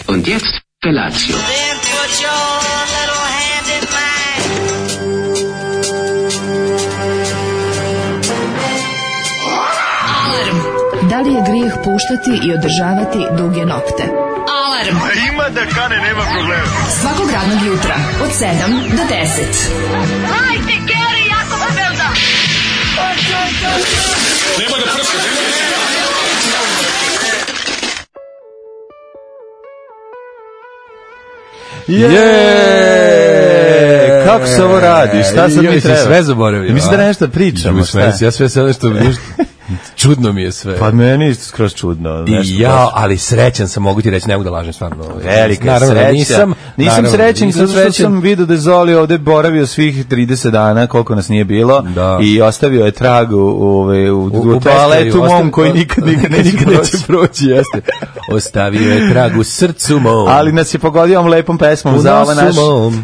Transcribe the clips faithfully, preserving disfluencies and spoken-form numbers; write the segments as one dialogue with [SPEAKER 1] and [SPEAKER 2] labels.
[SPEAKER 1] Und jetzt Felatio.
[SPEAKER 2] Then put your little hand in mine.
[SPEAKER 3] Alarm. Da li je grijeh puštati i održavati duge nokte? Alarm.
[SPEAKER 4] Ima da kane, nema problema.
[SPEAKER 3] Svakog radnog jutra od sedam do deset.
[SPEAKER 2] Hajde, Geri, jako se velda.
[SPEAKER 4] Nema da prska, nema da prska.
[SPEAKER 5] Je, kako se ovo radi? Šta sad mi treba?
[SPEAKER 6] Sve zaboravio.
[SPEAKER 5] Mislim da nešto pričamo.
[SPEAKER 6] Ja sve sve nešto čudno mi je sve.
[SPEAKER 5] Pa meni isto skroz čudno.
[SPEAKER 6] I ja, ali srećan sam, mogu ti reći, ne mogu da lažem stvarno.
[SPEAKER 5] Velika
[SPEAKER 6] naravno,
[SPEAKER 5] sreća.
[SPEAKER 6] Nisam,
[SPEAKER 5] nisam
[SPEAKER 6] naravno,
[SPEAKER 5] srećan,
[SPEAKER 6] nisam
[SPEAKER 5] zato što sam vidio da je Zoli ovde boravio svih trideset dana, koliko nas nije bilo,
[SPEAKER 6] da.
[SPEAKER 5] I ostavio je trag u, u, u, u, u toaletu mom ostavi, koji nikad, nikad neće,
[SPEAKER 6] nikad
[SPEAKER 5] proći.
[SPEAKER 6] neće proći. Jeste. Ostavio je trag u srcu mom.
[SPEAKER 5] Ali nas je pogodio ovom lepom pesmom za ovo naš,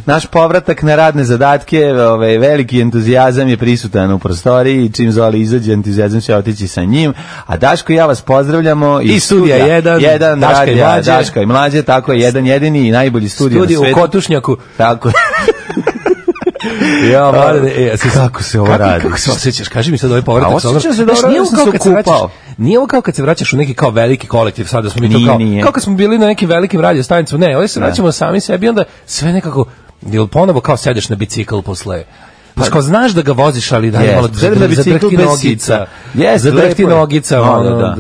[SPEAKER 5] naš povratak na radne zadatke. Ovaj, veliki entuzijazam je prisutan u prostoriji i čim Zoli izađe, entuzijazam će otići sa njim. A Daško i ja vas pozdravljamo
[SPEAKER 6] i studija jedan,
[SPEAKER 5] jedan
[SPEAKER 6] Daška,
[SPEAKER 5] radija,
[SPEAKER 6] i mlađe.
[SPEAKER 5] Daška i mlađe, tako je, jedan jedini i najbolji studio
[SPEAKER 6] Studio
[SPEAKER 5] na svetu.
[SPEAKER 6] U Kotušnjaku.
[SPEAKER 5] Tako je.
[SPEAKER 6] Ja, mlade, e, se,
[SPEAKER 5] kako se ovo
[SPEAKER 6] kako,
[SPEAKER 5] radi?
[SPEAKER 6] Kako se osjećaš? Kaži mi sad ovaj povratak.
[SPEAKER 5] A osjećam se dobro,
[SPEAKER 6] nije
[SPEAKER 5] ja sam
[SPEAKER 6] kao
[SPEAKER 5] se
[SPEAKER 6] kad se vraćaš,
[SPEAKER 5] okupao.
[SPEAKER 6] nije ovo kao kad se vraćaš u neki kao veliki kolektiv, sad da smo mi to
[SPEAKER 5] Nije,
[SPEAKER 6] kao,
[SPEAKER 5] nije.
[SPEAKER 6] kao kad smo bili na nekim velikim radio stanicama, ne, ovdje se vraćamo sami sebi i onda sve nekako, jel ponovo kao sedeš na bicikl posle. Znaš, kao znaš da ga voziš, ali da je malo zadrhti nogica. Zadrhti nogica, ono,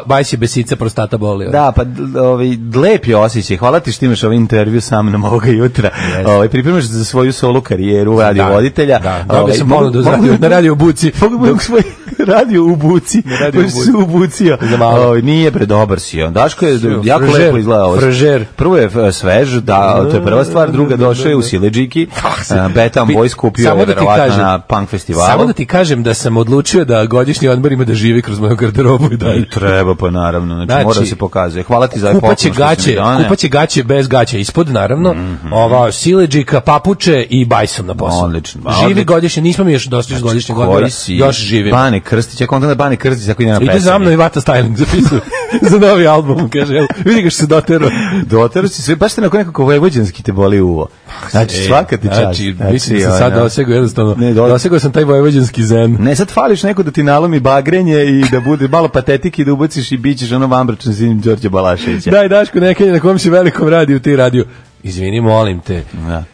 [SPEAKER 6] bajs je besica, prostata boli.
[SPEAKER 5] Da, pa ovaj, lep je osjećaj. Hvala ti što imaš ovaj intervju sa mnom ovoga jutra. Ovaj, pripremaš za svoju solo karijeru radio voditelja.
[SPEAKER 6] Da, dobio sam ponudu na radio u Buci.
[SPEAKER 5] Dok svoj radio u Buci. Baš se u Bucio. Nije predobar si on. Daško je jako lepo izgledao.
[SPEAKER 6] Fražer.
[SPEAKER 5] Prvo je svež, da, to je prva stvar. Druga, došao je u Siledžiki. Betam Boys kupio je verovatno na punk festivalu.
[SPEAKER 6] Samo da ti kažem da sam odlučio da godišnji odmor ima da živi kroz moju garderobu i dalje.
[SPEAKER 5] I treba, pa naravno, znači, znači mora se pokazuje. Hvala ti za ovaj poklon što
[SPEAKER 6] gaće,
[SPEAKER 5] si mi doneo.
[SPEAKER 6] kupaće gaće bez gaća ispod, naravno, mm -hmm. ova siledžika, papuče i bajsom na poslu.
[SPEAKER 5] Odlično.
[SPEAKER 6] Živi odlično. Godišnje, nismo mi još došli iz godišnjeg odmora, još živim.
[SPEAKER 5] Bane Krstić, ja kontam da Bane Krstić ako ide na pesanje.
[SPEAKER 6] Ide za mnom i Vata Styling zapisuje za novi album, kaže, evo, vidi ga što se dotero.
[SPEAKER 5] Dotero si sve, baš te nakon nekako vojvođanski te boli uvo. Znači, svaka ti čast.
[SPEAKER 6] Znači, mislim da sam sad dosegao jednostavno, dosegao sam taj vojvođanski zen.
[SPEAKER 5] Ne, sad fališ neko da ti nalomi bagrenje i da bude malo patetike i da ubaciš i bićeš ono vambračan sin Đorđe Balaševića.
[SPEAKER 6] Daj, Daško, nekaj na kom si velikom radiju, ti radio. Izvini, molim te.
[SPEAKER 5] Da.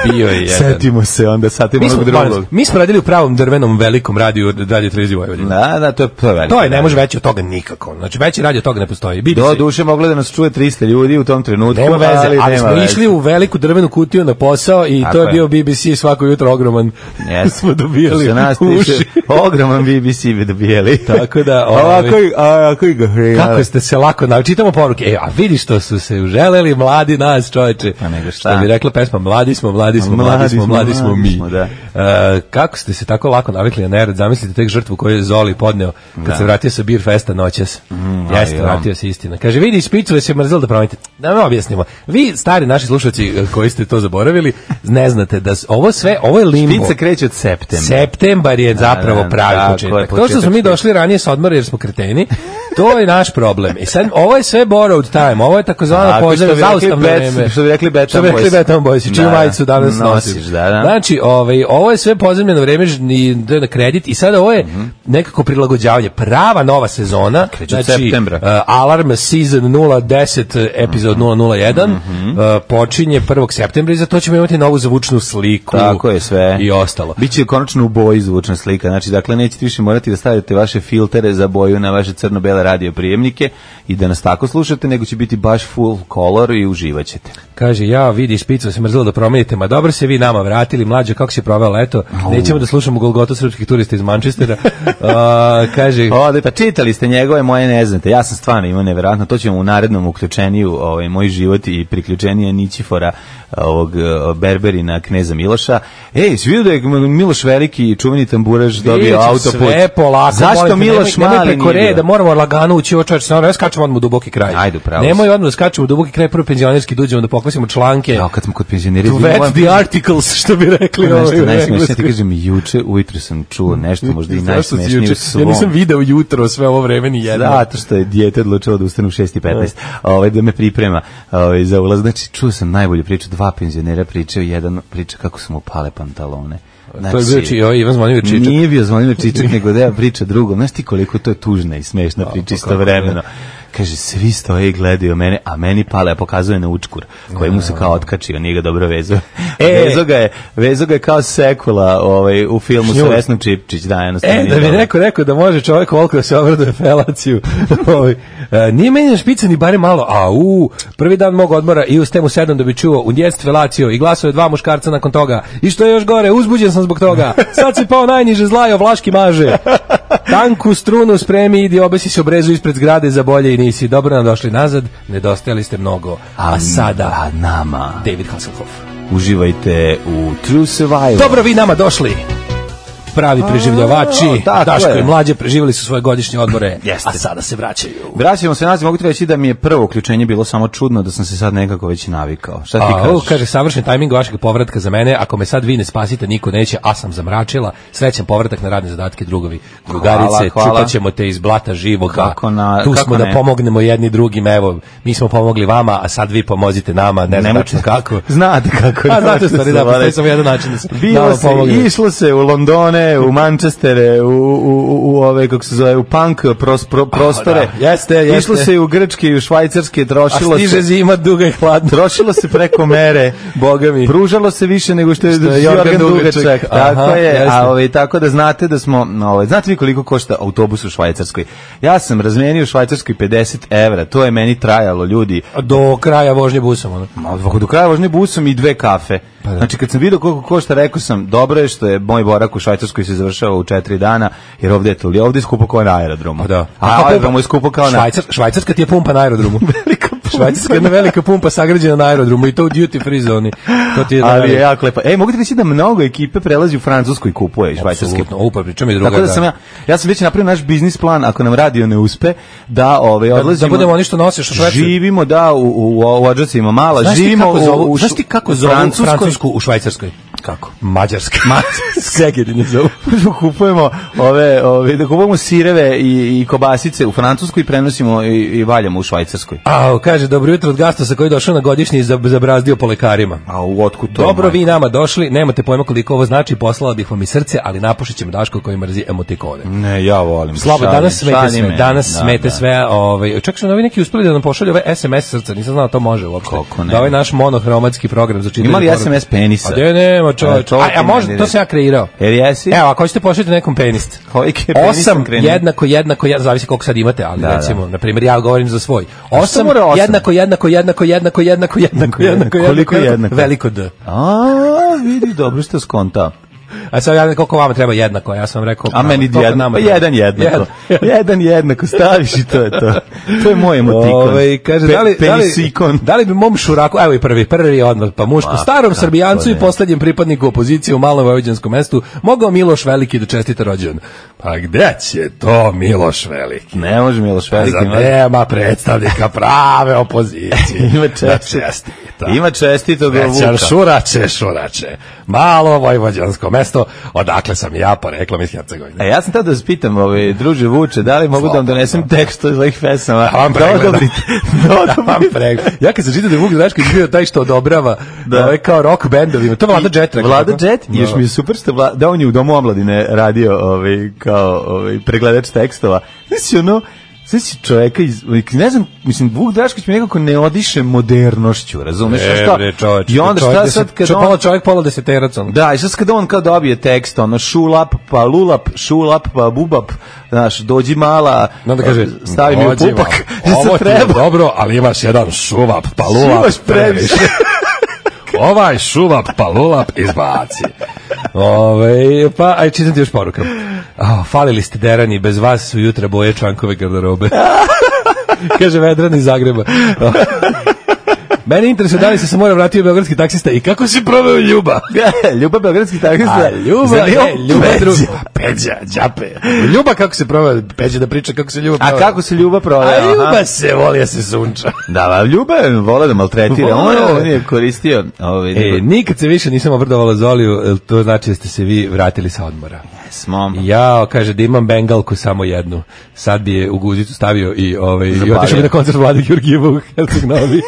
[SPEAKER 6] Bio je jedan.
[SPEAKER 5] Setimo se onda satimo onog drugog.
[SPEAKER 6] Mi smo radili u pravom drvenom velikom radiju Radio Televizije Vojvodine.
[SPEAKER 5] Da, da, to je, to je veliko.
[SPEAKER 6] To je, ne može veće od toga nikako. Znači, veći radio od toga ne postoji. B B C.
[SPEAKER 5] Do duše moglo da nas čuje trista ljudi u tom trenutku.
[SPEAKER 6] Nema veze, ali, ali
[SPEAKER 5] nema
[SPEAKER 6] smo
[SPEAKER 5] veze.
[SPEAKER 6] Išli u veliku drvenu kutiju na posao i tako to je, je bio B B C svako jutro ogroman.
[SPEAKER 5] Yes.
[SPEAKER 6] Smo dobijali
[SPEAKER 5] za nas
[SPEAKER 6] uši.
[SPEAKER 5] Ogroman B B C bi dobijali.
[SPEAKER 6] Tako da...
[SPEAKER 5] Ovako i, ovako i ga
[SPEAKER 6] kako ste se lako naučili. Čitamo poruke. E, a vidi što su se uželeli mladi nas, čoveče.
[SPEAKER 5] Pa nego šta.
[SPEAKER 6] Što bi rekla pesma, mladi smo, mladi smo, mladi, mladi smo, mladi smo mi.
[SPEAKER 5] Da.
[SPEAKER 6] Uh, kako ste se tako lako navikli na nered? Zamislite tek žrtvu koju je Zoli podneo kad da. se vratio sa Beer Festa noćas. Mm, Jeste, aj, vratio se istina. Kaže, vidi, špicove se mrzelo da promenite. Da me objasnimo. Vi, stari naši slušalci koji ste to zaboravili, ne znate da ovo sve, ovo je limbo.
[SPEAKER 5] Špica kreće od septembra.
[SPEAKER 6] Septembar je zapravo da, da, pravi da, početak. To što smo mi došli ranije sa odmora jer smo kreteni, to je naš problem. I sad, ovo je sve borrowed time, ovo je takozvano pozdrav zaustavno vreme.
[SPEAKER 5] Što bi rekli Betam Boys.
[SPEAKER 6] Što bi rekli Betam Boys, čiju majicu danas nosiš.
[SPEAKER 5] Da, da.
[SPEAKER 6] Znači, ovaj, ovo je sve pozemljeno vreme i na kredit i sada ovo je mm-hmm. nekako prilagođavanje. Prava nova sezona,
[SPEAKER 5] kreće
[SPEAKER 6] znači
[SPEAKER 5] septembra.
[SPEAKER 6] Uh, Alarm season nula deset epizod nula nula jedan mm-hmm. uh, počinje prvog septembra i za to ćemo imati novu zvučnu sliku.
[SPEAKER 5] Tako je sve.
[SPEAKER 6] I ostalo.
[SPEAKER 5] Biće konačno u boji zvučna slika. Znači, dakle, nećete više morati da stavite vaše filtere za boju na vaše crno-bele radio prijemnike i da nas tako slušate, nego će biti baš full color i uživaćete.
[SPEAKER 6] Kaže, ja vidi špicu se mrzelo da promenite, ma dobro se vi nama vratili, mlađe, kako se proveo leto, nećemo da slušamo Golgotu srpskih turista iz Manchestera. uh, kaže...
[SPEAKER 5] O, pa čitali ste njegove, moje ne znate, ja sam stvarno imao nevjerojatno, to ćemo u narednom uključeniju, ovaj, moj život i priključenije Nićifora, ovog Berberina Kneza Miloša. Ej, si vidio da je Miloš Veliki, čuveni tamburaž, dobio autoput?
[SPEAKER 6] Sve polako.
[SPEAKER 5] Zašto Miloš
[SPEAKER 6] nemoj,
[SPEAKER 5] Mali
[SPEAKER 6] nemoj preko reda, moramo lagano ući ovo čovječ, ne skačemo odmah u duboki kraj.
[SPEAKER 5] Ajde, pravo.
[SPEAKER 6] Nemoj odmah da skačemo u duboki kraj, prvo penzionerski dođemo da pokvasimo članke.
[SPEAKER 5] Ja, kad smo kod penzioneri...
[SPEAKER 6] To vet the articles, što bi rekli.
[SPEAKER 5] Nešto najsmešnije, ti kažem, juče ujutro sam čuo nešto, možda i najsmešnije u svom.
[SPEAKER 6] Ja nisam video jutro sve ovo vreme ni jedno.
[SPEAKER 5] Zato što je dijete odlučilo da ustane u šest i petnaest, ovaj, da me pripremi priprema ovaj, za ulaz. Znači, čuo sam najbolju priču, dva penzionera pričaju, jedan priča kako su mu pale pantalone. Znači,
[SPEAKER 6] to je bio či, o, Ivan Zvonimir Čičak.
[SPEAKER 5] Nije bio Zvonimir Čičak, nego da ja priča drugom. Znaš ti koliko to je tužna i smešna priča istovremeno. Kaže, svi stoje i gledaju mene, a meni pale, a pokazuje na učkur, koji mu se kao otkačio, nije ga dobro vezao. E, vezo ga je, vezo ga je kao sekula ovaj, u filmu sa Vesnom Čipčić, da, jednostavno.
[SPEAKER 6] E, da bi neko rekao da može čovjek volko da se obraduje felaciju. ovaj, e, nije meni na špica ni bare malo, a u, prvi dan mog odmora i u stemu sedam da bi čuo u njest felaciju i glasove dva muškarca nakon toga. I što je još gore, uzbuđen sam zbog toga. Sad si pao najniže zlajo, vlaški maže. Tanku strunu spremi, idi obesi se obrezu ispred zgrade za bolje i nisi. Dobro nam došli nazad, nedostajali ste mnogo. A, a sada,
[SPEAKER 5] a nama,
[SPEAKER 6] David Hasselhoff.
[SPEAKER 5] Uživajte u True Survival.
[SPEAKER 6] Dobro vi nama došli. Pravi preživljavači,
[SPEAKER 5] A,
[SPEAKER 6] Daško i mlađe preživjeli su svoje godišnje odmore,
[SPEAKER 5] Jeste.
[SPEAKER 6] a sada se vraćaju.
[SPEAKER 5] Vraćamo se nazad, mogu ti reći da mi je prvo uključenje bilo samo čudno, da sam se sad nekako već navikao. Šta ti
[SPEAKER 6] a,
[SPEAKER 5] kažeš?
[SPEAKER 6] O, kaže, savršen tajming vašeg povratka za mene, ako me sad vi ne spasite, niko neće, a sam zamračila. Srećan povratak na radne zadatke, drugovi. Drugarice,
[SPEAKER 5] Hvala, hvala.
[SPEAKER 6] čupat ćemo te iz blata živoga.
[SPEAKER 5] Kako na-
[SPEAKER 6] tu
[SPEAKER 5] kako
[SPEAKER 6] smo
[SPEAKER 5] ne?
[SPEAKER 6] da pomognemo jedni drugim, evo, mi smo pomogli vama, a sad vi pomozite nama, ne znam tačno kako.
[SPEAKER 5] Znate kako.
[SPEAKER 6] A, znate stvari, da, postoji samo jedan način da se
[SPEAKER 5] Bilo
[SPEAKER 6] nama
[SPEAKER 5] se,
[SPEAKER 6] pomogne.
[SPEAKER 5] išlo se u Londone, u Manchester, u, u, u, u ove, kako se zove, u punk pros, pro, prostore.
[SPEAKER 6] da, jeste, jeste.
[SPEAKER 5] Išlo se i u Grčke i u Švajcarske,
[SPEAKER 6] A
[SPEAKER 5] trošilo
[SPEAKER 6] stiže
[SPEAKER 5] se,
[SPEAKER 6] zima duga i hladna.
[SPEAKER 5] trošilo se preko mere.
[SPEAKER 6] Boga mi.
[SPEAKER 5] Pružalo se više nego što je,
[SPEAKER 6] Što je
[SPEAKER 5] Jorgan
[SPEAKER 6] Jorgan
[SPEAKER 5] Dugačak.
[SPEAKER 6] Dugačak.
[SPEAKER 5] Tako
[SPEAKER 6] Aha,
[SPEAKER 5] je,
[SPEAKER 6] jeste.
[SPEAKER 5] a ovaj, tako da znate da smo, ovaj, znate vi koliko košta autobus u Švajcarskoj? Ja sam razmenio u Švajcarskoj pedeset evra, to je meni trajalo, ljudi.
[SPEAKER 6] Do kraja vožnje busom, ono.
[SPEAKER 5] Ma, do kraja vožnje busom i dve kafe.
[SPEAKER 6] Pa da.
[SPEAKER 5] Znači, kad sam vidio koliko košta, rekao sam, dobro je što je moj borak u Švajcarskoj se završava u četiri dana, jer ovdje je to, ovdje je skupo kao na aerodromu.
[SPEAKER 6] Pa da.
[SPEAKER 5] A aerodromu je skupo kao na...
[SPEAKER 6] Švajcar, švajcarska ti je pumpa na aerodromu.
[SPEAKER 5] Velika pumpa.
[SPEAKER 6] Švajcarska je jedna velika pumpa sagrađena na aerodromu i to u duty free zoni. To ti je
[SPEAKER 5] Ali
[SPEAKER 6] da-
[SPEAKER 5] je jako lepo. E, mogu ti reći da mnogo ekipe prelazi u Francusku i kupuje švajcarske.
[SPEAKER 6] Apsolutno, upa, pričam i druga.
[SPEAKER 5] Tako da sam ja, ja sam već napravio naš biznis plan, ako nam radio ne uspe, da ovaj, odlazimo...
[SPEAKER 6] Da budemo oni što nosiš u Švajcarsku.
[SPEAKER 5] Živimo, da, u, u, u Odžacima mala,
[SPEAKER 6] Znaš ti
[SPEAKER 5] živimo
[SPEAKER 6] kako zovu,
[SPEAKER 5] u, u,
[SPEAKER 6] znaš ti kako
[SPEAKER 5] u
[SPEAKER 6] zovu
[SPEAKER 5] Francuskoj.
[SPEAKER 6] Francusku u Švajcarskoj?
[SPEAKER 5] Kako?
[SPEAKER 6] Mađarska. Segedin je zovu.
[SPEAKER 5] kupujemo ove, ove, da kupujemo sireve i, i kobasice u Francusku i prenosimo i, i valjamo u Švajcarskoj.
[SPEAKER 6] A, kaže, dobro jutro od Gastosa koji je došao na godišnji i zab- zabrazdio po lekarima.
[SPEAKER 5] A u otkud to?
[SPEAKER 6] Dobro,
[SPEAKER 5] majko?
[SPEAKER 6] vi nama došli, nemate pojma koliko ovo znači, poslala bih vam i srce, ali napušit ćemo Daško koji mrzi emotikone.
[SPEAKER 5] Ne, ja volim.
[SPEAKER 6] Slabo,
[SPEAKER 5] šalim,
[SPEAKER 6] danas smete
[SPEAKER 5] šalim
[SPEAKER 6] sve,
[SPEAKER 5] me.
[SPEAKER 6] danas
[SPEAKER 5] Da,
[SPEAKER 6] smete
[SPEAKER 5] da.
[SPEAKER 6] sve, ovaj, čak su novi neki uspeli da nam pošalju ove es em es srca, nisam znao da to može uopšte.
[SPEAKER 5] Kako ne?
[SPEAKER 6] Da ovaj naš monohromatski program za čitanje.
[SPEAKER 5] Ima li
[SPEAKER 6] poruka.
[SPEAKER 5] es em es penisa?
[SPEAKER 6] A gde nema
[SPEAKER 5] E,
[SPEAKER 6] čovječ.
[SPEAKER 5] to
[SPEAKER 6] A,
[SPEAKER 5] ti
[SPEAKER 6] a
[SPEAKER 5] meni
[SPEAKER 6] možda, to
[SPEAKER 5] reći.
[SPEAKER 6] sam ja kreirao.
[SPEAKER 5] Jer jesi?
[SPEAKER 6] Evo, ako hoćete pošaljiti nekom penist.
[SPEAKER 5] Koliki je penis
[SPEAKER 6] Osam
[SPEAKER 5] sam krenuo?
[SPEAKER 6] jednako, jednako, jednako, zavisi koliko sad imate, ali
[SPEAKER 5] Da,
[SPEAKER 6] recimo,
[SPEAKER 5] da.
[SPEAKER 6] na primjer, ja govorim za svoj. Osam,
[SPEAKER 5] mora osam?
[SPEAKER 6] jednako, jednako, jednako, jednako, jednako, jednako, jednako,
[SPEAKER 5] Koliko jednako?
[SPEAKER 6] veliko D.
[SPEAKER 5] A, vidi, dobro što skontao.
[SPEAKER 6] A sad ja ne znam koliko vama treba jednako, ja sam vam rekao...
[SPEAKER 5] A meni
[SPEAKER 6] koliko
[SPEAKER 5] jednako,
[SPEAKER 6] nama
[SPEAKER 5] pa
[SPEAKER 6] treba.
[SPEAKER 5] jedan jednako.
[SPEAKER 6] Jedan.
[SPEAKER 5] Jedan jednako, staviš i to je to. To je moj emotikon.
[SPEAKER 6] Ove, kaže,
[SPEAKER 5] Pe-
[SPEAKER 6] da, li, da, li,
[SPEAKER 5] penisikon.
[SPEAKER 6] da li bi mom šuraku, evo i prvi, prvi odmah, pa muško,
[SPEAKER 5] Ma,
[SPEAKER 6] starom
[SPEAKER 5] kako
[SPEAKER 6] Srbijancu i
[SPEAKER 5] ne.
[SPEAKER 6] poslednjem pripadniku opozicije u malom vojvođanskom mestu, mogao Miloš Veliki da čestita rođendan. Pa gde će to Miloš Veliki?
[SPEAKER 5] Ne može Miloš Veliki.
[SPEAKER 6] Za
[SPEAKER 5] ima-
[SPEAKER 6] nema predstavnika prave opozicije.
[SPEAKER 5] Ima
[SPEAKER 6] Da
[SPEAKER 5] čestito.
[SPEAKER 6] čestita.
[SPEAKER 5] Ima čestito ga
[SPEAKER 6] Većar
[SPEAKER 5] Vuka.
[SPEAKER 6] šurače, šurače. Malo vojvođansko mesto, odakle sam ja poreklom iz Hercegovine.
[SPEAKER 5] E, ja sam tada da vas pitam, ovaj, druže Vuče, da li mogu da vam donesem tekst od ovih pesama?
[SPEAKER 6] Da vam
[SPEAKER 5] Da
[SPEAKER 6] pregledam.
[SPEAKER 5] odobrite. Da
[SPEAKER 6] Da vam
[SPEAKER 5] odobrite.
[SPEAKER 6] pre- Ja kad sam čitao da je Vuk Drašković bio taj što odobrava
[SPEAKER 5] Da.
[SPEAKER 6] ovaj kao rock bendovima, to Vlada Jet rekao.
[SPEAKER 5] Vlada
[SPEAKER 6] tako?
[SPEAKER 5] Jet, još mi je super što Vla, da on je u Domu omladine radio ovaj, kao ovaj, pregledač tekstova. Znači ono, znači čoveka iz, ne znam, mislim, Vuk Drašković mi nekako ne odiše modernošću, razumeš?
[SPEAKER 6] E,
[SPEAKER 5] šta?
[SPEAKER 6] bre, čoveč,
[SPEAKER 5] I onda
[SPEAKER 6] čovjek
[SPEAKER 5] šta
[SPEAKER 6] deset-
[SPEAKER 5] sad kad
[SPEAKER 6] čo-
[SPEAKER 5] on...
[SPEAKER 6] pola čovjek, pola deseterac, ono.
[SPEAKER 5] Da, i sad kad on kao dobije tekst, ono, šulap, pa lulap, šulap, pa bubap, znaš, dođi mala,
[SPEAKER 6] Onda kaže,
[SPEAKER 5] stavi mi u
[SPEAKER 6] "Dođi
[SPEAKER 5] pupak,
[SPEAKER 6] malo, ovo
[SPEAKER 5] se
[SPEAKER 6] ti je
[SPEAKER 5] treba.
[SPEAKER 6] dobro, ali imaš jedan šuvap, pa lulap
[SPEAKER 5] Šivaš previše.
[SPEAKER 6] Ovaj šuvap, pa lulap izbaci. Ove, pa, aj čitam ti još poruka. Oh, falili ste derani, bez vas su jutra boje čvankove garderobe. Kaže Vedran iz Zagreba. Mene interesuje da li se se mora vratio beogradski taksista i kako se proveo Ljuba.
[SPEAKER 5] Ljuba beogradski taksista.
[SPEAKER 6] A, Ljuba, ne, Ljuba druga. Peđa, đape. Ljuba kako se proveo, Peđa da priča kako se Ljuba proveo.
[SPEAKER 5] A kako se Ljuba proveo?
[SPEAKER 6] A Ljuba se voli da se sunča.
[SPEAKER 5] Da, a Ljuba je vola da maltretira. On, on je koristio... Ovaj,
[SPEAKER 6] e, nikad se više nisam obrdovala Zoliju, to znači da ste se vi vratili sa odmora.
[SPEAKER 5] Smo.
[SPEAKER 6] Ja, kaže da imam bengalku samo jednu. Sad bi je u guzicu stavio i ovaj i otišao bi na koncert Vlade Georgijeva u Helsinki Novi.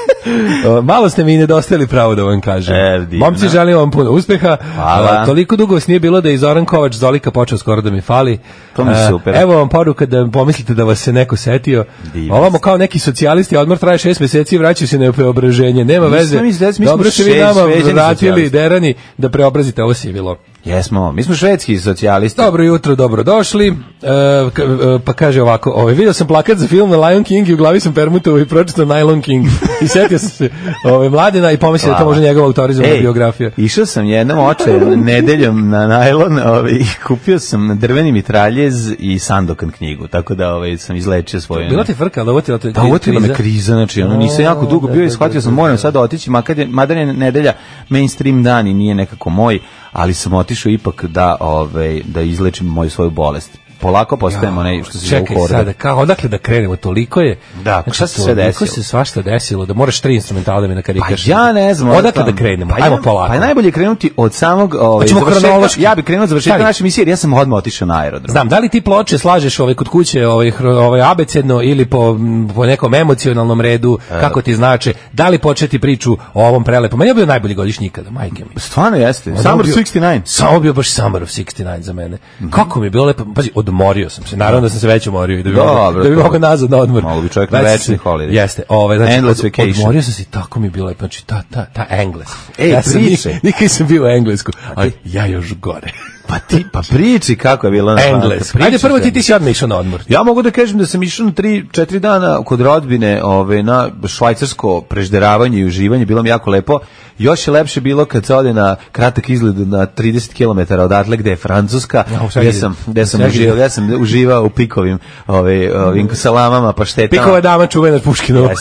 [SPEAKER 6] Malo ste mi nedostajali, pravo da vam kažem.
[SPEAKER 5] E,
[SPEAKER 6] Momci, želim vam puno uspeha.
[SPEAKER 5] Hvala.
[SPEAKER 6] Toliko dugo vas nije bilo da je Zoran Kovač Zolika počeo skoro da mi fali.
[SPEAKER 5] To mi super.
[SPEAKER 6] Evo vam poruka da pomislite da vas se neko setio. Ovamo kao neki socijalisti, odmor traje šest meseci i vraćaju se na preobraženje. Nema veze. Dobro ste vi nama vratili derani da preobrazite ovo sivilo.
[SPEAKER 5] Jesmo, mi smo švedski socijalisti.
[SPEAKER 6] Dobro jutro, dobro došli. E, pa kaže ovako, ovaj, vidio sam plakat za film na Lion King i u glavi sam permutovao i pročitao Nylon King. I setio sam se ovaj, Mladena i pomislio da to može njegova autorizovana biografija.
[SPEAKER 5] Išao sam jednom oče nedeljom na najlon ovaj, i kupio sam drveni mitraljez i Sandokan knjigu, tako da ovaj, sam izlečio svoje...
[SPEAKER 6] Bila ti frka, ali ovo ti je
[SPEAKER 5] kriza? Da, ovo ti je me kriza, znači ono, nisam jako dugo bio i shvatio sam, moram sad otići, makar je, madar je nedelja mainstream dan i nije nekako moj, ali sam otišao ipak da ovaj da izlečim moju svoju bolest. Polako postajemo onaj što se zove
[SPEAKER 6] Čekaj sada, kako odakle da krenemo, toliko je.
[SPEAKER 5] Da,
[SPEAKER 6] znači,
[SPEAKER 5] šta se sve desilo?
[SPEAKER 6] Toliko se svašta desilo da moraš tri instrumentala da mi nakarikaš.
[SPEAKER 5] Pa ja ne znam.
[SPEAKER 6] Odakle da krenemo?
[SPEAKER 5] Pa
[SPEAKER 6] ajmo polako.
[SPEAKER 5] Pa je najbolje krenuti od samog ovaj
[SPEAKER 6] završetka.
[SPEAKER 5] Ja bih krenuo od završetka naše emisije, jer ja sam odmah otišao na aerodrom.
[SPEAKER 6] Znam, da li ti ploče slažeš ovaj kod kuće, ovaj ovaj abecedno ili po po nekom emocionalnom redu, e. kako ti znače? Da li početi priču o ovom prelepom? Meni je bio najbolji godišnji ikada, majke mi.
[SPEAKER 5] Stvarno jeste. Summer šezdeset devet.
[SPEAKER 6] Samo bio baš Summer of šezdeset devet za mene. Mm-hmm. Kako mi je bilo lepo. Pazi, odmorio sam se. Naravno da sam se već umorio i da bi mogao da bi mogao nazad na odmor.
[SPEAKER 5] Mogu bi čovjek na večni holiday.
[SPEAKER 6] Jeste, ovaj znači
[SPEAKER 5] Endless
[SPEAKER 6] od, odmorio sam se i tako mi je bilo lepo. Znači ta ta ta Engles.
[SPEAKER 5] Ej,
[SPEAKER 6] ja sam
[SPEAKER 5] priče.
[SPEAKER 6] Nikad sam bio u Englesku, ali ja još gore.
[SPEAKER 5] Pa ti, pa priči kako je bilo na
[SPEAKER 6] Engleska. Ajde prvo ti ti si odmah išao na odmor.
[SPEAKER 5] Ja mogu da kažem da sam išao na tri četiri dana kod rodbine, ove na švajcarsko prežderavanje i uživanje, bilo mi jako lepo. Još je lepše bilo kad se ode na kratak izlet na trideset kilometara odatle gde je Francuska, ja, gde sam, gde sam uživao, ja sam uživao u pikovim, ove, ovim salamama, paštetama.
[SPEAKER 6] Pikova dama čuvena Puškinova.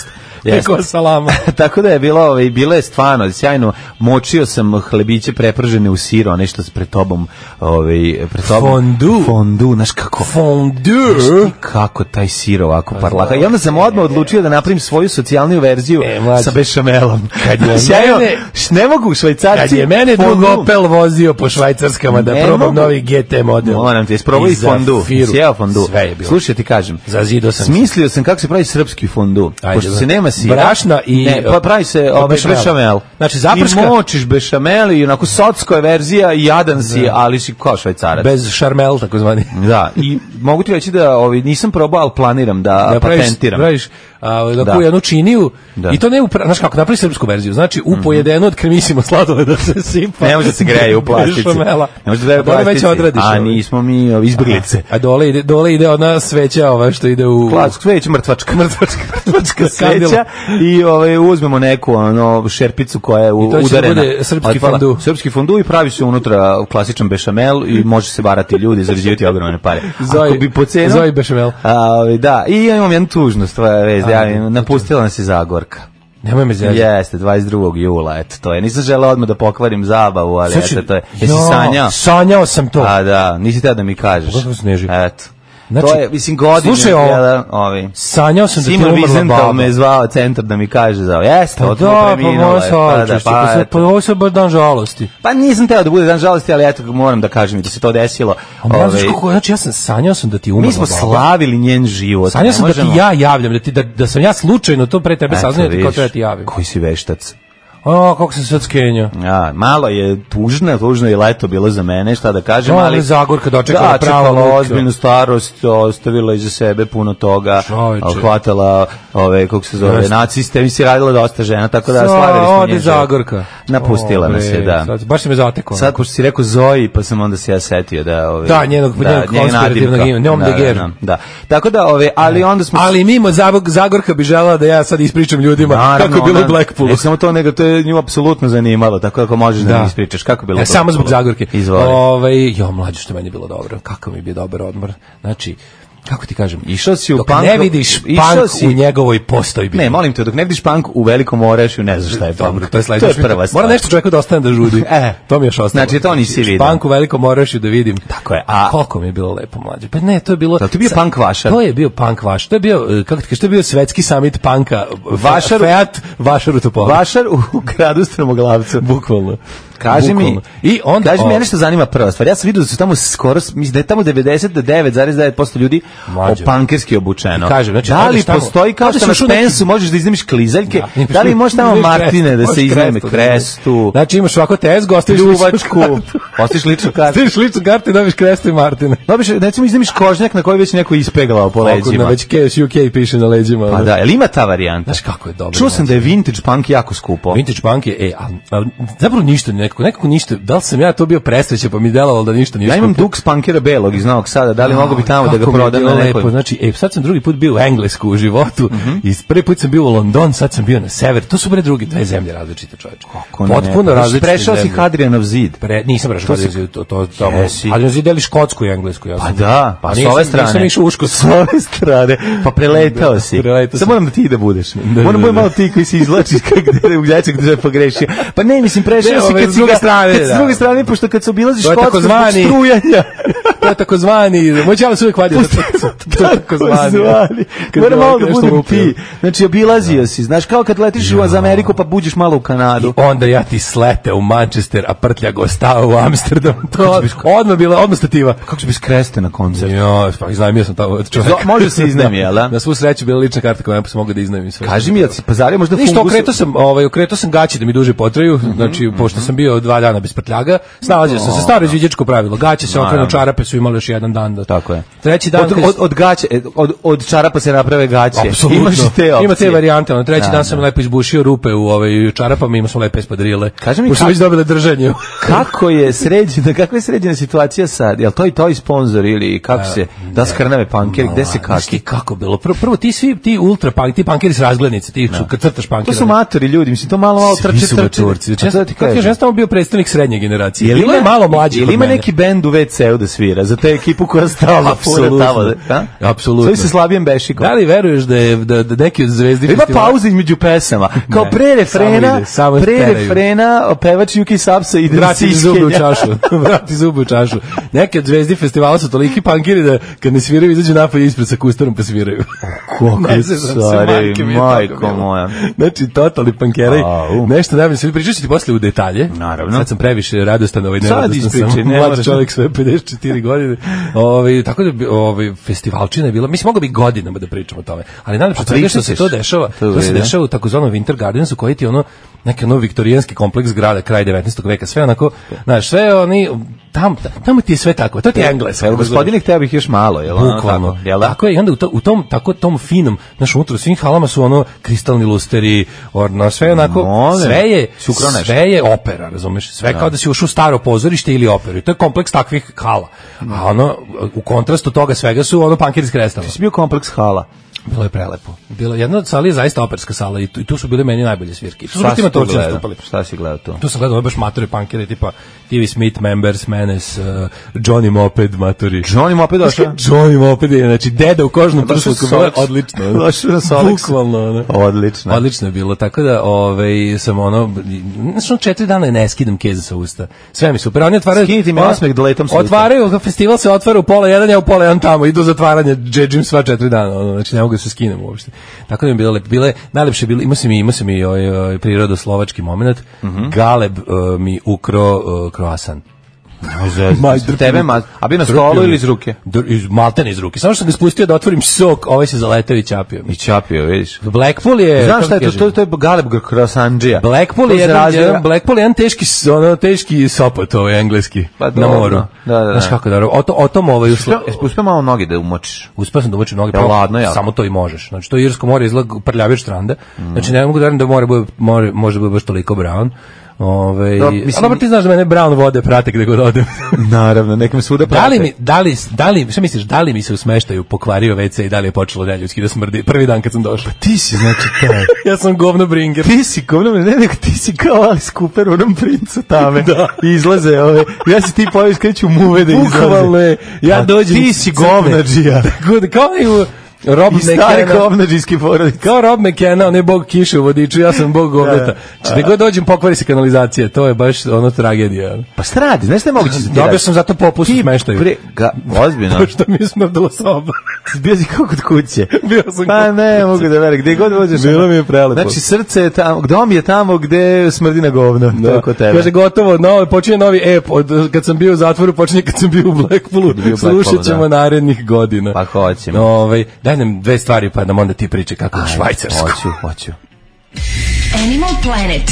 [SPEAKER 6] Pikova salama.
[SPEAKER 5] Tako da je bilo, ovaj, bilo je stvarno sjajno. Močio sam hlebiće prepržene u sir, one što pred tobom, ovaj, pred tobom.
[SPEAKER 6] Fondu.
[SPEAKER 5] Fondu, znaš kako?
[SPEAKER 6] Fondu.
[SPEAKER 5] Kako taj sir ovako parlaka. I onda sam odmah odlučio da napravim svoju socijalniju verziju e, sa bešamelom.
[SPEAKER 6] Kad je
[SPEAKER 5] sjajno, mene, ne mogu švajcarci.
[SPEAKER 6] Kad je mene drug Opel vozio po švajcarskama da ne probam mogu. Novi G T model.
[SPEAKER 5] Moram ti, isprobao i fondu. Sjeo fondu.
[SPEAKER 6] Sve je bilo.
[SPEAKER 5] Slušaj, ti kažem.
[SPEAKER 6] Zazido sam.
[SPEAKER 5] Smislio sam kako se pravi srpski fondu. Ajde, pošto se nema sira.
[SPEAKER 6] Brašna i
[SPEAKER 5] ne, pa pravi se ovaj bešamel.
[SPEAKER 6] Znači zaprška.
[SPEAKER 5] I močiš bešamel i onako socko je verzija i jadan si, ali si kao švajcarac.
[SPEAKER 6] Bez šarmel, takozvani.
[SPEAKER 5] Da, i mogu ti reći da ovaj nisam probao, al planiram da, da patentiram.
[SPEAKER 6] Praviš, a da kuju jednu činiju da. I to ne u, znaš kako, napravi srpsku verziju. Znači u mm-hmm. pojedeno od kremisimo sladoleda se sipa.
[SPEAKER 5] Ne može da se greje u plastici. Ne može da greje u plastici. A nismo mi ovi izbeglice.
[SPEAKER 6] A, a dole ide, dole ide ona sveća, ova što ide u
[SPEAKER 5] Plac, sveća mrtvačka,
[SPEAKER 6] mrtvačka, mrtvačka
[SPEAKER 5] sveća i ovaj uzmemo neku ono šerpicu koja je udarena.
[SPEAKER 6] I to će srpski fondu.
[SPEAKER 5] Srpski fondu i pravi se unutra klasičan bešamel i može se varati ljudi, zarađivati ogromne pare. Ako bi po cenu
[SPEAKER 6] Zoji bešamel.
[SPEAKER 5] A, da, i ja imam jednu tužnu stvar, vez, ja napustila nas je Zagorka.
[SPEAKER 6] Nemoj me zezati.
[SPEAKER 5] Jeste, dvadeset drugog jula, eto, to je. Nisam želeo odmah da pokvarim zabavu, ali eto, to je. Jesi sanjao?
[SPEAKER 6] Sanjao sam to.
[SPEAKER 5] A da, nisi te da mi kažeš.
[SPEAKER 6] Kako se neži?
[SPEAKER 5] Eto. Znači, to je, mislim, godine.
[SPEAKER 6] Slušaj ovo,
[SPEAKER 5] jedan, ovi.
[SPEAKER 6] sanjao sam da ti
[SPEAKER 5] umrla
[SPEAKER 6] umrla baba.
[SPEAKER 5] Me je zvao centar da mi kaže za ovo. Jeste, od
[SPEAKER 6] da,
[SPEAKER 5] preminula.
[SPEAKER 6] Pa da, pa, pa ovo se baš dan žalosti.
[SPEAKER 5] Pa nisam teo da bude dan žalosti, ali eto, moram da kažem da se to desilo.
[SPEAKER 6] Ove, znači, kako, znači, ja sam sanjao sam da ti umrla
[SPEAKER 5] mi smo
[SPEAKER 6] baba.
[SPEAKER 5] Slavili njen život.
[SPEAKER 6] Sanjao sam da ti ja javljam, da, ti, da, da sam ja slučajno to pre tebe saznao, da ti kao treba ti javim.
[SPEAKER 5] Koji si veštac.
[SPEAKER 6] O, kako se sad skenja.
[SPEAKER 5] Ja, malo je tužno, tužno je leto bilo za mene, šta da kažem,
[SPEAKER 6] no,
[SPEAKER 5] ali
[SPEAKER 6] Zagorka dočekala
[SPEAKER 5] da,
[SPEAKER 6] prava
[SPEAKER 5] luka. Ozbiljnu starost, ostavila iza sebe puno toga, Čovječe. Hvatala ove, kako se zove, naciste, mi si radila dosta žena, tako da slavili smo nje.
[SPEAKER 6] Zagorka.
[SPEAKER 5] Napustila nas je, da.
[SPEAKER 6] Sad, baš se me zatekao.
[SPEAKER 5] Sad, pošto si rekao Zoji, pa sam onda se ja setio da... Ove,
[SPEAKER 6] da, njenog, da, njenog konspirativnog ima, njom da, de Ger.
[SPEAKER 5] Da, da, tako da, ove, ali onda smo...
[SPEAKER 6] Ali mimo Zagorka bi želala da ja sad ispričam ljudima naravno, kako je bilo u Blackpoolu.
[SPEAKER 5] Ne samo to, nego to je nju apsolutno zanimalo, tako da ako možeš da, da mi ispričaš kako je bilo.
[SPEAKER 6] E, samo zbog Zagorke.
[SPEAKER 5] Izvoli.
[SPEAKER 6] Ovaj, jo, mlađe što meni je bilo dobro. Kako mi je bio dobar odmor. Znači, kako ti kažem,
[SPEAKER 5] Išao si u
[SPEAKER 6] dok
[SPEAKER 5] punk,
[SPEAKER 6] ne vidiš
[SPEAKER 5] išao
[SPEAKER 6] punk
[SPEAKER 5] si-
[SPEAKER 6] u njegovoj postojbi.
[SPEAKER 5] Ne, molim te, dok ne vidiš punk u Velikom Orešju, ne znaš šta je punk.
[SPEAKER 6] Dobro, to je
[SPEAKER 5] to je
[SPEAKER 6] sledeće.
[SPEAKER 5] prva stvar.
[SPEAKER 6] Mora nešto čovjeku da ostane da žudi.
[SPEAKER 5] E,
[SPEAKER 6] to mi je još ostalo.
[SPEAKER 5] znači, to nisi vidio.
[SPEAKER 6] Punk u Velikom Orašju da vidim.
[SPEAKER 5] Tako je, a-
[SPEAKER 6] koliko mi je bilo lepo mlađe. Pa ne, to je bilo.
[SPEAKER 5] Da, to je bio
[SPEAKER 6] sa-
[SPEAKER 5] punk vašar.
[SPEAKER 6] To je bio punk vašar. To je bio, eh, kako ti kažeš, to je bio svetski summit punka.
[SPEAKER 5] Vašar-
[SPEAKER 6] Fiat Vašar u Topoli.
[SPEAKER 5] Vašar u gradu Strmoglavcu.
[SPEAKER 6] Bukvalno.
[SPEAKER 5] Kaži mi,
[SPEAKER 6] Bukvalno. I onda,
[SPEAKER 5] kaži mi,
[SPEAKER 6] o-
[SPEAKER 5] mene što zanima prva stvar. Ja sam vidio da su tamo skoro, mislim da je tamo devedeset devet zarez devet posto ljudi
[SPEAKER 6] Mlađe.
[SPEAKER 5] opankerski obučeno.
[SPEAKER 6] Kažem, znači,
[SPEAKER 5] da li
[SPEAKER 6] odeš tamo-
[SPEAKER 5] postoji kao
[SPEAKER 6] odeš
[SPEAKER 5] što na
[SPEAKER 6] još u neki-
[SPEAKER 5] Spensu možeš da iznemiš klizaljke,
[SPEAKER 6] Da,
[SPEAKER 5] da li možeš tamo
[SPEAKER 6] imaš
[SPEAKER 5] Martine
[SPEAKER 6] krestu,
[SPEAKER 5] da se
[SPEAKER 6] možeš
[SPEAKER 5] izneme
[SPEAKER 6] krestu,
[SPEAKER 5] krestu,
[SPEAKER 6] Znači imaš ovako tezgu, ostaviš
[SPEAKER 5] ljubačku, ostiš ličnu kartu.
[SPEAKER 6] Ostaviš ličnu kartu i dobiš krestu i Martine.
[SPEAKER 5] Dobiš, recimo iznemiš kožnjak na koji već neko ispeglao po
[SPEAKER 6] Na
[SPEAKER 5] leđima.
[SPEAKER 6] već K S U K piše na leđima.
[SPEAKER 5] Pa
[SPEAKER 6] ono.
[SPEAKER 5] da, jel ima ta varijanta?
[SPEAKER 6] Znaš kako je dobro.
[SPEAKER 5] Čuo sam da je vintage punk jako skupo.
[SPEAKER 6] Vintage punk je, e, a, a, zapravo ništa, nekako, nekako ništa, da li sam ja to bio presrećan pa mi delovalo da ništa nije
[SPEAKER 5] Ja imam
[SPEAKER 6] skupo?
[SPEAKER 5] Dux Punkera belog iz Novog Sada, da li
[SPEAKER 6] A,
[SPEAKER 5] mogu bi tamo da ga
[SPEAKER 6] kako mi je
[SPEAKER 5] prodam
[SPEAKER 6] bilo
[SPEAKER 5] na
[SPEAKER 6] lepo.
[SPEAKER 5] nekoj...
[SPEAKER 6] Znači, e, sad sam drugi put bio u Englesku u životu i prvi put sam bio u London, sad sam bio na sever, to su bre drugi dve zemlje različite, čoveče.
[SPEAKER 5] Kako ne?
[SPEAKER 6] Potpuno
[SPEAKER 5] Pa
[SPEAKER 6] različite
[SPEAKER 5] prešao si
[SPEAKER 6] zemlje.
[SPEAKER 5] Hadrianov zid.
[SPEAKER 6] Pre, nisam prešao
[SPEAKER 5] To si-
[SPEAKER 6] Hadrianov zid, to, to, tamo.
[SPEAKER 5] Jesi.
[SPEAKER 6] Hadrianov zid deli Škotsku i Englesku. Ja
[SPEAKER 5] Pa
[SPEAKER 6] sam-
[SPEAKER 5] da, pa s
[SPEAKER 6] nisam-
[SPEAKER 5] ove strane.
[SPEAKER 6] Nisam išao u Škotsku.
[SPEAKER 5] S ove strane, pa preletao
[SPEAKER 6] Da,
[SPEAKER 5] si.
[SPEAKER 6] preletao
[SPEAKER 5] Sad
[SPEAKER 6] sam.
[SPEAKER 5] moram da ti da budeš.
[SPEAKER 6] da,
[SPEAKER 5] Moram
[SPEAKER 6] da,
[SPEAKER 5] budem
[SPEAKER 6] da.
[SPEAKER 5] malo ti koji se izlačiš kako da u dječak da je pogrešio. Pa ne, mislim, prešao
[SPEAKER 6] Ne,
[SPEAKER 5] si
[SPEAKER 6] ove,
[SPEAKER 5] kad
[SPEAKER 6] s
[SPEAKER 5] si
[SPEAKER 6] druge
[SPEAKER 5] ga-
[SPEAKER 6] strane,
[SPEAKER 5] kad s
[SPEAKER 6] da.
[SPEAKER 5] druge strane, pošto kad se obilaziš
[SPEAKER 6] To je
[SPEAKER 5] Škotsku zbog
[SPEAKER 6] takozvani-
[SPEAKER 5] strujanja.
[SPEAKER 6] To je takozvani, moj čala se uvijek vadio. To je takozvani.
[SPEAKER 5] Zvani.
[SPEAKER 6] Kad
[SPEAKER 5] Moram
[SPEAKER 6] bi
[SPEAKER 5] malo
[SPEAKER 6] ovako
[SPEAKER 5] da
[SPEAKER 6] nešto
[SPEAKER 5] budem
[SPEAKER 6] lupio.
[SPEAKER 5] ti. Znači, obilazio si. Znaš, kao kad letiš u za Ameriku pa buđeš malo u Kanadu.
[SPEAKER 6] Onda ja ti slete u Manchester, a prtljago ostao u Amsterdam. To odmah bila, odmah stativa.
[SPEAKER 5] Kako će bez kreste na koncertu?
[SPEAKER 6] Jo, pa iznajmio sam tamo čovjek.
[SPEAKER 5] Zo- može se iznajmi, jel da?
[SPEAKER 6] Na svu sreću bila lična karta koja se mogu da iznajmim sve.
[SPEAKER 5] Kaži mi, jel si pazario možda
[SPEAKER 6] Ništa,
[SPEAKER 5] fungus?
[SPEAKER 6] okretao sam, ovaj, okretao sam gaće da mi duže potraju, znači, pošto sam bio dva dana bez prtljaga, snalazio sam se, staro izviđačko pravilo, gaće se okrenu, čarape su imali još jedan dan. Da,
[SPEAKER 5] Tako je.
[SPEAKER 6] Treći dan...
[SPEAKER 5] Od,
[SPEAKER 6] kad-
[SPEAKER 5] od, od gaće, od, od čarapa se naprave gaće.
[SPEAKER 6] Apsolutno.
[SPEAKER 5] Imaš i te opcije.
[SPEAKER 6] Ima te varijante. Ono, treći
[SPEAKER 5] Da,
[SPEAKER 6] dan sam
[SPEAKER 5] da.
[SPEAKER 6] lepo izbušio rupe u ovaj čarapama, imao sam lepe espadrile.
[SPEAKER 5] Kaži mi
[SPEAKER 6] Pošto
[SPEAKER 5] kako-
[SPEAKER 6] već dobile držanje.
[SPEAKER 5] Kako je sređena, kakva je sređena situacija sad? Jel to i to i sponsor ili kako se, da skrnave pankeri, gde se
[SPEAKER 6] Znaš ti
[SPEAKER 5] kaki?
[SPEAKER 6] kako bilo? Prvo, prvo ti svi, ti ultra punk, ti pankeri s razglednice, ti su kad crtaš
[SPEAKER 5] To
[SPEAKER 6] pankera.
[SPEAKER 5] su matori ljudi, mislim, to malo malo
[SPEAKER 6] Svi
[SPEAKER 5] trče,
[SPEAKER 6] su
[SPEAKER 5] trče.
[SPEAKER 6] maturci. Znači,
[SPEAKER 5] A to da ti
[SPEAKER 6] kako
[SPEAKER 5] kažem.
[SPEAKER 6] kažem, ja sam tamo bio predstavnik srednje generacije.
[SPEAKER 5] Jel
[SPEAKER 6] Bilo je malo mlađih
[SPEAKER 5] Jel
[SPEAKER 6] od
[SPEAKER 5] ima
[SPEAKER 6] mene.
[SPEAKER 5] neki bend u ve ceu da svira, za te ekipu koja stalno fura
[SPEAKER 6] Apsolutno.
[SPEAKER 5] tamo? Da?
[SPEAKER 6] Apsolutno.
[SPEAKER 5] Sve se slabijem bešikom.
[SPEAKER 6] Da li veruješ da je da, da neki od zvezdi
[SPEAKER 5] Ima
[SPEAKER 6] festivala-
[SPEAKER 5] pauza između pesama. Kao
[SPEAKER 6] Ne,
[SPEAKER 5] pre refrena,
[SPEAKER 6] samo ide, samo
[SPEAKER 5] pre
[SPEAKER 6] teraju.
[SPEAKER 5] refrena, pevač Juki Sapsa ide
[SPEAKER 6] Vrati
[SPEAKER 5] iz
[SPEAKER 6] zube u
[SPEAKER 5] iskenja.
[SPEAKER 6] čašu. Vrati zube u čašu. Neki od zvezdi festivala su toliki pankiri da kad ne sviraju izađu napolje ispred sa kustarom pa sviraju.
[SPEAKER 5] Kako
[SPEAKER 6] Ne zezam se,
[SPEAKER 5] stari,
[SPEAKER 6] majke mi je
[SPEAKER 5] majko
[SPEAKER 6] tako bilo.
[SPEAKER 5] moja.
[SPEAKER 6] Znači, totalni pankeraj.
[SPEAKER 5] Au.
[SPEAKER 6] Nešto najbolje. Sve pričat ću ti posle u detalje.
[SPEAKER 5] Naravno.
[SPEAKER 6] Sad sam previše radostan, ovaj
[SPEAKER 5] Sad
[SPEAKER 6] neradostan
[SPEAKER 5] ispričaj,
[SPEAKER 6] sam.
[SPEAKER 5] ne
[SPEAKER 6] Mlad
[SPEAKER 5] moraš.
[SPEAKER 6] čovjek, sve pedeset četiri godine. Ovaj tako da bi- ovaj festivalčina je bila. Mislim mogu bi godinama da pričamo o tome. Ali najlepše
[SPEAKER 5] A
[SPEAKER 6] od svega što se
[SPEAKER 5] pričat
[SPEAKER 6] to
[SPEAKER 5] ćeš.
[SPEAKER 6] dešava,
[SPEAKER 5] To je
[SPEAKER 6] to se
[SPEAKER 5] u redu.
[SPEAKER 6] dešava u takozvanom Winter Gardensu koji ti je ono neki ono viktorijanski kompleks zgrada kraj devetnaestog veka. Sve onako, znaš, sve oni tam tamo ti je sve tako. To ti je Engleska.
[SPEAKER 5] Evo, gospodine, hteo bih još malo, jel? ono
[SPEAKER 6] Bukvalno.
[SPEAKER 5] tako, jel da?
[SPEAKER 6] Tako je, i onda u, to, u tom tako tom finom, znaš, unutra u svim halama su ono kristalni lusteri, ono sve onako,
[SPEAKER 5] Molim.
[SPEAKER 6] sve je
[SPEAKER 5] Si ukrao nešto?
[SPEAKER 6] sve je opera, razumeš? Sve kao da si ušao u staro pozorište ili operu. I to je kompleks takvih hala. A ono u kontrastu toga svega su ono pankeri iz Krestava.
[SPEAKER 5] Si bio kompleks hala.
[SPEAKER 6] Bilo je prelepo. Bilo jedna od sala je zaista operska sala i tu, i tu su bile meni najbolje svirke. I tu su
[SPEAKER 5] Šta
[SPEAKER 6] baš ti
[SPEAKER 5] si tu
[SPEAKER 6] matorci
[SPEAKER 5] gledao?
[SPEAKER 6] nastupali.
[SPEAKER 5] Šta si gledao tu?
[SPEAKER 6] Tu sam gledao ove baš matori pankere tipa T V Smith, Members, Menace, uh, Johnny Moped, matori.
[SPEAKER 5] Johnny Moped došao?
[SPEAKER 6] Johnny Moped je, znači deda u kožnom
[SPEAKER 5] Došao
[SPEAKER 6] prsluku,
[SPEAKER 5] s
[SPEAKER 6] bilo je
[SPEAKER 5] Solex.
[SPEAKER 6] odlično. ono.
[SPEAKER 5] Došao na Solex.
[SPEAKER 6] Bukvalno, ono.
[SPEAKER 5] Odlično.
[SPEAKER 6] Odlično je bilo, tako da ovaj, sam ono, znači ono četiri dana ne skidam keze sa usta. Sve mi super, oni otvaraju...
[SPEAKER 5] Skinite mi
[SPEAKER 6] ono,
[SPEAKER 5] osmeh da letom sa usta.
[SPEAKER 6] Otvaraju, festival se otvara u pola jedan, ja u pola jedan tamo, idu zatvaranje, džedžim sva četiri dana, ono, znači ne mogu da se skinem uopšte. Tako da mi je bilo lepo. Bile, najlepše bilo, imao sam i, imao sam i ovaj, ovaj, prirodoslovački moment,
[SPEAKER 5] Mhm.
[SPEAKER 6] Galeb uh, mi ukro uh, kroasan.
[SPEAKER 5] Ma, tebe, ma, a bi na stolu ili iz ruke?
[SPEAKER 6] Dr- iz maltene iz ruke. Samo što sam ga spustio da otvorim sok, ovaj se zaletao i čapio.
[SPEAKER 5] I čapio, vidiš.
[SPEAKER 6] Blackpool je...
[SPEAKER 5] Znaš
[SPEAKER 6] kako
[SPEAKER 5] šta je
[SPEAKER 6] ti
[SPEAKER 5] to?
[SPEAKER 6] kažem,
[SPEAKER 5] To, to je Galeb Krosandžija.
[SPEAKER 6] Blackpool je jedan, jedan, Blackpool je jedan teški, s- ono, teški sopot, ovaj engleski,
[SPEAKER 5] Pa
[SPEAKER 6] na
[SPEAKER 5] dobro.
[SPEAKER 6] moru.
[SPEAKER 5] Da, da, da.
[SPEAKER 6] Znaš kako dobro. O, to, o tom ovaj uslo...
[SPEAKER 5] Uspio malo noge da umočiš.
[SPEAKER 6] Uspeo sam da umočim noge,
[SPEAKER 5] Jel
[SPEAKER 6] pravo,
[SPEAKER 5] ladno jako?
[SPEAKER 6] samo to i možeš. Znači to Irsko more izgleda prljavije od stranda. Znači ne mogu da verujem da more bude more može da bude baš toliko brown. Ove,
[SPEAKER 5] Da, mislim-
[SPEAKER 6] a dobro ti znaš da mene brown vode prate gde god odem.
[SPEAKER 5] Naravno, nekom svuda prate.
[SPEAKER 6] Da li mi, da li, da li, šta misliš, da li mi se u smeštaju pokvario ve ce i da li je počelo neljudski da smrdi prvi dan kad sam došao?
[SPEAKER 5] Ti si, znači, taj.
[SPEAKER 6] Ja sam govno bringer.
[SPEAKER 5] Ti si, govno, ne, nego ti si kao Alice Cooper u onom princu tame. Da. I izlaze ove, ja si ti poviš kada ću muve da izlaze.
[SPEAKER 6] Bukvalno je, ja
[SPEAKER 5] A
[SPEAKER 6] dođem.
[SPEAKER 5] ti si govnađija.
[SPEAKER 6] Tako, kao i u Rob
[SPEAKER 5] I stari
[SPEAKER 6] McKenna.
[SPEAKER 5] govnađijski porodic.
[SPEAKER 6] Kao Rob McKenna, on je bog kiše u vodiču, ja sam bog govneta. Znači, gde god dođem pokvari se kanalizacija, to je baš ono tragedija.
[SPEAKER 5] Pa šta radi, znaš šta je moguće?
[SPEAKER 6] Dobio sam zato popust u smeštaju.
[SPEAKER 5] Pre, ga, ozbiljno.
[SPEAKER 6] Pošto mi je smrdilo soba.
[SPEAKER 5] Bio si kao kod kuće.
[SPEAKER 6] Bio sam
[SPEAKER 5] Pa
[SPEAKER 6] kod
[SPEAKER 5] ne, mogu da verujem, gde god vođeš.
[SPEAKER 6] Bilo mi je prelepo.
[SPEAKER 5] Znači, srce je tamo, dom je tamo gde smrdi na govno.
[SPEAKER 6] Da.
[SPEAKER 5] Tako tebe.
[SPEAKER 6] Kaže gotovo, novi, počinje novi ep, od kad sam bio u zatvoru, počinje kad sam bio u Blackpoolu,
[SPEAKER 5] Bio u
[SPEAKER 6] slušat
[SPEAKER 5] Blackpoolu,
[SPEAKER 6] ćemo
[SPEAKER 5] da.
[SPEAKER 6] narednih godina.
[SPEAKER 5] Pa hoćemo.
[SPEAKER 6] Ovaj, daj nam dve stvari pa nam onda ti priče kako u Švajcarsku.
[SPEAKER 5] Hoću, hoću.
[SPEAKER 3] Animal Planet.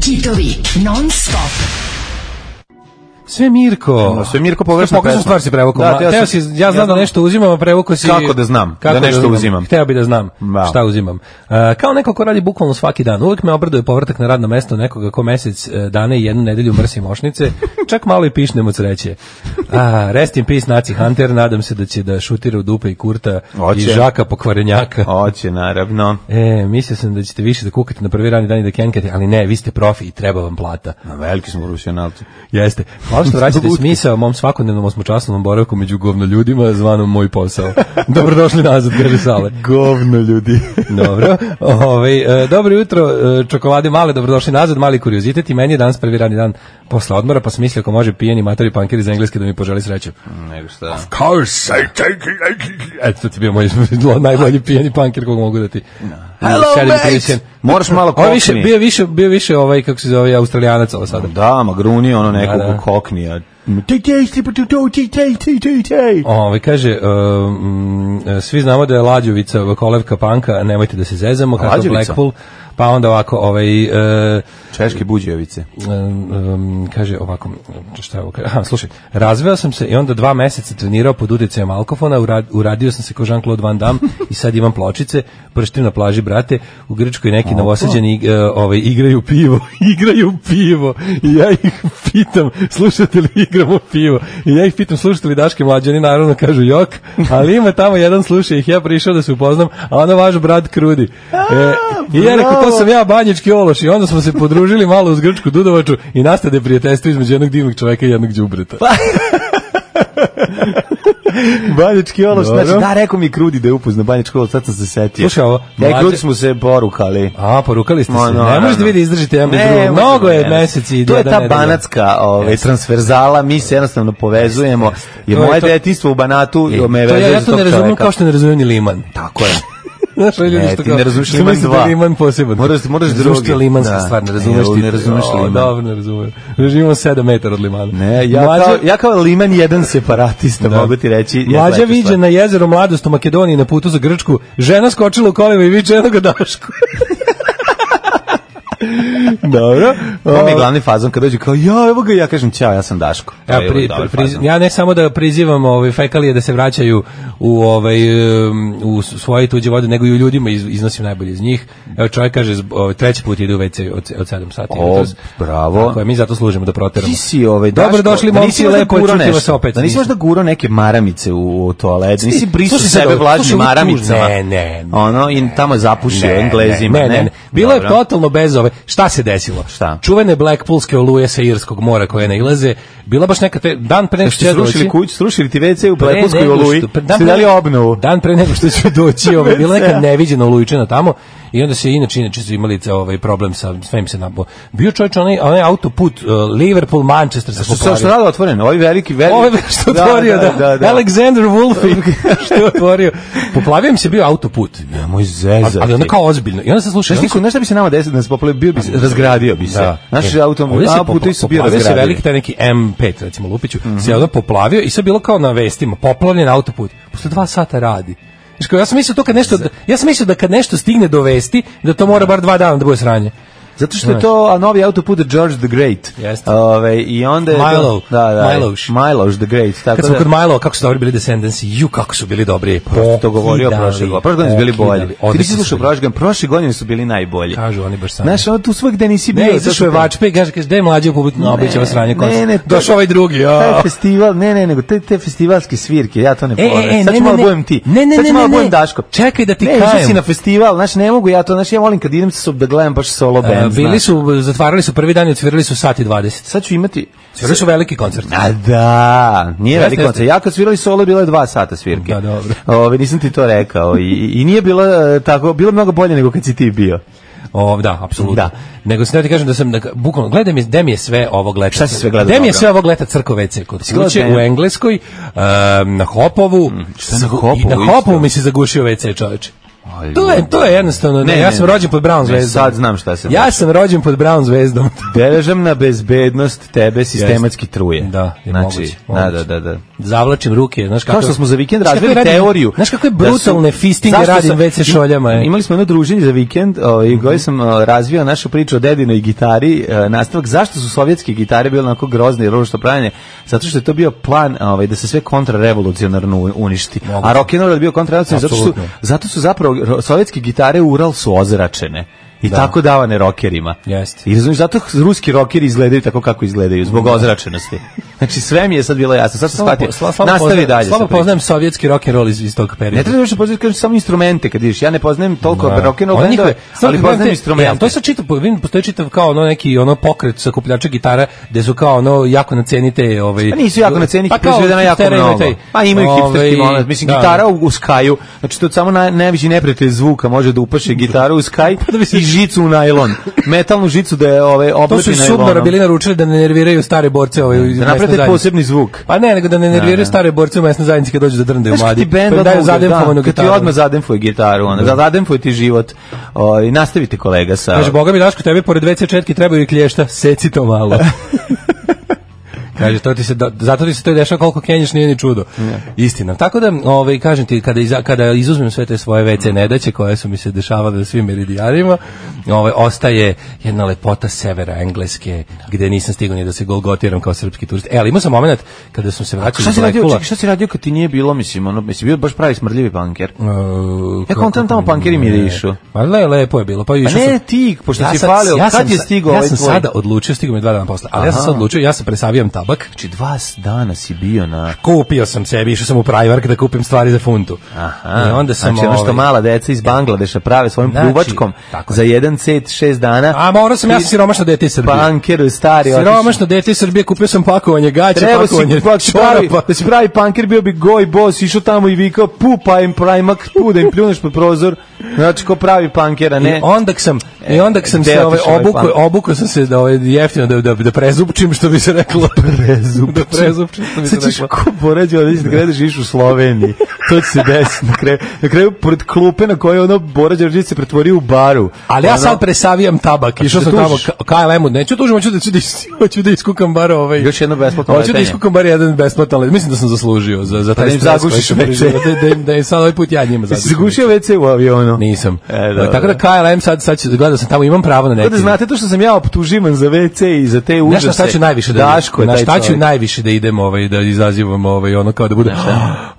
[SPEAKER 3] Kitovi non stop.
[SPEAKER 6] Sve Mirko.
[SPEAKER 5] No, sve Mirko pogrešna
[SPEAKER 6] Pogrešna
[SPEAKER 5] pesma.
[SPEAKER 6] stvar si prevukao.
[SPEAKER 5] Da,
[SPEAKER 6] Da,
[SPEAKER 5] teo
[SPEAKER 6] teo
[SPEAKER 5] sam-
[SPEAKER 6] si, ja
[SPEAKER 5] ja
[SPEAKER 6] znam da
[SPEAKER 5] znam-
[SPEAKER 6] nešto uzimam, a prevukao si...
[SPEAKER 5] Kako da znam da nešto uzimam?
[SPEAKER 6] Hteo bi da znam
[SPEAKER 5] Da.
[SPEAKER 6] šta uzimam. Uh, kao neko ko radi bukvalno svaki dan, uvek me obraduje povratak na radno mesto nekoga ko mesec uh, dana i jednu nedelju mrsi mošnice, čak malo i pišnem od sreće. A, rest in peace, Naci Hunter, nadam se da će da šutira u dupe i Kurta
[SPEAKER 5] Hoće.
[SPEAKER 6] i Žaka pokvarenjaka.
[SPEAKER 5] Hoće, naravno.
[SPEAKER 6] E, mislio sam da ćete više da kukate na prvi radni dan i da kenkate, ali ne, vi ste profi i treba vam plata.
[SPEAKER 5] Na veliki smo profesionalci.
[SPEAKER 6] Jeste. Hvala što vraćate smisao mom svakodnevnom osmočasovnom boravku među govno ljudima, zvanom moj posao. Dobrodošli nazad, kaže Sale.
[SPEAKER 5] Govno ljudi.
[SPEAKER 6] Dobro. Ovaj, e, dobro jutro, e, čokolade male, dobrodošli nazad, mali kuriozitet i meni je danas prvi radni dan posle odmora, pa sam mislio ako može pijeni matori pankir iz Engleske da mi poželi sreću.
[SPEAKER 5] Nego šta.
[SPEAKER 6] Course, I take it. Eto, to ti bio moj najbolji pijeni pankir kog mogu da ti...
[SPEAKER 5] Hello,
[SPEAKER 6] sedim
[SPEAKER 5] mate!
[SPEAKER 6] priličan.
[SPEAKER 5] Moraš malo
[SPEAKER 6] Ovo je više,
[SPEAKER 5] kokni.
[SPEAKER 6] bio više, bio više ovaj, kako se zove, Australijanac ovo sada.
[SPEAKER 5] Da, ma gruni ono nekog
[SPEAKER 6] Da, da.
[SPEAKER 5] koknija. Tej, tej, tej, tej, tej, tej, tej, tej, tej.
[SPEAKER 6] Ovaj kaže um, svi znamo da je Lađovica kolevka panka, nemojte da se zezamo kako
[SPEAKER 5] Lađovica?
[SPEAKER 6] Blackpool. Pa onda ovako ovaj e,
[SPEAKER 5] Češke buđevice.
[SPEAKER 6] um, um, kaže ovako šta je ovo? Aha, slušaj, razveo sam se i onda dva meseca trenirao pod uticajem alkofona, urad, uradio sam se kao Jean-Claude Van Damme i sad imam pločice, prštim na plaži, brate, u Grčkoj neki novosađeni uh, ovaj, igraju pivo, igraju pivo i ja ih pitam, slušate li igramo pivo? I ja ih pitam, slušate li Daške mlađe? Oni naravno kažu jok, ali ima tamo jedan sluša ih, ja prišao da se upoznam, a ono vaš brat Krudi. E, I ja rekao, to sam ja banjički ološ i onda smo se podružili malo uz grčku dudovaču i nastade prijateljstvo između jednog divnog čoveka i jednog đubreta.
[SPEAKER 5] Banjački ološ,
[SPEAKER 6] Dobro.
[SPEAKER 5] znači da, rekao mi Krudi da je upozna Banjački ološ, sad sam se setio.
[SPEAKER 6] Slušaj ovo,
[SPEAKER 5] Ja i
[SPEAKER 6] mlađe-
[SPEAKER 5] Krudi smo se porukali.
[SPEAKER 6] A, porukali ste
[SPEAKER 5] Ma,
[SPEAKER 6] se.
[SPEAKER 5] no,
[SPEAKER 6] ne možete
[SPEAKER 5] no.
[SPEAKER 6] vi da izdržite jedan bez
[SPEAKER 5] Ne,
[SPEAKER 6] drugog.
[SPEAKER 5] možemo,
[SPEAKER 6] Mnogo je
[SPEAKER 5] ne.
[SPEAKER 6] meseci i
[SPEAKER 5] To je
[SPEAKER 6] jedan
[SPEAKER 5] ta
[SPEAKER 6] nedelja.
[SPEAKER 5] banatska ovaj,
[SPEAKER 6] Jeste.
[SPEAKER 5] transverzala, mi se jednostavno povezujemo. Jer
[SPEAKER 6] To je
[SPEAKER 5] moje
[SPEAKER 6] to-
[SPEAKER 5] detinjstvo u Banatu
[SPEAKER 6] E,
[SPEAKER 5] me
[SPEAKER 6] to
[SPEAKER 5] vezuje
[SPEAKER 6] ja
[SPEAKER 5] za
[SPEAKER 6] to
[SPEAKER 5] tog
[SPEAKER 6] ne razumijem
[SPEAKER 5] čoveka.
[SPEAKER 6] kao što ne razumijem ni Liman.
[SPEAKER 5] Tako je.
[SPEAKER 6] Znaš, ovi ljudi
[SPEAKER 5] Ne,
[SPEAKER 6] što
[SPEAKER 5] ti
[SPEAKER 6] kao-
[SPEAKER 5] ne razumeš
[SPEAKER 6] što
[SPEAKER 5] Liman
[SPEAKER 6] misle da je
[SPEAKER 5] dva.
[SPEAKER 6] Liman poseban.
[SPEAKER 5] Moraš, moraš
[SPEAKER 6] Razumeš
[SPEAKER 5] drugi.
[SPEAKER 6] što je limanska
[SPEAKER 5] Da.
[SPEAKER 6] stvar, ne razumeš
[SPEAKER 5] Ne,
[SPEAKER 6] ti.
[SPEAKER 5] ne razumeš
[SPEAKER 6] O,
[SPEAKER 5] Liman.
[SPEAKER 6] Dobro, ne razumem. Živimo sedam metara od Limana.
[SPEAKER 5] Ne, ja,
[SPEAKER 6] Mlađa-
[SPEAKER 5] kao, ja kao Liman jedan separatista,
[SPEAKER 6] Da.
[SPEAKER 5] mogu ti reći. je
[SPEAKER 6] Mlađa
[SPEAKER 5] sledeća
[SPEAKER 6] viđe
[SPEAKER 5] stvar.
[SPEAKER 6] na jezeru Mladost u Makedoniji na putu za Grčku, žena skočila u kolima i viče jednog Dašku. Dobro.
[SPEAKER 5] To mi je glavni fazon kad dođu kao, ja, evo ga, ja kažem, ćao, ja sam Daško. To
[SPEAKER 6] Ja,
[SPEAKER 5] je
[SPEAKER 6] pri,
[SPEAKER 5] dobar
[SPEAKER 6] pri,
[SPEAKER 5] fazon.
[SPEAKER 6] ja ne samo da prizivam ovaj fekalije da se vraćaju u ovaj um, u svoje tuđe vode, nego i u ljudima iz, iznosim najbolje iz njih. Evo čovjek kaže zb- ovaj, treći put ide u ve ce od od sedam sati.
[SPEAKER 5] O,
[SPEAKER 6] jutros.
[SPEAKER 5] bravo.
[SPEAKER 6] Tako je, mi zato služimo da proteramo.
[SPEAKER 5] Ti si ovaj
[SPEAKER 6] Dobro
[SPEAKER 5] Daško,
[SPEAKER 6] došli
[SPEAKER 5] da
[SPEAKER 6] momci,
[SPEAKER 5] nisi možda
[SPEAKER 6] lepo je
[SPEAKER 5] gurao
[SPEAKER 6] čuti vas
[SPEAKER 5] nešto,
[SPEAKER 6] opet.
[SPEAKER 5] Da nisi
[SPEAKER 6] Nisam.
[SPEAKER 5] možda gurao neke maramice u, u toalet, nisi brisao
[SPEAKER 6] Slušaj sad
[SPEAKER 5] sebe
[SPEAKER 6] ovo,
[SPEAKER 5] vlažnim
[SPEAKER 6] slušaj, ovo
[SPEAKER 5] maramicama.
[SPEAKER 6] tužno. Ne, ne, ne.
[SPEAKER 5] Ono, i tamo je zapušio
[SPEAKER 6] Ne,
[SPEAKER 5] Englezima,
[SPEAKER 6] ne, ne, ne. Bilo je
[SPEAKER 5] Dobro.
[SPEAKER 6] totalno bez ove. Šta se desilo?
[SPEAKER 5] Šta?
[SPEAKER 6] Čuvene Blackpoolske oluje sa Irskog mora koje nailaze. Bila baš neka te, dan pre nego što
[SPEAKER 5] Ste
[SPEAKER 6] će
[SPEAKER 5] srušili
[SPEAKER 6] doći.
[SPEAKER 5] kuću, srušili ti ve ce u
[SPEAKER 6] Pre
[SPEAKER 5] Blackpoolskoj
[SPEAKER 6] nego
[SPEAKER 5] oluji,
[SPEAKER 6] što- pre- dan
[SPEAKER 5] ste
[SPEAKER 6] pre-
[SPEAKER 5] dali obnovu.
[SPEAKER 6] Dan pre nego što će doći, ovaj, bila neka neviđena olujčina tamo i onda se inače, inače su imali ovaj problem sa svim se nabo. Bio čovjek onaj, onaj autoput uh, Liverpool, Manchester se
[SPEAKER 5] Što se što
[SPEAKER 6] poplavio.
[SPEAKER 5] rado otvoreno, ovaj veliki, veliki.
[SPEAKER 6] Ovo je što otvorio, da, Alexander Wolfe što je otvorio. Poplavio im se bio autoput.
[SPEAKER 5] Moj zezati.
[SPEAKER 6] Ali onda kao ozbiljno. I onda se sluša,
[SPEAKER 5] Znaš ti ko, znaš šta bi se nama desilo da se poplavio, bio bi se, razgradio bi se. Naši
[SPEAKER 6] E,
[SPEAKER 5] auto,
[SPEAKER 6] ovdje se
[SPEAKER 5] autoputi su bio
[SPEAKER 6] poplavio se
[SPEAKER 5] razgradivi.
[SPEAKER 6] veliki taj neki em pet, recimo Lupiću, se onda poplavio i sve bilo kao na vestima, poplavljen autoput. Posle dva sata radi. Znaš, kao, ja sam mislio to kad nešto, ja sam mislio da kad nešto stigne do vesti, da to mora bar dva dana da bude sranje.
[SPEAKER 5] Zato što je
[SPEAKER 6] Znaš.
[SPEAKER 5] to a novi autoput George the Great.
[SPEAKER 6] Jeste.
[SPEAKER 5] Ove, i onda je
[SPEAKER 6] Milo.
[SPEAKER 5] to, da, da,
[SPEAKER 6] Miloš.
[SPEAKER 5] Miloš the Great, tako
[SPEAKER 6] Kad smo
[SPEAKER 5] da.
[SPEAKER 6] kod Milo, kako su dobri bili Descendants, ju, kako su bili dobri.
[SPEAKER 5] Prosto to govorio
[SPEAKER 6] Pokidali,
[SPEAKER 5] prošle godine. Prošle godine su bili bolji.
[SPEAKER 6] pokidali.
[SPEAKER 5] Ti
[SPEAKER 6] Odlični
[SPEAKER 5] nisi
[SPEAKER 6] su
[SPEAKER 5] slušao
[SPEAKER 6] bili.
[SPEAKER 5] prošle godine, prošle godine su bili najbolji.
[SPEAKER 6] Kažu oni baš samo.
[SPEAKER 5] Znaš, ono tu svak gde nisi bio.
[SPEAKER 6] Ne,
[SPEAKER 5] to
[SPEAKER 6] izašao
[SPEAKER 5] su
[SPEAKER 6] je
[SPEAKER 5] te-
[SPEAKER 6] Vačpe i kaže, kaže, gde je mlađe u publiku? No, obećava sranje
[SPEAKER 5] Ne,
[SPEAKER 6] koncert.
[SPEAKER 5] ne, to-
[SPEAKER 6] Došao ovaj drugi, ja.
[SPEAKER 5] Taj festival, ne, ne, nego te, te festivalske svirke, ja to ne
[SPEAKER 6] E, e,
[SPEAKER 5] poverujem.
[SPEAKER 6] e,
[SPEAKER 5] Sad
[SPEAKER 6] ne,
[SPEAKER 5] ću malo
[SPEAKER 6] ne,
[SPEAKER 5] budem ti.
[SPEAKER 6] ne, ne,
[SPEAKER 5] Sad ću
[SPEAKER 6] ne,
[SPEAKER 5] malo
[SPEAKER 6] ne,
[SPEAKER 5] budem
[SPEAKER 6] ne.
[SPEAKER 5] Daško.
[SPEAKER 6] Čekaj da ti
[SPEAKER 5] ne, išao
[SPEAKER 6] kajem.
[SPEAKER 5] si na festival, znaš, ne mogu ja to, znaš, ja volim kad idem sa da gledam baš solo band.
[SPEAKER 6] E, bili
[SPEAKER 5] znaš.
[SPEAKER 6] su, zatvarali su prvi dan i odsvirali su sat i dvadeset.
[SPEAKER 5] Sad ću imati...
[SPEAKER 6] Svirali su veliki koncert.
[SPEAKER 5] A da, nije
[SPEAKER 6] Jeste,
[SPEAKER 5] veliki
[SPEAKER 6] jeste.
[SPEAKER 5] koncert. Ja kad svirali solo, bilo je dva sata svirke.
[SPEAKER 6] Da, dobro.
[SPEAKER 5] Ove, nisam ti to rekao. I, i nije bilo e, tako, bilo je mnogo bolje nego kad si ti bio.
[SPEAKER 6] O, da, apsolutno.
[SPEAKER 5] Da.
[SPEAKER 6] Nego se ne ti kažem da sam, da, bukvalno, gledaj mi, gde mi je sve ovog leta.
[SPEAKER 5] Šta si sve gledao
[SPEAKER 6] Gde mi je
[SPEAKER 5] dobro?
[SPEAKER 6] sve ovog leta crko ve ce? Kod
[SPEAKER 5] gledao
[SPEAKER 6] kuće,
[SPEAKER 5] gde?
[SPEAKER 6] u Engleskoj, um, na Hopovu.
[SPEAKER 5] šta na
[SPEAKER 6] Zagu-
[SPEAKER 5] Hopovu
[SPEAKER 6] i Na
[SPEAKER 5] isto?
[SPEAKER 6] Hopovu mi se zagušio ve ce, čoveče.
[SPEAKER 5] Aj,
[SPEAKER 6] To je, to je jednostavno,
[SPEAKER 5] Ne,
[SPEAKER 6] ne, ja
[SPEAKER 5] ne,
[SPEAKER 6] sam
[SPEAKER 5] ne.
[SPEAKER 6] rođen pod Brown
[SPEAKER 5] Ne,
[SPEAKER 6] zvezdom.
[SPEAKER 5] sad znam šta se
[SPEAKER 6] Ja
[SPEAKER 5] dešava.
[SPEAKER 6] sam rođen pod Brown zvezdom.
[SPEAKER 5] Državna bezbednost tebe sistematski truje.
[SPEAKER 6] Da, je
[SPEAKER 5] znači,
[SPEAKER 6] moguće,
[SPEAKER 5] da,
[SPEAKER 6] moguće.
[SPEAKER 5] da, da, da.
[SPEAKER 6] Zavlačim ruke, znaš kako...
[SPEAKER 5] Kao što smo za vikend
[SPEAKER 6] Znaš kako
[SPEAKER 5] razvili
[SPEAKER 6] radim-
[SPEAKER 5] teoriju.
[SPEAKER 6] Znaš kakve
[SPEAKER 5] da
[SPEAKER 6] brutalne
[SPEAKER 5] su-
[SPEAKER 6] fistinge
[SPEAKER 5] Zašto
[SPEAKER 6] radim
[SPEAKER 5] sam-
[SPEAKER 6] ve ce šoljama. e?
[SPEAKER 5] Imali smo jedno druženje za vikend, ovaj koji sam o, razvio našu priču o dedinoj gitari, e, nastavak zašto su sovjetske gitare bile onako grozne i ružno pravljene, zato što je to bio plan ovaj da se sve kontrarevolucionarno u- uništi.
[SPEAKER 6] Moguće.
[SPEAKER 5] A rock and roll je bio kontrarevolucionarni zato što su,
[SPEAKER 6] Apsolutno.
[SPEAKER 5] zato su zapravo ro- sovjetske gitare u Ural su ozračene. I
[SPEAKER 6] Da.
[SPEAKER 5] tako davane rokerima.
[SPEAKER 6] Jeste.
[SPEAKER 5] I razumiješ, zato ruski rokeri izgledaju tako kako izgledaju, zbog ozračenosti. Znači sve mi je sad bilo jasno, sad sam shvatio.
[SPEAKER 6] Slabo- slabo
[SPEAKER 5] Nastavi
[SPEAKER 6] poznajem-
[SPEAKER 5] dalje.
[SPEAKER 6] Slabo
[SPEAKER 5] sa pričom.
[SPEAKER 6] poznajem sovjetski rock and roll iz, iz tog perioda.
[SPEAKER 5] Ne treba više poznaati kažem samo instrumente kad ideš. Ja ne poznajem toliko
[SPEAKER 6] Da.
[SPEAKER 5] rock and roll
[SPEAKER 6] Oni
[SPEAKER 5] bendove,
[SPEAKER 6] njihove- stvarno,
[SPEAKER 5] ali
[SPEAKER 6] gledam
[SPEAKER 5] poznajem
[SPEAKER 6] te-
[SPEAKER 5] instrumente.
[SPEAKER 6] e, to je sad čitav, vidim, postoji čitav kao ono neki ono pokret sakupljača gitara, gde su kao ono jako na ceni te... Ovaj,
[SPEAKER 5] Pa nisu jako na ceni,
[SPEAKER 6] pa kao
[SPEAKER 5] proizvedena jako
[SPEAKER 6] hipstera imaju
[SPEAKER 5] mnogo.
[SPEAKER 6] taj,
[SPEAKER 5] Pa imaju hipsterski
[SPEAKER 6] ovaj,
[SPEAKER 5] moment. Mislim,
[SPEAKER 6] da.
[SPEAKER 5] gitara u, u skaju, znači to je samo naj, najveći neprijatelj zvuka može da upaše gitaru u skaj
[SPEAKER 6] da bi se-
[SPEAKER 5] i žicu u najlon. Metalnu žicu da je ove,
[SPEAKER 6] To
[SPEAKER 5] oblepi
[SPEAKER 6] su iz
[SPEAKER 5] najlonom.
[SPEAKER 6] Subnora bili naručili da ne nerviraju stare borce ovaj, u
[SPEAKER 5] Da
[SPEAKER 6] mesnoj
[SPEAKER 5] naprave
[SPEAKER 6] zajednici.
[SPEAKER 5] posebni zvuk.
[SPEAKER 6] Pa ne, nego da ne nerviraju
[SPEAKER 5] Da, da.
[SPEAKER 6] stare borce u mesnoj zajednici kad dođu da drndaju
[SPEAKER 5] Znaš kad
[SPEAKER 6] mladi.
[SPEAKER 5] ti bend
[SPEAKER 6] Pa im daju
[SPEAKER 5] odmah,
[SPEAKER 6] zademfovanu
[SPEAKER 5] da, kad ti
[SPEAKER 6] gitaru.
[SPEAKER 5] odmah zademfuje gitaru, ono, da. zademfuje ti život. O, i nastavite kolega sa...
[SPEAKER 6] Kaže, Boga mi Daško, tebi pored ve ce četki trebaju i klješta, seci to malo. Kaže, to ti se, da, zato ti se to i dešava koliko kenješ, nije ni čudo. Istina. Tako da, ovaj, kažem ti, kada, iza, kada izuzmem sve te svoje ve ce nedaće koje su mi se dešavale na svim meridijanima, ovaj, ostaje jedna lepota severa Engleske, gde nisam stigao ni da se golgotiram kao srpski turist. E, ali imao sam moment kada sam se vraćao
[SPEAKER 5] Šta
[SPEAKER 6] iz
[SPEAKER 5] si radio,
[SPEAKER 6] Blackpoola.
[SPEAKER 5] čekaj, šta si radio kad ti nije bilo, mislim, ono, mislim, bio baš pravi smrdljivi panker?
[SPEAKER 6] Uh,
[SPEAKER 5] Ja kontam tamo pankeri mirišu.
[SPEAKER 6] Pa le, lepo je bilo. Pa,
[SPEAKER 5] Pa
[SPEAKER 6] išao
[SPEAKER 5] ne
[SPEAKER 6] sam-
[SPEAKER 5] ti, pošto
[SPEAKER 6] Ja
[SPEAKER 5] si
[SPEAKER 6] sad-
[SPEAKER 5] falio,
[SPEAKER 6] ja
[SPEAKER 5] kad
[SPEAKER 6] sam
[SPEAKER 5] je
[SPEAKER 6] sa-
[SPEAKER 5] stigao
[SPEAKER 6] Ja
[SPEAKER 5] ovaj
[SPEAKER 6] sam
[SPEAKER 5] tvoj?
[SPEAKER 6] sada odlučio, stigao mi dva dana posle, ali ja sam
[SPEAKER 5] Aha.
[SPEAKER 6] sad odlučio, ja sam presavijam tabak.
[SPEAKER 5] Znači dva dana si bio na...
[SPEAKER 6] Kupio sam sebi, išao sam u Primark da kupim stvari za funtu.
[SPEAKER 5] Aha,
[SPEAKER 6] I onda sam
[SPEAKER 5] znači ono što
[SPEAKER 6] ovaj,
[SPEAKER 5] mala deca iz Bangladeša prave svojim
[SPEAKER 6] Znači,
[SPEAKER 5] pljuvačkom
[SPEAKER 6] tako je.
[SPEAKER 5] za jedan cet šest dana.
[SPEAKER 6] A morao sam, ja sam siromašno dete iz Srbije.
[SPEAKER 5] Panker, stari, otišao.
[SPEAKER 6] Siromašno dete iz Srbije, kupio sam pakovanje gaća,
[SPEAKER 5] Treba si
[SPEAKER 6] pakovanje
[SPEAKER 5] pa si pravi,
[SPEAKER 6] čorapa.
[SPEAKER 5] da si pravi panker, bio bi goj boss, išao tamo i vikao, pu, pa im Primark, tu da im pljuneš pod prozor. Znači, ko pravi pankera, ne?
[SPEAKER 6] I onda sam i onda sam
[SPEAKER 5] gde
[SPEAKER 6] se ovaj
[SPEAKER 5] otišao ovaj
[SPEAKER 6] obuko
[SPEAKER 5] punk?
[SPEAKER 6] obuko sam se da ovaj jeftino da da da prezupčim što bi se reklo prezupčim da prezupčim što bi se
[SPEAKER 5] Sad ćeš
[SPEAKER 6] reklo.
[SPEAKER 5] ko poređao da da gledaš iš u Sloveniji. To će se desiti na kraju. Na kraju, pored klupe na kojoj ono Bora Đorđević se pretvorio u baru.
[SPEAKER 6] Ali ja
[SPEAKER 5] Ono-
[SPEAKER 6] sad presavijam tabak. Išao sam
[SPEAKER 5] da
[SPEAKER 6] tamo
[SPEAKER 5] tužiš?
[SPEAKER 6] ka K L M-u. Neću tužim, hoću da ću da is- hoću da iskukam bar ovaj.
[SPEAKER 5] Još jedno besplatno
[SPEAKER 6] Hoću da
[SPEAKER 5] letenje.
[SPEAKER 6] iskukam bar jedan besplatan let. Mislim da sam zaslužio za za
[SPEAKER 5] Pa
[SPEAKER 6] taj
[SPEAKER 5] da im
[SPEAKER 6] stres
[SPEAKER 5] zagušiš
[SPEAKER 6] koji sam
[SPEAKER 5] ve ce.
[SPEAKER 6] proživeo, Da, da, im- da im sad ovaj put ja njima
[SPEAKER 5] Jesi
[SPEAKER 6] zagušim.
[SPEAKER 5] zagušio ve ce u avionu?
[SPEAKER 6] Nisam.
[SPEAKER 5] E, dobro.
[SPEAKER 6] Tako da K L M sad sad ću gledao sam tamo, imam pravo na neki.
[SPEAKER 5] Tako da znate to što sam ja optuživan za ve ce i za te užase.
[SPEAKER 6] Znaš na šta ću najviše da
[SPEAKER 5] Daško je
[SPEAKER 6] na
[SPEAKER 5] taj
[SPEAKER 6] šta ću
[SPEAKER 5] čovjek.
[SPEAKER 6] najviše da idem ovaj da izazivam ovaj ono kao da bude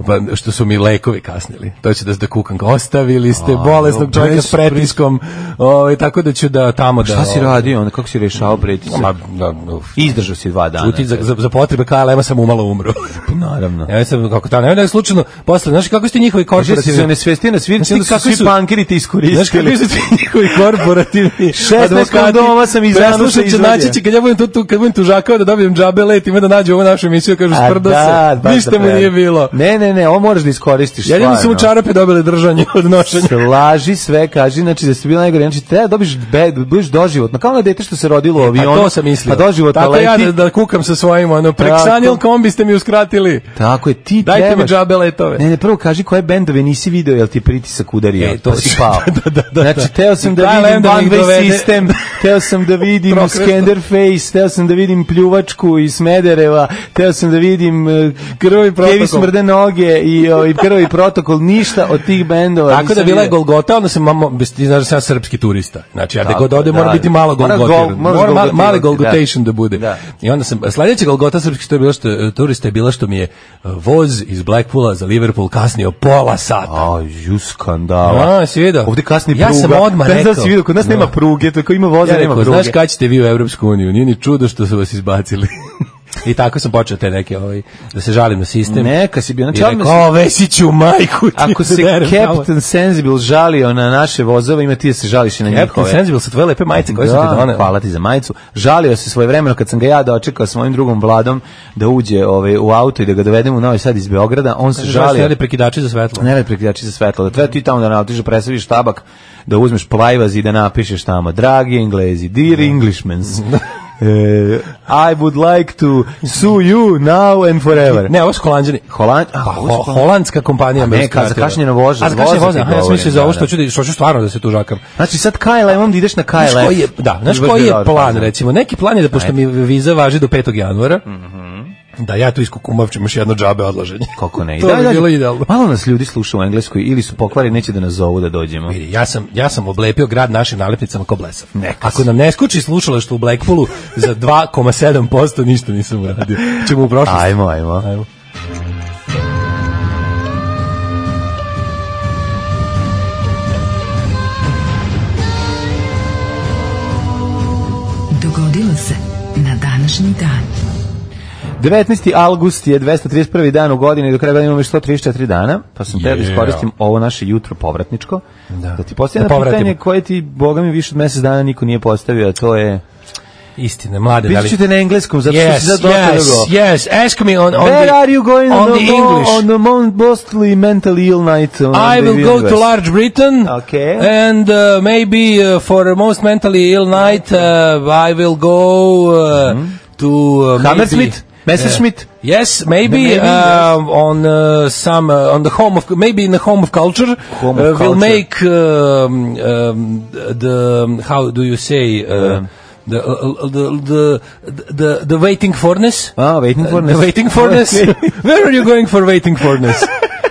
[SPEAKER 6] pa što su mi lekovi kasnili. To će da da kukam. Ostavili ste bolesnog čovjeka
[SPEAKER 5] bez
[SPEAKER 6] s pretiskom. Ovaj tako da ću da tamo da
[SPEAKER 5] Šta si
[SPEAKER 6] ovaj,
[SPEAKER 5] radio onda, kako si rešao pretisak?
[SPEAKER 6] Ma, da, uf.
[SPEAKER 5] Izdržao si dva dana.
[SPEAKER 6] Čuti, za, za, za potrebe K L M-a sam umalo umro.
[SPEAKER 5] Naravno.
[SPEAKER 6] Ja sam kako tamo, ne slučajno posle, znaš kako ste njihovi
[SPEAKER 5] Kaže se
[SPEAKER 6] korporativni.
[SPEAKER 5] ne svesti na svirci,
[SPEAKER 6] Znaš ti
[SPEAKER 5] onda su
[SPEAKER 6] kakvi
[SPEAKER 5] svi
[SPEAKER 6] su-
[SPEAKER 5] pankeri ti
[SPEAKER 6] Znaš
[SPEAKER 5] iskoristili.
[SPEAKER 6] kako su ti njihovi korporativni
[SPEAKER 5] šesnaest kondoma sam iz Januša
[SPEAKER 6] Preslušat će
[SPEAKER 5] izvadio.
[SPEAKER 6] naći će, kad ja budem tu, tu, kad budem tužakao da dobijem džabe let, ima da nađu ovu našu emisiju, kažu
[SPEAKER 5] A
[SPEAKER 6] sprdo
[SPEAKER 5] da,
[SPEAKER 6] se,
[SPEAKER 5] baš
[SPEAKER 6] ništa
[SPEAKER 5] da
[SPEAKER 6] mu
[SPEAKER 5] pre-
[SPEAKER 6] nije bilo.
[SPEAKER 5] Ne, ne, ne, ovo moraš da iskoristiš.
[SPEAKER 6] Jedino su mu
[SPEAKER 5] stvarno.
[SPEAKER 6] čarape dobili držanje od nošenja.
[SPEAKER 5] Slaži sve, kaži, znači da ste bili najgore, znači treba da dobiš be, da budeš doživotno, kao ono dete što se rodilo u
[SPEAKER 6] Pa
[SPEAKER 5] avionu.
[SPEAKER 6] to sam mislio.
[SPEAKER 5] Pa doživotno
[SPEAKER 6] Tako
[SPEAKER 5] leti.
[SPEAKER 6] ja da, da kukam sa svojim, ono, preksanil kombi ste mi uskratili.
[SPEAKER 5] Tako je, ti
[SPEAKER 6] Dajte mi
[SPEAKER 5] trebaš.
[SPEAKER 6] džabe letove.
[SPEAKER 5] Ne, ne, prvo kaži koje bendove nisi video, jel ti pritisak udario,
[SPEAKER 6] E,
[SPEAKER 5] to
[SPEAKER 6] to
[SPEAKER 5] si
[SPEAKER 6] si-
[SPEAKER 5] pao.
[SPEAKER 6] da, da, da,
[SPEAKER 5] Znači,
[SPEAKER 6] da.
[SPEAKER 5] teo sam da
[SPEAKER 6] K L M
[SPEAKER 5] vidim
[SPEAKER 6] da mi
[SPEAKER 5] One
[SPEAKER 6] ih
[SPEAKER 5] Way
[SPEAKER 6] dovede.
[SPEAKER 5] System, teo sam da vidim
[SPEAKER 6] Prokresto.
[SPEAKER 5] Scanderface, teo sam da vidim pljuvačku iz Smedereva, teo sam da vidim uh,
[SPEAKER 6] Krvavi protokol.
[SPEAKER 5] Kevi smrde noge i ovaj Krvavi protokol, ništa od tih bendova.
[SPEAKER 6] Tako da bila je Golgota, onda se mamo, ti znaš sam srpski turista. Znači, ja da god ode mora biti malo Golgotir. Mora mali, mali Golgotation da, da bude. Da. I onda sam, sledeća Golgota srpski što je bilo što, turista je bila što mi je voz iz Blackpoola za Liverpool kasnio pola sata.
[SPEAKER 5] Aj, ju skandala.
[SPEAKER 6] A, si vidio?
[SPEAKER 5] Ovde kasni pruga.
[SPEAKER 6] Ja sam odmah
[SPEAKER 5] ne
[SPEAKER 6] rekao.
[SPEAKER 5] Da si vidio, kod nas
[SPEAKER 6] no.
[SPEAKER 5] nema pruge, tako ima voza,
[SPEAKER 6] ja
[SPEAKER 5] nema
[SPEAKER 6] rekao,
[SPEAKER 5] pruge.
[SPEAKER 6] Znaš kad ćete vi u Evropsku uniju? Nije ni čudo što su vas izbacili. I tako sam počeo te neke ovaj da se žalim na sistem.
[SPEAKER 5] Neka si bio, znači
[SPEAKER 6] odmah o Vesiću majku.
[SPEAKER 5] Ako se Captain Sensible žalio na naše vozove, ima ti da se žališ i na njihove.
[SPEAKER 6] Captain Sensible su tvoje lepe majice koje
[SPEAKER 5] da,
[SPEAKER 6] su ti doneli.
[SPEAKER 5] Hvala ti za majicu. Žalio se svojevremeno kad sam ga ja dočekao s mojim drugom Vladom da uđe ovaj u auto i da ga dovedemo u Novi Sad iz Beograda. On se žalio.
[SPEAKER 6] Ne prekidači za svetlo.
[SPEAKER 5] Ne prekidači za svetlo. Da treba ti tamo da nautiš, presaviš tabak, da uzmeš plajvaz i da napišeš tamo dragi Englezi, dear Englishmen. Uh, I would like to sue you now and forever.
[SPEAKER 6] Ne, ovo su Holanđani.
[SPEAKER 5] Holand, a,
[SPEAKER 6] pa, ho, holandska kompanija.
[SPEAKER 5] Ne, kad zakašnjeno voža.
[SPEAKER 6] A zakašnjeno voža, ja sam mislio za ovo što ću, da, što ću stvarno da se tu žakam.
[SPEAKER 5] Znači sad K L M-om da ideš na K L F.
[SPEAKER 6] Znaš koji je, da, znaš koji je plan, recimo? Neki plan je da, pošto mi viza važi do petog januara, da ja tu iskukumavčim još jedno džabe odlaženje.
[SPEAKER 5] Kako ne?
[SPEAKER 6] To
[SPEAKER 5] da,
[SPEAKER 6] bi
[SPEAKER 5] da,
[SPEAKER 6] bilo idealno.
[SPEAKER 5] Malo nas ljudi sluša u Engleskoj ili su pokvari, neće da nas zovu da dođemo.
[SPEAKER 6] Vidi, ja sam, ja sam oblepio grad našim nalepnicama ko blesav.
[SPEAKER 5] Neka
[SPEAKER 6] Ako nam ne skuči slušalaštvo u Blackpoolu za dva zarez sedam posto ništa nisam uradio. Ćemo u prošlost.
[SPEAKER 5] Ajmo, ajmo.
[SPEAKER 6] Ajmo.
[SPEAKER 3] Dogodilo se na današnji dan.
[SPEAKER 5] devetnaesti avgust je dvesta trideset prvi dan u godini, do kraja godine imamo još sto trideset četiri dana, pa sam te da iskoristim ovo naše jutro povratničko, da, da ti postavim da pitanje koje ti, boga mi, više od mesec dana niko nije postavio, a to je...
[SPEAKER 6] Istina, mlade,
[SPEAKER 5] da li... Piću te na engleskom, zato
[SPEAKER 6] yes,
[SPEAKER 5] što si sad dosta
[SPEAKER 6] yes,
[SPEAKER 5] dugo.
[SPEAKER 6] Yes, ask me on, on
[SPEAKER 5] Where
[SPEAKER 6] the,
[SPEAKER 5] are you going
[SPEAKER 6] on
[SPEAKER 5] on
[SPEAKER 6] the
[SPEAKER 5] the
[SPEAKER 6] English?
[SPEAKER 5] On the mostly mentally ill night. On
[SPEAKER 6] I will go
[SPEAKER 5] universe.
[SPEAKER 6] to Large Britain,
[SPEAKER 5] okay.
[SPEAKER 6] and uh, maybe uh, for a most mentally ill night, uh, I will go uh, mm-hmm. to... Uh,
[SPEAKER 5] Hammersmith? Messerschmitt?
[SPEAKER 6] Uh, yes, maybe,
[SPEAKER 5] maybe
[SPEAKER 6] uh,
[SPEAKER 5] yes.
[SPEAKER 6] on uh, some uh, on the home of maybe in the home of culture.
[SPEAKER 5] Home of
[SPEAKER 6] uh,
[SPEAKER 5] culture.
[SPEAKER 6] We'll make um, um, the how do you say uh, um. the, uh, the the the the waiting furnace?
[SPEAKER 5] Ah, waiting furnace.
[SPEAKER 6] Uh, the waiting furnace. Where are you going for waiting furnace?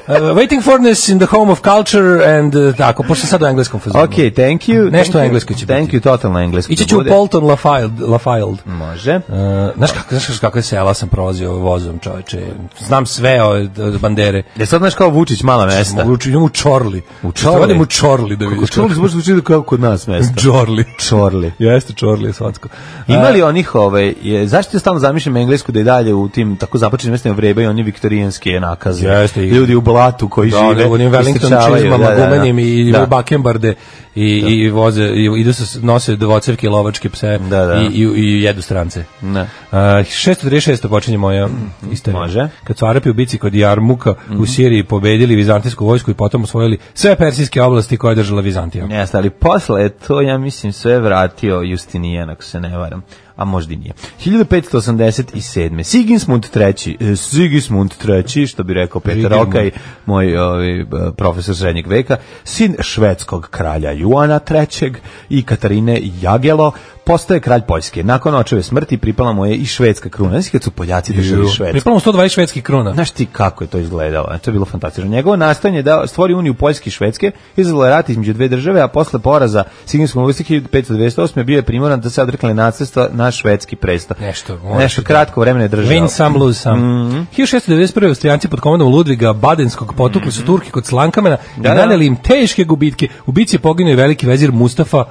[SPEAKER 6] Uh, waiting furnace in the home of culture and uh, tako, pošto sad u engleskom fazonu.
[SPEAKER 5] Okay, thank you.
[SPEAKER 6] Nešto englesko će
[SPEAKER 5] thank
[SPEAKER 6] biti.
[SPEAKER 5] Thank you, totalno englesko.
[SPEAKER 6] Ići ću u Polton Lafayette. Lafayette.
[SPEAKER 5] Može.
[SPEAKER 6] Uh, znaš kako, znaš kako je sela sam prolazio vozom, čoveče. Znam sve od, od bandere.
[SPEAKER 5] Je sad znaš kao Vučić mala mesta.
[SPEAKER 6] Vučić, idem u Čorli.
[SPEAKER 5] U Čorli?
[SPEAKER 6] Idem u Čorli da vidiš.
[SPEAKER 5] Čorli se može zvuči kao kod nas mesta.
[SPEAKER 6] Čorli.
[SPEAKER 5] Čorli.
[SPEAKER 6] Jeste, Čorli je svatsko.
[SPEAKER 5] Ima li onih, ovaj, je, zašto ja stalno zamišljam englesku da je dalje u tim tako zapačenim mestima vrebaju oni viktorijanske nakaze.
[SPEAKER 6] Jeste.
[SPEAKER 5] Ljudi u blatu koji
[SPEAKER 6] da,
[SPEAKER 5] žive.
[SPEAKER 6] Da, onim Wellington čizmama, da, da, da. gumenim i
[SPEAKER 5] da.
[SPEAKER 6] bakembarde i, da. i voze, i idu se, nose dvocevke i lovačke pse
[SPEAKER 5] da, da.
[SPEAKER 6] I, i, i jedu strance.
[SPEAKER 5] Da.
[SPEAKER 6] Uh, šesto trideset šest počinje moja istorija.
[SPEAKER 5] Može.
[SPEAKER 6] Kad su Arapi u bici kod Jarmuka mm-hmm. u Siriji pobedili vizantijsku vojsku i potom osvojili sve persijske oblasti koje je držala Vizantija.
[SPEAKER 5] Jeste, ali posle to, ja mislim, sve vratio Justinijan, ako se ne varam. A možda i nije. hiljadu petsto osamdeset sedme. Sigismund treći. Sigismund treći, što bi rekao Petar Okaj, moj ovaj, profesor srednjeg veka, sin švedskog kralja Juana trećeg i Katarine Jagelo, postaje kralj Poljske. Nakon očeve smrti pripala mu je i švedska kruna. Znaš kad su Poljaci držali Švedsku?
[SPEAKER 6] Pripala mu sto dvadeset švedskih kruna.
[SPEAKER 5] Znaš ti kako je to izgledalo? To je bilo fantastično. Njegovo nastojanje da stvori uniju Poljske i Švedske, izazvalo je rat između dve države, a posle poraza Sigismundove vojske hiljadu petsto dvadeset osme bio je primoran da se odrekne nasledstva na švedski presto.
[SPEAKER 6] Nešto,
[SPEAKER 5] Nešto kratko vremena je držao.
[SPEAKER 6] Win some, lose some.
[SPEAKER 5] Mm-hmm.
[SPEAKER 6] hiljadu šessto devedeset prve. Austrijanci pod komandom Ludviga Badenskog potukli su Turki kod Slankamena i da, naneli im teške gubitke. U bici je poginuo i veliki vezir Mustafa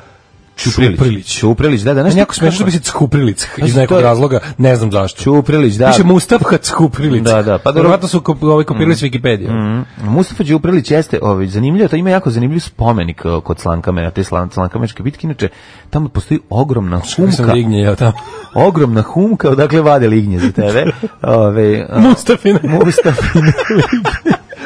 [SPEAKER 6] Čuprilić.
[SPEAKER 5] Čuprilić, da, da.
[SPEAKER 6] Nešto jako smešno da bi se Čuprilić iz nekog razloga, ne znam zašto.
[SPEAKER 5] Čuprilić, da.
[SPEAKER 6] Piše Mustafa Čuprilić.
[SPEAKER 5] Da, da.
[SPEAKER 6] Pa verovatno su ovaj kopirali s Wikipedije.
[SPEAKER 5] Mm. Mustafa Čuprilić jeste, ovaj zanimljivo, to ima jako zanimljiv spomenik kod Slankamena, te Slankameške bitke, inače tamo postoji ogromna humka.
[SPEAKER 6] Lignje, ja tamo.
[SPEAKER 5] Ogromna humka, odakle vade lignje za tebe. Ove,
[SPEAKER 6] Mustafine.
[SPEAKER 5] Mustafine.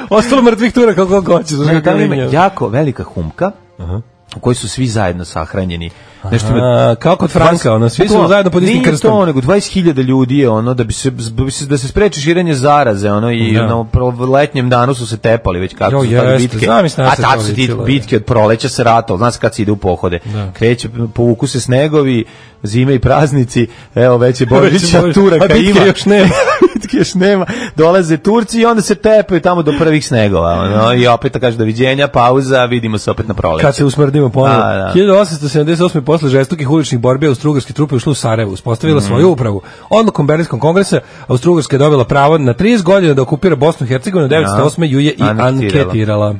[SPEAKER 6] Ostalo mrtvih tura kako hoćeš.
[SPEAKER 5] Tamo ima jako velika humka. Aha. U kojoj su svi zajedno sahranjeni Nešto ima,
[SPEAKER 6] A, kao kod Franka, ono, svi su
[SPEAKER 5] to,
[SPEAKER 6] zajedno pod istim
[SPEAKER 5] nije
[SPEAKER 6] krstom.
[SPEAKER 5] to, nego dvadeset hiljada ljudi je ono, da bi se, da bi se, da se spreči širenje zaraze, ono, i
[SPEAKER 6] Da.
[SPEAKER 5] na letnjem danu su se tepali već kako
[SPEAKER 6] Jo,
[SPEAKER 5] su tada
[SPEAKER 6] jeste,
[SPEAKER 5] bitke.
[SPEAKER 6] znam i šta
[SPEAKER 5] A
[SPEAKER 6] se
[SPEAKER 5] tako
[SPEAKER 6] to
[SPEAKER 5] su ti
[SPEAKER 6] ličilo,
[SPEAKER 5] bitke od proleća se ratalo, znaš kad se ide u pohode.
[SPEAKER 6] Da.
[SPEAKER 5] Kreće, povuku se snegovi, zime i praznici, evo već je Božića,
[SPEAKER 6] Božić,
[SPEAKER 5] Turaka
[SPEAKER 6] a bitke
[SPEAKER 5] ima.
[SPEAKER 6] još nema.
[SPEAKER 5] Bitke još nema. Dolaze Turci i onda se tepaju tamo do prvih snegova, ono, i opet kaže doviđenja, pauza, vidimo se opet na proleće.
[SPEAKER 6] Kad se usmrdimo ponovo.
[SPEAKER 5] Da, da.
[SPEAKER 6] hiljadu osamsto sedamdeset osme posle žestokih uličnih borbi austrougarske trupe ušle u Sarajevo, uspostavila
[SPEAKER 5] Mhm.
[SPEAKER 6] svoju upravu. Odlukom Berlinskog kongresa Austrougarska je dobila pravo na trideset godina da okupira Bosnu i Hercegovinu, devetsto osme ju je i
[SPEAKER 5] Anektirala.
[SPEAKER 6] anketirala.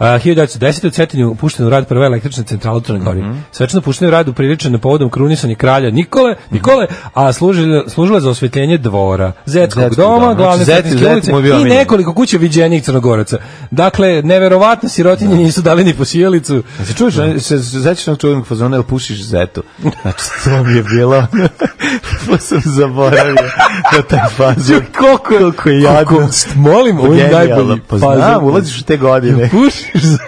[SPEAKER 6] Uh, hiljadu devetsto desete. u Cetinju puštena u rad prva električna centrala u Crnoj Gori.
[SPEAKER 5] Mhm.
[SPEAKER 6] Svečano puštena u rad upriličena povodom krunisanja kralja Nikole, Nikole, a služila, služila za osvetljenje dvora, Zetskog
[SPEAKER 5] Zetskog
[SPEAKER 6] doma,
[SPEAKER 5] doma.
[SPEAKER 6] glavne
[SPEAKER 5] Znači,
[SPEAKER 6] Cetinske
[SPEAKER 5] Zet-
[SPEAKER 6] ulice
[SPEAKER 5] Zet mu je bio
[SPEAKER 6] i
[SPEAKER 5] omiljen.
[SPEAKER 6] nekoliko kuća viđenijih Crnogoraca. Dakle, neverovatno sirotinje nisu dali ni po sjelicu.
[SPEAKER 5] Se čuješ, se sećaš onog čuvenog fazona, jel pušiš zetu? Znači, to mi je bilo, pa sam zaboravio na taj fazon.
[SPEAKER 6] Koliko je,
[SPEAKER 5] Koliko je jadno.
[SPEAKER 6] koliko- molim, ovo je
[SPEAKER 5] Genijalno.
[SPEAKER 6] najbolji
[SPEAKER 5] Pa
[SPEAKER 6] fazon.
[SPEAKER 5] znam, ulaziš u te godine.
[SPEAKER 6] Pušiš za...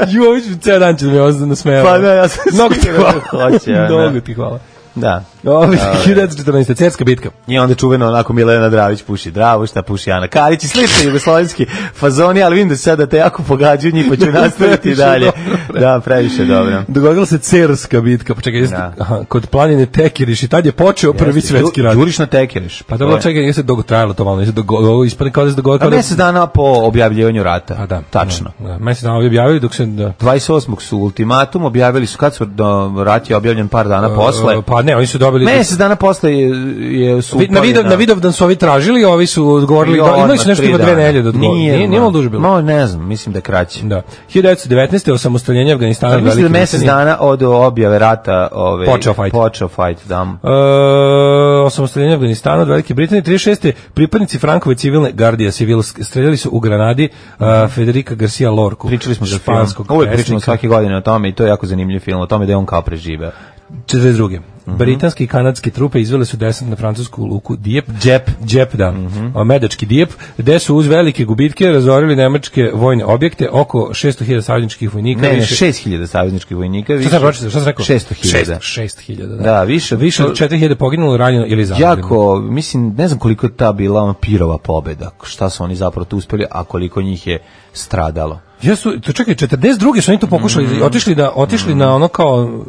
[SPEAKER 6] Ju, ovo ću ceo dan će da me ozda nasmeva.
[SPEAKER 5] Pa da, ja sam
[SPEAKER 6] Mnogo ti
[SPEAKER 5] siguran
[SPEAKER 6] hvala.
[SPEAKER 5] da hoće, ja, da.
[SPEAKER 6] Mnogo ti hvala.
[SPEAKER 5] Da.
[SPEAKER 6] Ovi, hiljadu devetsto četrnaeste. Cerska bitka.
[SPEAKER 5] I onda čuveno onako Milena Dravić puši Dravu, šta puši Ana Karić i slični jugoslovenski fazoni, ali vidim da se sada te jako pogađaju njih, pa ću nastaviti
[SPEAKER 6] Previše
[SPEAKER 5] dalje.
[SPEAKER 6] dobro.
[SPEAKER 5] Da, previše dobro.
[SPEAKER 6] Dogodila se Cerska bitka. Pa čekaj, jeste,
[SPEAKER 5] Da.
[SPEAKER 6] aha, kod planine Tekiriš i tad je počeo prvi
[SPEAKER 5] Jeste,
[SPEAKER 6] svetski
[SPEAKER 5] đu-
[SPEAKER 6] rat.
[SPEAKER 5] Đuriš na tekeriš.
[SPEAKER 6] Pa dobro, čekaj, jeste dugo trajalo to malo, jeste dugo, ovo ispadne kao da se dogodilo.
[SPEAKER 5] A
[SPEAKER 6] kao da-
[SPEAKER 5] mesec dana po objavljivanju rata.
[SPEAKER 6] A da,
[SPEAKER 5] Tačno.
[SPEAKER 6] Da, da. Mesec dana objavili dok se... Da.
[SPEAKER 5] dvadeset osmog su ultimatum objavili su, kad su do, rat je objavljen par dana posle.
[SPEAKER 6] Pa ne, oni su dobili...
[SPEAKER 5] Mesec dana posle je, je su
[SPEAKER 6] Vi- na
[SPEAKER 5] upali
[SPEAKER 6] video na Vidovdan su ovi tražili, ovi su odgovorili.
[SPEAKER 5] Jo,
[SPEAKER 6] Da, imali su
[SPEAKER 5] odmah
[SPEAKER 6] nešto
[SPEAKER 5] tri
[SPEAKER 6] ima dve
[SPEAKER 5] dana.
[SPEAKER 6] nedelje da odgovore. Nije, nije, nije malo duže bilo.
[SPEAKER 5] No, ne znam, mislim da je kraće.
[SPEAKER 6] Da. hiljadu devetsto devetnaeste. osamostaljenje Afganistana.
[SPEAKER 5] Ali mislim da
[SPEAKER 6] Velike
[SPEAKER 5] mesec
[SPEAKER 6] Britanije.
[SPEAKER 5] dana od objave rata ove,
[SPEAKER 6] Počeo fight.
[SPEAKER 5] Počeo fight, da.
[SPEAKER 6] E, osamostaljenje Afganistana od Velike Britanije. trideset šeste. pripadnici Frankove civilne gardije civil streljali su u granadi uh, Federica Garcia Lorku.
[SPEAKER 5] Pričali smo za film.
[SPEAKER 6] španskog
[SPEAKER 5] Uvijek pričamo
[SPEAKER 6] pesnika.
[SPEAKER 5] svake godine o tome i to je jako zanimljiv film, o tome da je on kao preživeo.
[SPEAKER 6] četrdeset druge.
[SPEAKER 5] Mhm.
[SPEAKER 6] Britanske i kanadske trupe izvele su desant na francusku luku Dieppe.
[SPEAKER 5] Džep.
[SPEAKER 6] Džep, da.
[SPEAKER 5] Mhm.
[SPEAKER 6] Medački Dieppe, gde su uz velike gubitke razorili nemačke vojne objekte, oko šesto hiljada savezničkih vojnika.
[SPEAKER 5] Ne, ne,
[SPEAKER 6] više-
[SPEAKER 5] šest hiljada savezničkih vojnika.
[SPEAKER 6] Šta sam pročitao? Šta sam rekao?
[SPEAKER 5] šesto hiljada.
[SPEAKER 6] šest hiljada, da.
[SPEAKER 5] Da, više.
[SPEAKER 6] Više od četiri hiljade poginulo, ranjeno ili zarobljeno.
[SPEAKER 5] Jako, mislim, ne znam koliko je ta bila ono pirova pobeda, šta su oni zapravo tu uspeli, a koliko njih je stradalo.
[SPEAKER 6] Jesu, to čekaj, četrdeset druge su oni to pokušali,
[SPEAKER 5] Mhm.
[SPEAKER 6] otišli da otišli na ono kao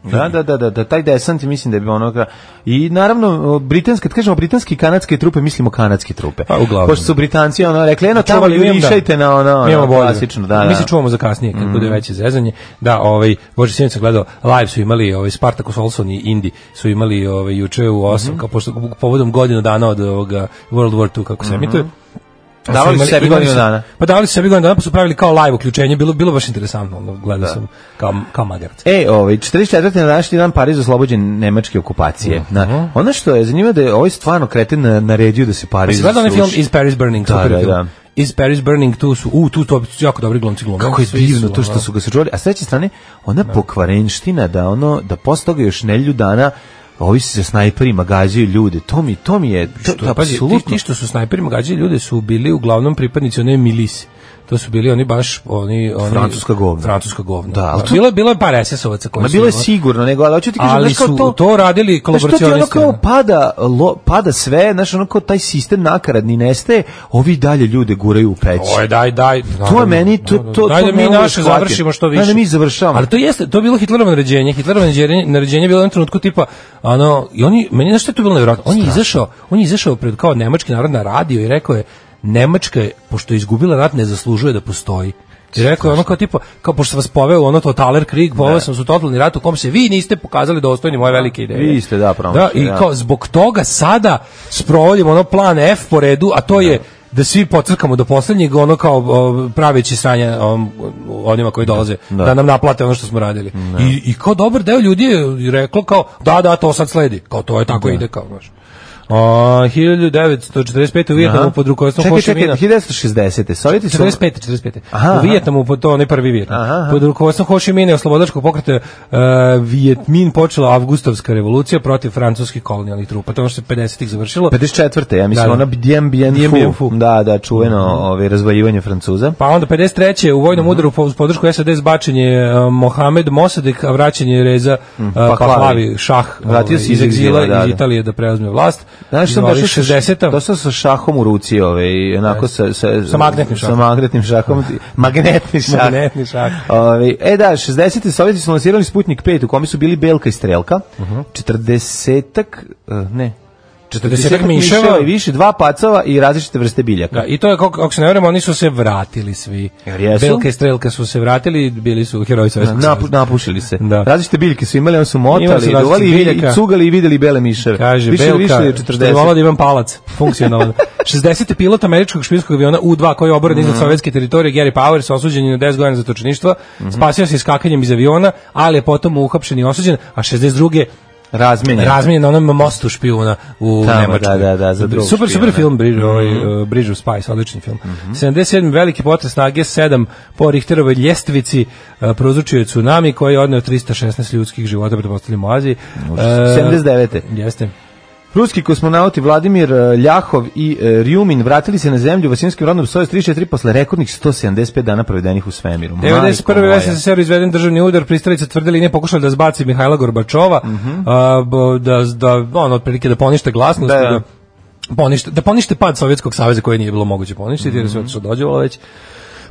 [SPEAKER 5] Da, da, da, da, da, taj desant mislim da bi onoga i naravno britanske, kad kažemo britanske i kanadske trupe, mislimo kanadske trupe.
[SPEAKER 6] Pa, uglavnom.
[SPEAKER 5] Pošto su Britanci ono rekli, eno tamo
[SPEAKER 6] Čuvali, mi imamo,
[SPEAKER 5] jurišajte
[SPEAKER 6] da.
[SPEAKER 5] na ono,
[SPEAKER 6] Mi imamo
[SPEAKER 5] ono
[SPEAKER 6] bolje.
[SPEAKER 5] klasično, da,
[SPEAKER 6] Mi
[SPEAKER 5] da.
[SPEAKER 6] se čuvamo za kasnije kad bude veće zezanje. Da, ovaj Bože sinoć sam gledao live su imali ovaj Spartacus Olson i Indi su imali ovaj juče u osam kao pošto povodom godinu dana od ovoga World War two kako se emituje.
[SPEAKER 5] Davali su
[SPEAKER 6] imali-
[SPEAKER 5] sebi
[SPEAKER 6] imali
[SPEAKER 5] godinu
[SPEAKER 6] su-
[SPEAKER 5] dana.
[SPEAKER 6] Pa davali su sebi godinu dana pa su pravili kao live uključenje, bilo bilo baš interesantno, ono, gledao sam kao kao magarac.
[SPEAKER 5] E, ovaj četrdeset četvrte na današnji dan Pariz oslobođen nemačke okupacije. Na, ono što je zanimljivo da je ovaj stvarno kreten na- naredio da se
[SPEAKER 6] Pa
[SPEAKER 5] Pariz
[SPEAKER 6] si gledao onaj film
[SPEAKER 5] sruši.
[SPEAKER 6] Is Paris Burning?
[SPEAKER 5] Da,
[SPEAKER 6] super
[SPEAKER 5] da,
[SPEAKER 6] film.
[SPEAKER 5] da.
[SPEAKER 6] Is Paris Burning, tu su, u, tu to su jako dobri glumci glume.
[SPEAKER 5] Kako je
[SPEAKER 6] Svi
[SPEAKER 5] divno
[SPEAKER 6] su,
[SPEAKER 5] to što
[SPEAKER 6] ono,
[SPEAKER 5] su ga sačuvali. A s treće strane, ona pokvarenština da ono da posle toga još nedelju dana ovi se snajperima gađaju ljude. To mi to mi je to,
[SPEAKER 6] Što,
[SPEAKER 5] to
[SPEAKER 6] pazi, ti,
[SPEAKER 5] apsolutno.
[SPEAKER 6] ti što su snajperima gađali ljude su bili uglavnom pripadnici one milise. To su bili oni baš oni oni
[SPEAKER 5] Francuska govna.
[SPEAKER 6] Francuska govna.
[SPEAKER 5] Da, ali to-
[SPEAKER 6] bilo je bilo je par es es ovaca koji
[SPEAKER 5] Ma
[SPEAKER 6] su.
[SPEAKER 5] bilo je
[SPEAKER 6] ono-
[SPEAKER 5] sigurno, nego ali hoću ti kažem
[SPEAKER 6] ali
[SPEAKER 5] znaš, kao
[SPEAKER 6] su
[SPEAKER 5] to,
[SPEAKER 6] to, radili
[SPEAKER 5] znaš, to ti ono
[SPEAKER 6] kolaboracionisti.
[SPEAKER 5] kao pada, lo, pada sve, znaš, ono kao taj sistem nakaradni nestaje, ovi dalje ljude guraju u peć.
[SPEAKER 6] Oj, daj, daj.
[SPEAKER 5] To je meni, to, to,
[SPEAKER 6] daj
[SPEAKER 5] to
[SPEAKER 6] da
[SPEAKER 5] ne
[SPEAKER 6] mi
[SPEAKER 5] mogu da
[SPEAKER 6] naše
[SPEAKER 5] shvatim.
[SPEAKER 6] završimo što više.
[SPEAKER 5] Daj da mi završavamo.
[SPEAKER 6] Ali to jeste, to je bilo Hitlerovo naređenje. Hitlerovo naređenje, naređenje je bilo u jednom trenutku tipa, ono, i oni, meni znaš što je to bilo nevjerojatno? On je izašao, on je izašao pred kao nemački narod na radio i rekao je, Nemačka je, pošto je izgubila rat, ne zaslužuje da postoji. I rekao je ono kao tipa, kao pošto vas poveo ono totaler krig, poveo sam su totalni rat u kom se vi niste pokazali dostojni moje velike ideje.
[SPEAKER 5] Vi ste, da, promašili,
[SPEAKER 6] Da, i
[SPEAKER 5] da.
[SPEAKER 6] kao zbog toga sada sprovodimo ono plan F po redu, a to je da svi pocrkamo do poslednjeg, ono kao o, praveći sranje o, onima koji dolaze da.
[SPEAKER 5] Da.
[SPEAKER 6] nam naplate ono što smo radili. I, I kao dobar deo ljudi je reklo kao, da, da, to sad sledi. Kao to je tako ide, kao, znaš. O, hiljadu devetsto četrdeset pete. u Vijetnamu pod rukovodstvom Ho Chi Mina.
[SPEAKER 5] Čekaj, čekaj, hiljadu šezdesete. Sovjeti su...
[SPEAKER 6] četrdeset pete, četrdeset pete.
[SPEAKER 5] Aha,
[SPEAKER 6] u Vijetnamu, pod to, onaj prvi Vijetnam.
[SPEAKER 5] Aha, aha.
[SPEAKER 6] Pod rukovodstvom Ho Chi Mina i oslobodačkog pokreta uh, Vijet Minh počela avgustovska revolucija protiv francuskih kolonijalnih trupa. To je ono što se pedesetih završilo.
[SPEAKER 5] pedeset četvrte ja mislim,
[SPEAKER 6] Da, da.
[SPEAKER 5] ona Dien Bien
[SPEAKER 6] Dien Bien
[SPEAKER 5] Phu.
[SPEAKER 6] Phu.
[SPEAKER 5] Da, da, čuveno ove, razvaljivanje Francuza.
[SPEAKER 6] Pa onda pedeset treće u vojnom udaru uz podršku S A D zbačen je uh, Mohamed Mossadegh, a vraćen je Reza uh, Pahlavi šah
[SPEAKER 5] Vratio
[SPEAKER 6] ovaj,
[SPEAKER 5] se
[SPEAKER 6] iz
[SPEAKER 5] iz egzila,
[SPEAKER 6] egzila
[SPEAKER 5] da,
[SPEAKER 6] iz
[SPEAKER 5] da.
[SPEAKER 6] Italije da preuzme vlast.
[SPEAKER 5] Znaš, sam
[SPEAKER 6] Zvali
[SPEAKER 5] došao
[SPEAKER 6] šezdeseta.
[SPEAKER 5] došao sa šahom u ruci, ovaj, onako sa, sa,
[SPEAKER 6] Sa magnetnim šahom.
[SPEAKER 5] Sa magnetnim šahom. Magnetni šah.
[SPEAKER 6] Magnetni šah.
[SPEAKER 5] Ovaj, e da, šezdesete Sovjeti su lansirali Sputnik pet u kome su bili Belka i Strelka.
[SPEAKER 6] Uh-huh.
[SPEAKER 5] četrdesetak, uh, ne,
[SPEAKER 6] četrdesetak miševa
[SPEAKER 5] i više, dva pacova i različite vrste biljaka.
[SPEAKER 6] Da, i to je, kako, ako se ne vremo, oni su se vratili svi.
[SPEAKER 5] Jer jesu?
[SPEAKER 6] Belka i Strelka su se vratili, bili su heroji Sovjetskog
[SPEAKER 5] Napu,
[SPEAKER 6] saveza.
[SPEAKER 5] napušili se.
[SPEAKER 6] Da.
[SPEAKER 5] Različite biljke su imali, oni su
[SPEAKER 6] Imali
[SPEAKER 5] motali,
[SPEAKER 6] su
[SPEAKER 5] duvali i,
[SPEAKER 6] različitih
[SPEAKER 5] i
[SPEAKER 6] biljaka.
[SPEAKER 5] cugali i videli bele miševe.
[SPEAKER 6] Kaže,
[SPEAKER 5] više,
[SPEAKER 6] Belka,
[SPEAKER 5] više od
[SPEAKER 6] što je
[SPEAKER 5] četrdeset.
[SPEAKER 6] volao da imam palac, funkcionalan. šezdeseti pilot američkog špijunskog aviona U dva koji je oboren iznad sovjetske teritorije, Gary Powers, osuđen je na deset godina za točništvo, spasio se iskakanjem iz aviona, ali je potom uhapšen i osuđen, a šezdeset druge
[SPEAKER 5] Razmenjen.
[SPEAKER 6] razmenjen na onom mostu špijuna u
[SPEAKER 5] Tamo,
[SPEAKER 6] Nemačkoj.
[SPEAKER 5] da, da, da, za drugog
[SPEAKER 6] super, super
[SPEAKER 5] špijuna.
[SPEAKER 6] film, Bridge, ovaj, uh, Bridge of Spies, odlični film. sedamdeset sedmi veliki potres na G sedam po Richterovoj ljestvici uh, prouzročio je tsunami koji je odneo trista šesnaest ljudskih života, pretpostavljamo u Aziji. Uh,
[SPEAKER 5] sedamdeset devete.
[SPEAKER 6] Jeste.
[SPEAKER 5] Ruski kosmonauti Vladimir Ljahov i Rjumin vratili se na zemlju vasinskim rodom Sojuz trideset četiri posle rekordnih sto sedamdeset pet dana provedenih u svemiru.
[SPEAKER 6] devedeset prve u S S S R izveden državni udar, pristalice tvrdili nije pokušali da zbaci Mihajla Gorbačova,
[SPEAKER 5] Mhm.
[SPEAKER 6] a, b- da, da, ono, otprilike da ponište glasnost,
[SPEAKER 5] Da,
[SPEAKER 6] da,
[SPEAKER 5] da.
[SPEAKER 6] ponište, da ponište pad Sovjetskog saveza koje nije bilo moguće poništiti, jer se otišlo dođevalo već.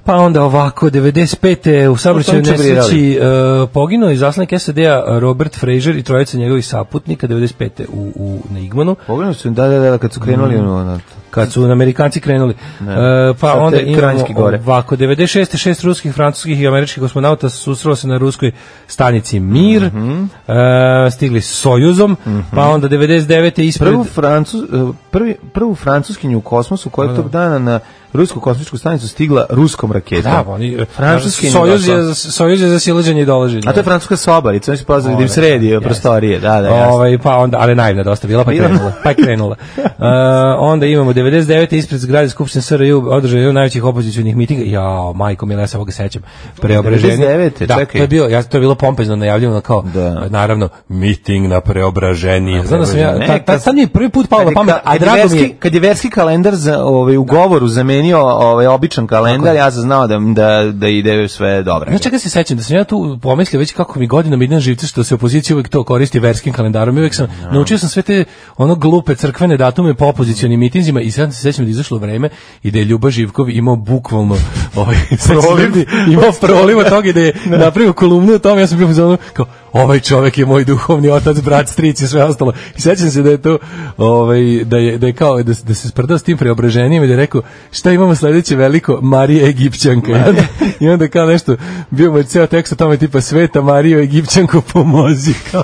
[SPEAKER 6] Pa onda ovako, devedeset pete u saobraćajnoj
[SPEAKER 5] To su oni
[SPEAKER 6] nesreći uh, poginuo i zaslanik S A D-a Robert Fraser i trojica njegovih saputnika devedeset pete u, u, na Igmanu.
[SPEAKER 5] Pogledali su, da, da, da, kad su krenuli mm. ono,
[SPEAKER 6] Kad su Amerikanci krenuli.
[SPEAKER 5] Ne.
[SPEAKER 6] E, pa
[SPEAKER 5] Sad
[SPEAKER 6] onda
[SPEAKER 5] te
[SPEAKER 6] imamo
[SPEAKER 5] Kranjski gore.
[SPEAKER 6] ovako, devedeset šeste šest ruskih, francuskih i američkih kosmonauta susrelo se na ruskoj stanici Mir,
[SPEAKER 5] Mhm.
[SPEAKER 6] e, stigli s Sojuzom, pa onda devedeset devete ispred...
[SPEAKER 5] Prvu, Francuz, prvi, prvu francuskinju u kosmosu koja je tog dana na rusku kosmičku stanicu stigla ruskom raketom.
[SPEAKER 6] Da, oni,
[SPEAKER 5] Francuskinju
[SPEAKER 6] Sojuz
[SPEAKER 5] došla.
[SPEAKER 6] je, Sojuz je za silaženje i dolaženje.
[SPEAKER 5] A to je francuska sobarica, oni su pozvali da im sredi
[SPEAKER 6] Jeste.
[SPEAKER 5] prostorije. Da, da, jasno.
[SPEAKER 6] Ovaj, pa onda, ali naivna dosta bila, pa je krenula. Pa je krenula. Uh, onda imamo devedeset devete ispred zgrade Skupštine S R J održao jedan od najvećih opozicionih mitinga. Jao, majko mila, ja se ovoga sećam. Preobraženje.
[SPEAKER 5] devedeset devete,
[SPEAKER 6] Da,
[SPEAKER 5] čekaj.
[SPEAKER 6] to je bilo, ja, to je bilo pompezno najavljeno kao,
[SPEAKER 5] Da.
[SPEAKER 6] naravno, miting na Preobraženje. Znam da sam ja,
[SPEAKER 5] Ne,
[SPEAKER 6] ta, ta,
[SPEAKER 5] kad-
[SPEAKER 6] sad mi je prvi put palo na
[SPEAKER 5] Kad je
[SPEAKER 6] pamet,
[SPEAKER 5] ka-
[SPEAKER 6] a
[SPEAKER 5] kad je
[SPEAKER 6] drago mi
[SPEAKER 5] verski,
[SPEAKER 6] je.
[SPEAKER 5] kad je verski kalendar za, ovaj, u govoru zamenio ovaj, običan kalendar, ja sam znao da, da, da ide sve dobro.
[SPEAKER 6] Znaš čega se sećam, da sam ja tu pomislio već kako mi godinama ide na živce što se opozicija uvek to koristi verskim kalendarom. I uvek sam, naučio sam sve te ono glupe crkvene datume po opozicionim mitinzima i sad se sećam da je izašlo vreme i da je Ljuba Živkov imao bukvalno ovaj, proliv, imao proliv od toga i da je napravio kolumnu o tome, ja sam bio u zonu kao, ovaj čovek je moj duhovni otac, brat, stric i sve ostalo. I sećam se da je to, ovaj, da je, da je kao, da, da se sprdao s tim Preobraženjem i da je rekao, šta imamo sledeće veliko, Marija Egipćanka. I onda, i onda kao nešto, bio mu je ceo tekst o tome tipa, Sveta Marijo Egipćanko pomozi. Kao,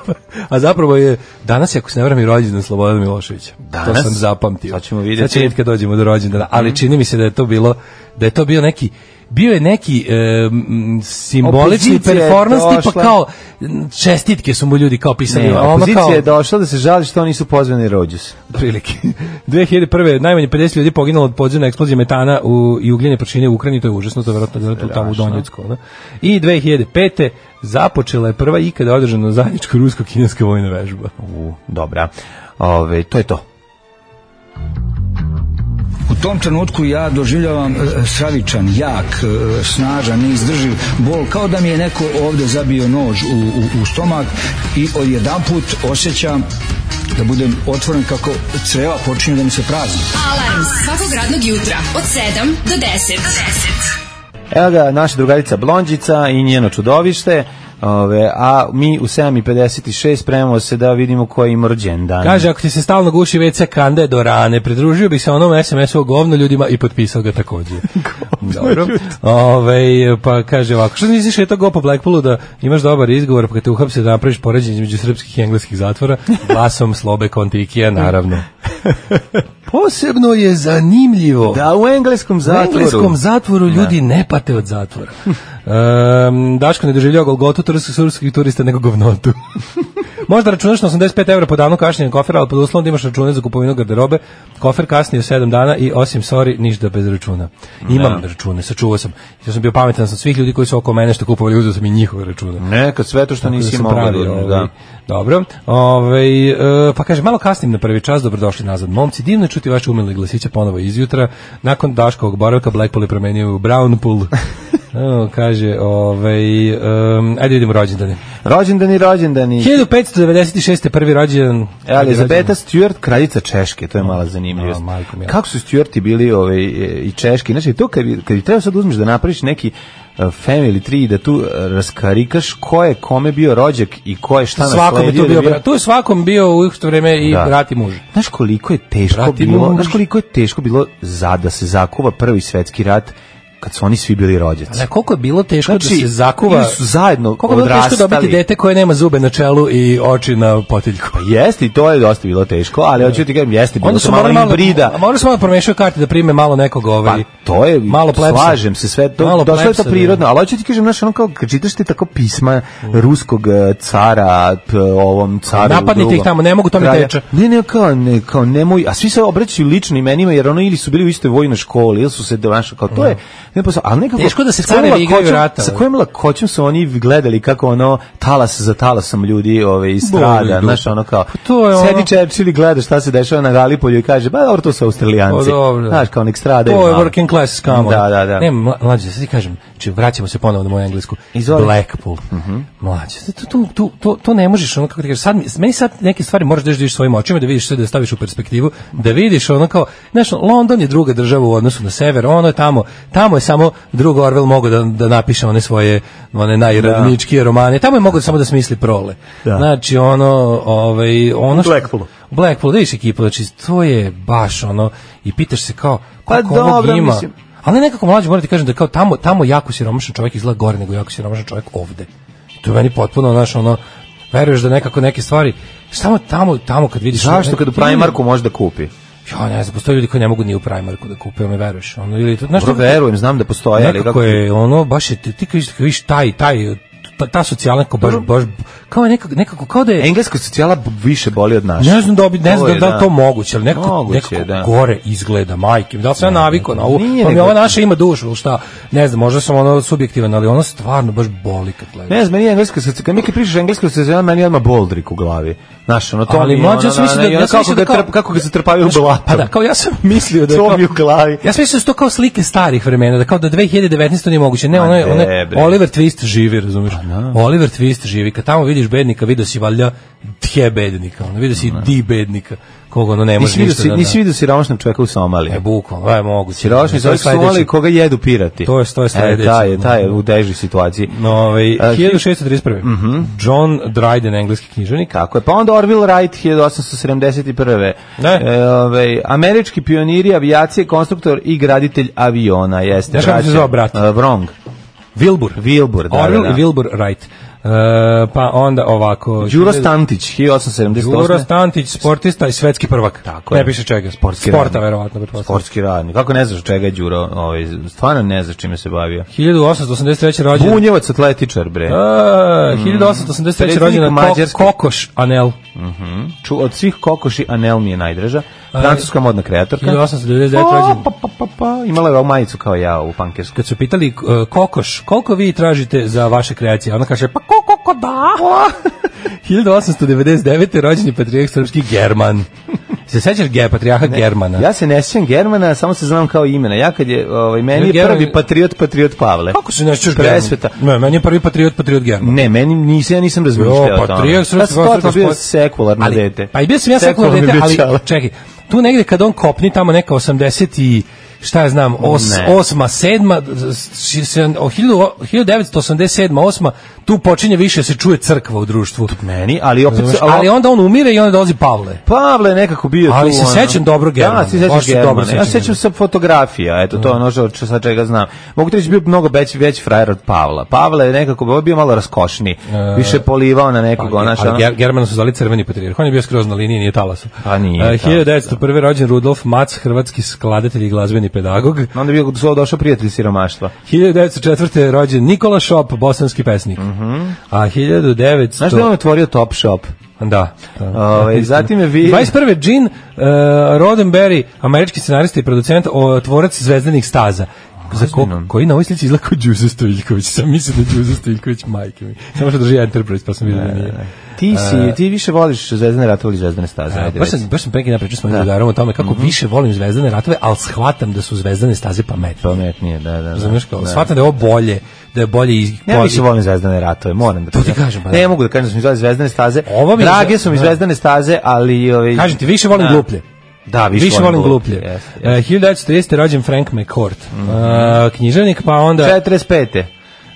[SPEAKER 6] a zapravo je, danas je, ako se ne vrame, i rođendan Slobodana Miloševića. To
[SPEAKER 5] Danas?
[SPEAKER 6] sam zapamtio.
[SPEAKER 5] Sad ćemo vidjeti.
[SPEAKER 6] Sad će vidjeti kad dođemo do rođendana, ali čini mi se da je to bilo, da je to bio neki, bio je neki e, m, simbolični
[SPEAKER 5] Opozicija je
[SPEAKER 6] performans tipa
[SPEAKER 5] došla.
[SPEAKER 6] kao m, čestitke su mu ljudi kao pisali.
[SPEAKER 5] Ne,
[SPEAKER 6] a ono
[SPEAKER 5] opozicija
[SPEAKER 6] kao,
[SPEAKER 5] je došla da se žali što nisu pozvani rođus.
[SPEAKER 6] prilike. dve hiljade prve najmanje pedeset ljudi poginulo od podzemne eksplozije metana u, i ugljenje prašine u Ukrajini, to je užasno, to je vjerojatno bilo tu tamo u Donjecku. Ne? I dve hiljade pete započela je prva ikada održana zajednička rusko-kineska vojna vežba.
[SPEAKER 5] U, dobra. Ove, to je to.
[SPEAKER 1] U tom trenutku ja doživljavam e, stravičan, jak, e, snažan, neizdrživ bol, kao da mi je neko ovde zabio nož u, u, u stomak i odjedanput osjećam da budem otvoren kako creva počinju da mi se prazni.
[SPEAKER 7] Alarm svakog radnog jutra od sedam do deset.
[SPEAKER 5] Evo ga, naša drugarica Blondžica i njeno čudovište. Ove, a mi u sedam i pedeset šest spremamo se da vidimo ko ima rođendan.
[SPEAKER 6] Kaže, ako ti se stalno guši ve ce kande do rane, pridružio bi se onom es em esu o govno ljudima i potpisao ga takođe. Dobro. Ove, pa kaže ovako, što nisi šetao go po Blackpoolu da imaš dobar izgovor, pa kad te uhapse da napraviš poređenje između srpskih i engleskih zatvora, glasom Slobe Kontikija, naravno. Posebno je zanimljivo
[SPEAKER 5] Da, u engleskom
[SPEAKER 6] u
[SPEAKER 5] zatvoru.
[SPEAKER 6] engleskom zatvoru ljudi ne pate od zatvora. Um, Daško ne doživljava Golgotu turskih srpskih turista nego govnotu. Možda računaš na osamdeset pet evra po danu kašnjenja kofera, ali pod uslovom da imaš račune za kupovinu garderobe. Kofer kasnije sedam dana i osim sorry, ništa bez računa. Imam da. račune, sačuvao sam. Ja sam bio pametan sam svih ljudi koji su oko mene što kupovali, uzeo sam i njihove račune.
[SPEAKER 5] Neka sve to što
[SPEAKER 6] Tako
[SPEAKER 5] nisi
[SPEAKER 6] da
[SPEAKER 5] mogao.
[SPEAKER 6] pravi,
[SPEAKER 5] Da.
[SPEAKER 6] ovaj, dobro. Ovaj e, pa kaže, malo kasnim na prvi čas, dobrodošli nazad. Momci, divno je čuti vaše umilne glasiće ponovo izjutra. Nakon Daškovog boravka, Blackpool je promenio u Brownpool. O, kaže, ovaj, um, ajde vidimo rođendane.
[SPEAKER 5] Rođendani, rođendani.
[SPEAKER 6] hiljadu petsto devedeset šeste prvi rođendan.
[SPEAKER 5] Elizabeta Stewart, kraljica Češke, to je mala zanimljivost.
[SPEAKER 6] No, majko mila.
[SPEAKER 5] Kako su Stewarti bili ovaj, i Češki? Znači, to kad, bi- kad bi trebao sad uzmeš da napraviš neki uh, family tree, da tu uh, raskarikaš ko je kome bio rođak i ko je šta
[SPEAKER 6] Svakom je
[SPEAKER 5] nasledio.
[SPEAKER 6] tu bio,
[SPEAKER 5] da je
[SPEAKER 6] brat. Tu je svakom bio u isto vreme i
[SPEAKER 5] Da.
[SPEAKER 6] brat i muž.
[SPEAKER 5] Znaš koliko je teško
[SPEAKER 6] Brat i
[SPEAKER 5] bilo,
[SPEAKER 6] muž.
[SPEAKER 5] znaš koliko je teško bilo za da se zakuva prvi svetski rat kad su oni svi bili rođaci.
[SPEAKER 6] Ne, koliko je bilo teško
[SPEAKER 5] Znači,
[SPEAKER 6] da se zakuva.
[SPEAKER 5] ili su zajedno
[SPEAKER 6] Koliko je bilo teško
[SPEAKER 5] odrastali.
[SPEAKER 6] dobiti dete koje nema zube na čelu i oči na potiljku.
[SPEAKER 5] Pa jeste i to je dosta bilo teško, ali hoću ti kažem, jeste bilo
[SPEAKER 6] Onda
[SPEAKER 5] su
[SPEAKER 6] su
[SPEAKER 5] malo
[SPEAKER 6] morali malo,
[SPEAKER 5] hibrida.
[SPEAKER 6] a morali su malo promešaju karte da prime malo nekog ovaj.
[SPEAKER 5] Pa to je,
[SPEAKER 6] malo plebsa.
[SPEAKER 5] slažem se, sve to,
[SPEAKER 6] Malo
[SPEAKER 5] došlo je to
[SPEAKER 6] plebsa,
[SPEAKER 5] prirodno, ali hoću ti kažem, znaš, ono kao, kad čitaš ti tako pisma ruskog eh, cara, p, ovom caru
[SPEAKER 6] Napadnite
[SPEAKER 5] drugom,
[SPEAKER 6] ih tamo, ne mogu, to mi
[SPEAKER 5] kralja.
[SPEAKER 6] teče.
[SPEAKER 5] Ne, ne, kao, ne, kao, nemoj, a svi se obraćaju ličnim imenima, jer ono ili su bili u istoj vojnoj školi, ili su se, znaš, kao, to je, ne posao, ali nekako,
[SPEAKER 6] Teško da se
[SPEAKER 5] sa kojom
[SPEAKER 6] carevi igraju
[SPEAKER 5] lakoćom-
[SPEAKER 6] rata.
[SPEAKER 5] Sa kojom lakoćom su oni gledali kako ono, talas za talasom ljudi ove, strada,
[SPEAKER 6] Boli
[SPEAKER 5] znaš,
[SPEAKER 6] dupe.
[SPEAKER 5] ono kao,
[SPEAKER 6] Pa to je ono-
[SPEAKER 5] sedi Churchill i gleda šta se dešava na Galipolju i kaže, ba dobro, to su Australijanci,
[SPEAKER 6] Pa dobro.
[SPEAKER 5] znaš, kao nek stradaju.
[SPEAKER 6] To je
[SPEAKER 5] malo.
[SPEAKER 6] working class scam.
[SPEAKER 5] Da, da, da.
[SPEAKER 6] Ne, mla- mlađe, sad ti kažem, znači vraćamo se ponovo na moju englesku.
[SPEAKER 5] Izvoli.
[SPEAKER 6] Blackpool. Mlađe, to, to, to, to, to ne možeš, ono kako ti kažeš, sad, mi- meni sad neke stvari moraš da vidiš svojim očima, da vidiš sve, da staviš u perspektivu, da vidiš ono kao, znaš, London je druga država u odnosu na sever, ono je tamo, tamo je samo drug Orwell mogao da, da napiše one svoje, one najradničkije romane, tamo je mogao samo da smisli prole.
[SPEAKER 5] Da.
[SPEAKER 6] Znači, ono, ovaj, ono što...
[SPEAKER 5] Blackpoolu.
[SPEAKER 6] Blackpool, da vidiš ekipu, znači, to je baš ono, i pitaš se kao,
[SPEAKER 5] Pa
[SPEAKER 6] koliko ovog
[SPEAKER 5] dobro,
[SPEAKER 6] ima.
[SPEAKER 5] mislim.
[SPEAKER 6] Ali nekako mlađe moram ti kažem da kao tamo tamo jako siromašan čovjek izgleda gore nego jako siromašan čovjek ovde. To je meni potpuno znaš ono veruješ da nekako neke stvari samo tamo tamo kad vidiš
[SPEAKER 5] Zašto kad u Primarku može da kupi?
[SPEAKER 6] Ja ne znam, postoje ljudi koji ne mogu ni u Primarku da kupe, me veruješ. Ono ili to znaš
[SPEAKER 5] Dobro, verujem, znam da postoje, ali
[SPEAKER 6] nekako
[SPEAKER 5] kako
[SPEAKER 6] je ono baš je ti ti kad vidiš- kad vidiš taj taj ta, ta socijalna kao baš baš kao je nekako nekako kao da je
[SPEAKER 5] engleska socijala više boli od naše.
[SPEAKER 6] ne znam da bi ne
[SPEAKER 5] To
[SPEAKER 6] znam
[SPEAKER 5] je,
[SPEAKER 6] da li
[SPEAKER 5] da.
[SPEAKER 6] to moguće, ali nekako,
[SPEAKER 5] Moguće,
[SPEAKER 6] nekako
[SPEAKER 5] da.
[SPEAKER 6] gore izgleda, majke. mi, Da li sam ja navikao na ovo?
[SPEAKER 5] Nije
[SPEAKER 6] Pa mi
[SPEAKER 5] nego-
[SPEAKER 6] ova naša ima dušu, ili šta? Ne znam, možda sam ono subjektivan, ali ono stvarno baš boli kad gledaš.
[SPEAKER 5] Ne znam, meni je engleska socijala, kad mi kad pričaš engleska socijala, meni je odmah Boldrik u glavi. Znaš, ono to
[SPEAKER 6] Ali
[SPEAKER 5] mi je
[SPEAKER 6] mlađe,
[SPEAKER 5] ono,
[SPEAKER 6] ja sam mislio da-
[SPEAKER 5] ono,
[SPEAKER 6] ja sam
[SPEAKER 5] kako
[SPEAKER 6] mislio da
[SPEAKER 5] ga
[SPEAKER 6] kao-
[SPEAKER 5] trp- kako ga se trpavaju u
[SPEAKER 6] Znaš,
[SPEAKER 5] blatom.
[SPEAKER 6] Pa da, kao ja sam mislio da je
[SPEAKER 5] To
[SPEAKER 6] kao-
[SPEAKER 5] mi je u glavi.
[SPEAKER 6] Ja sam mislio da su to kao slike starih vremena, da kao da dve hiljade devetnaeste nije moguće. Ne,
[SPEAKER 5] Ma
[SPEAKER 6] ono je, ono
[SPEAKER 5] ne,
[SPEAKER 6] je
[SPEAKER 5] bre.
[SPEAKER 6] Oliver Twist živi, razumiješ? Oliver Twist živi. Kad tamo vidiš bednika, vidio si valjda tje bednika, ono, vidio si di bednika, koga ono ne može
[SPEAKER 5] Nisi vidio
[SPEAKER 6] ništa
[SPEAKER 5] si,
[SPEAKER 6] da...
[SPEAKER 5] nisi vidio siromašnog čovjeka u Somaliji.
[SPEAKER 6] E, bukvalno, je moguće.
[SPEAKER 5] Siromašni
[SPEAKER 6] To je
[SPEAKER 5] čovjek u Somaliji
[SPEAKER 6] sledeće.
[SPEAKER 5] koga jedu pirati.
[SPEAKER 6] To je- to je
[SPEAKER 5] E,
[SPEAKER 6] sledeće.
[SPEAKER 5] taj je, taj je u težoj situaciji.
[SPEAKER 6] No, ovaj,
[SPEAKER 5] A,
[SPEAKER 6] hiljadu šeststo trideset prve. John Dryden, engleski književnik.
[SPEAKER 5] Tako je. Pa onda Orville Wright, hiljadu osamsto sedamdeset prve.
[SPEAKER 6] Ne.
[SPEAKER 5] E, ovaj, američki pioniri avijacije, konstruktor i graditelj aviona. Jeste.
[SPEAKER 6] Znaš kako se
[SPEAKER 5] braća,
[SPEAKER 6] zvao brat?
[SPEAKER 5] e, Wrong.
[SPEAKER 6] Wilbur.
[SPEAKER 5] Wilbur, da,
[SPEAKER 6] Orville
[SPEAKER 5] da, da.
[SPEAKER 6] i Wilbur Wright. E, pa onda ovako...
[SPEAKER 5] Đuro Stantić, hiljadu osamsto sedamdeset osme.
[SPEAKER 6] Đuro Stantić, sportista i svetski prvak.
[SPEAKER 5] Tako
[SPEAKER 6] ne
[SPEAKER 5] je.
[SPEAKER 6] piše čega.
[SPEAKER 5] Sportski
[SPEAKER 6] Sporta,
[SPEAKER 5] radnik.
[SPEAKER 6] verovatno. pretpostavljam.
[SPEAKER 5] Sportski radnik. Kako ne znaš čega je Đuro? Ovaj, stvarno ne znaš čime se bavio.
[SPEAKER 6] hiljadu osamsto osamdeset treće rođen.
[SPEAKER 5] Bunjevac atletičar, bre.
[SPEAKER 6] A, hiljadu osamsto osamdeset treće
[SPEAKER 5] Predsjednik
[SPEAKER 6] rođen Ko,
[SPEAKER 5] Mađarske.
[SPEAKER 6] Kokoš Anel.
[SPEAKER 5] Ču, od svih kokoši Anel mi je najdraža. Francuska modna kreatorka.
[SPEAKER 6] hiljadu osamsto devedeset devet
[SPEAKER 5] Pa,
[SPEAKER 6] rođen.
[SPEAKER 5] pa, pa, pa, pa. Imala je ovu majicu kao ja u pankersku.
[SPEAKER 6] Kad su pitali uh, Kokoš, koliko vi tražite za vaše kreacije? Ona kaže, pa koliko ko da? hiljadu osamsto devedeset devete rođen je patrijarh srpski German. Se sećaš ge, patrijarha Germana?
[SPEAKER 5] Ja se ne sjećam Germana, samo se znam kao imena. Ja kad je, ovaj, meni je
[SPEAKER 6] German-
[SPEAKER 5] prvi patriot, patriot Pavle.
[SPEAKER 6] Kako se ne sećaš
[SPEAKER 5] Presveta.
[SPEAKER 6] Germana? Ne, meni je prvi patriot, patriot German.
[SPEAKER 5] Ne, meni nisam, ja nisam razmišljao
[SPEAKER 6] Jo,
[SPEAKER 5] o tome.
[SPEAKER 6] patrijarh srpski
[SPEAKER 5] Ja sam totalno bio
[SPEAKER 6] gospod-
[SPEAKER 5] sekularno
[SPEAKER 6] Ali-
[SPEAKER 5] dete.
[SPEAKER 6] Pa i bio sam ja sekularno
[SPEAKER 5] Sekularni
[SPEAKER 6] dete, ali
[SPEAKER 5] dečala.
[SPEAKER 6] čekaj, tu negde kad on kopni tamo neka osamdeset i šta ja znam, os, osma, sedma, hiljadu devetsto osamdeset sedma, osma, tu počinje više se čuje crkva u društvu.
[SPEAKER 5] Meni, ali opet...
[SPEAKER 6] Znaš, ali onda on umire i onda dolazi Pavle.
[SPEAKER 5] Pavle je nekako bio
[SPEAKER 6] ali
[SPEAKER 5] tu.
[SPEAKER 6] Ali se sećam dobro Germana.
[SPEAKER 5] Da, se sećaš Germana. Ja se sećam sa fotografija, eto, to je ono što sa čega znam. Mogu ti reći, bio mnogo veći, veći frajer od Pavla. Pavle je nekako bio malo raskošniji, više polivao na nekog.
[SPEAKER 6] Pa,
[SPEAKER 5] naša,
[SPEAKER 6] ali Ger, Germana su zvali crveni patrijarh. On je bio skroz na liniji, nije talasom.
[SPEAKER 5] Pa nije.
[SPEAKER 6] Uh, hiljadu devetsto prve rođen Rudolf Mac, hrvatski skladatelj i glazbeni pedagog.
[SPEAKER 5] Onda je bio došao prijatelj siromaštva.
[SPEAKER 6] hiljadu devetsto četvrte rođen Nikola Šop, bosanski pesnik. Uh -huh. A hiljadu devetsto
[SPEAKER 5] Znaš da je on otvorio Top Shop?
[SPEAKER 6] Da.
[SPEAKER 5] Ove, zatim je vi...
[SPEAKER 6] dvadeset prve Gene uh, Roddenberry, američki scenarista i producent, o, tvorac Zvezdanih staza. Za ko, koji na ovoj slici izgleda kao Đuzo Stojiljković. Sam mislim da je Đuzo Stojiljković majke mi. Samo što drži Enterprise, pa sam vidio da nije.
[SPEAKER 5] Ti si, ti više voliš Zvezdane ratove ili Zvezdane staze? Ajde,
[SPEAKER 6] baš, sam, baš sam preki napričao s mojim drugarom o tome kako mm -hmm. više volim Zvezdane ratove, ali shvatam da su Zvezdane staze pametnije.
[SPEAKER 5] Pametnije, da, da. da.
[SPEAKER 6] Razumiješ kao, da. Shvatam da je ovo bolje, da je bolje iz...
[SPEAKER 5] Ja više volim Zvezdane ratove, moram da
[SPEAKER 6] to ti kažem. Pa
[SPEAKER 5] ne da. Mogu da kažem da su mi Zvezdane staze. Drage su mi Zvezdane staze, ali... Ovaj,
[SPEAKER 6] kažem ti, više volim gluplje.
[SPEAKER 5] Da, više,
[SPEAKER 6] više volim gluplje. Yes, yes. Uh, hiljadu devetsto tridesete rođen Frank McCourt. Mm -hmm. uh, književnik, pa onda...
[SPEAKER 5] četrdeset pete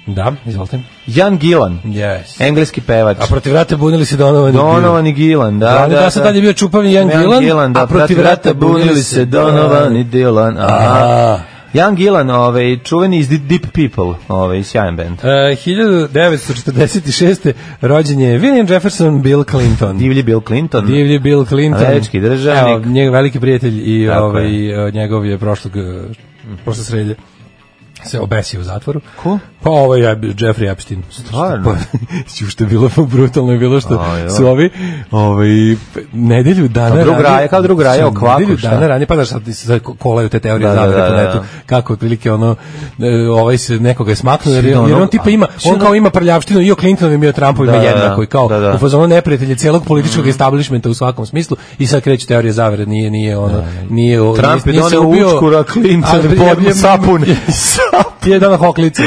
[SPEAKER 6] Da, izvolite.
[SPEAKER 5] Jan Gillan,
[SPEAKER 6] yes.
[SPEAKER 5] Engleski pevač.
[SPEAKER 6] A protiv vrata bunili se Donovan i
[SPEAKER 5] Donovan i Gillan, da, da, da.
[SPEAKER 6] Da, sad tad je bio čupavni Jan Gillan,
[SPEAKER 5] Gillan, da,
[SPEAKER 6] a protiv vrata bunili se Donovan i
[SPEAKER 5] Dylan. Aha. Jan Gillan, ovaj, čuveni iz Deep People, ovaj, sjajan band.
[SPEAKER 6] Uh, hiljadu devetsto četrdeset šeste rođen je William Jefferson Bill Clinton.
[SPEAKER 5] Divlji Bill Clinton.
[SPEAKER 6] Divlji Bill Clinton.
[SPEAKER 5] Američki državnik.
[SPEAKER 6] Evo, njegov veliki prijatelj i ovaj, njegov je prošlog, prošle srede se obesio u zatvoru.
[SPEAKER 5] Ko?
[SPEAKER 6] Pa ovaj je Jeffrey Epstein.
[SPEAKER 5] Stvarno?
[SPEAKER 6] Pa, što je bilo brutalno je bilo što oh, su ovi ovaj, nedelju dana
[SPEAKER 5] ranije... Drug raje, kao drug raje o kvaku,
[SPEAKER 6] nedelju
[SPEAKER 5] šta?
[SPEAKER 6] Dana ranije, pa znaš, sad kolaju te teorije
[SPEAKER 5] da,
[SPEAKER 6] zavere
[SPEAKER 5] da,
[SPEAKER 6] po netu,
[SPEAKER 5] da.
[SPEAKER 6] kako otprilike ono, ovaj se nekoga je smaknuo, jer, jer on tipa ima, on kao ima prljavštinu i o Clintonovim i o Trumpovima da, jednako i kao da, da. U fazonu neprijatelje cijelog političkog mm. establishmenta u svakom smislu i sad kreću teorije zavere, nije, nije ono, nije...
[SPEAKER 5] Trump je doneo učkura, Clinton podno sapun.
[SPEAKER 6] Je dana hoklice.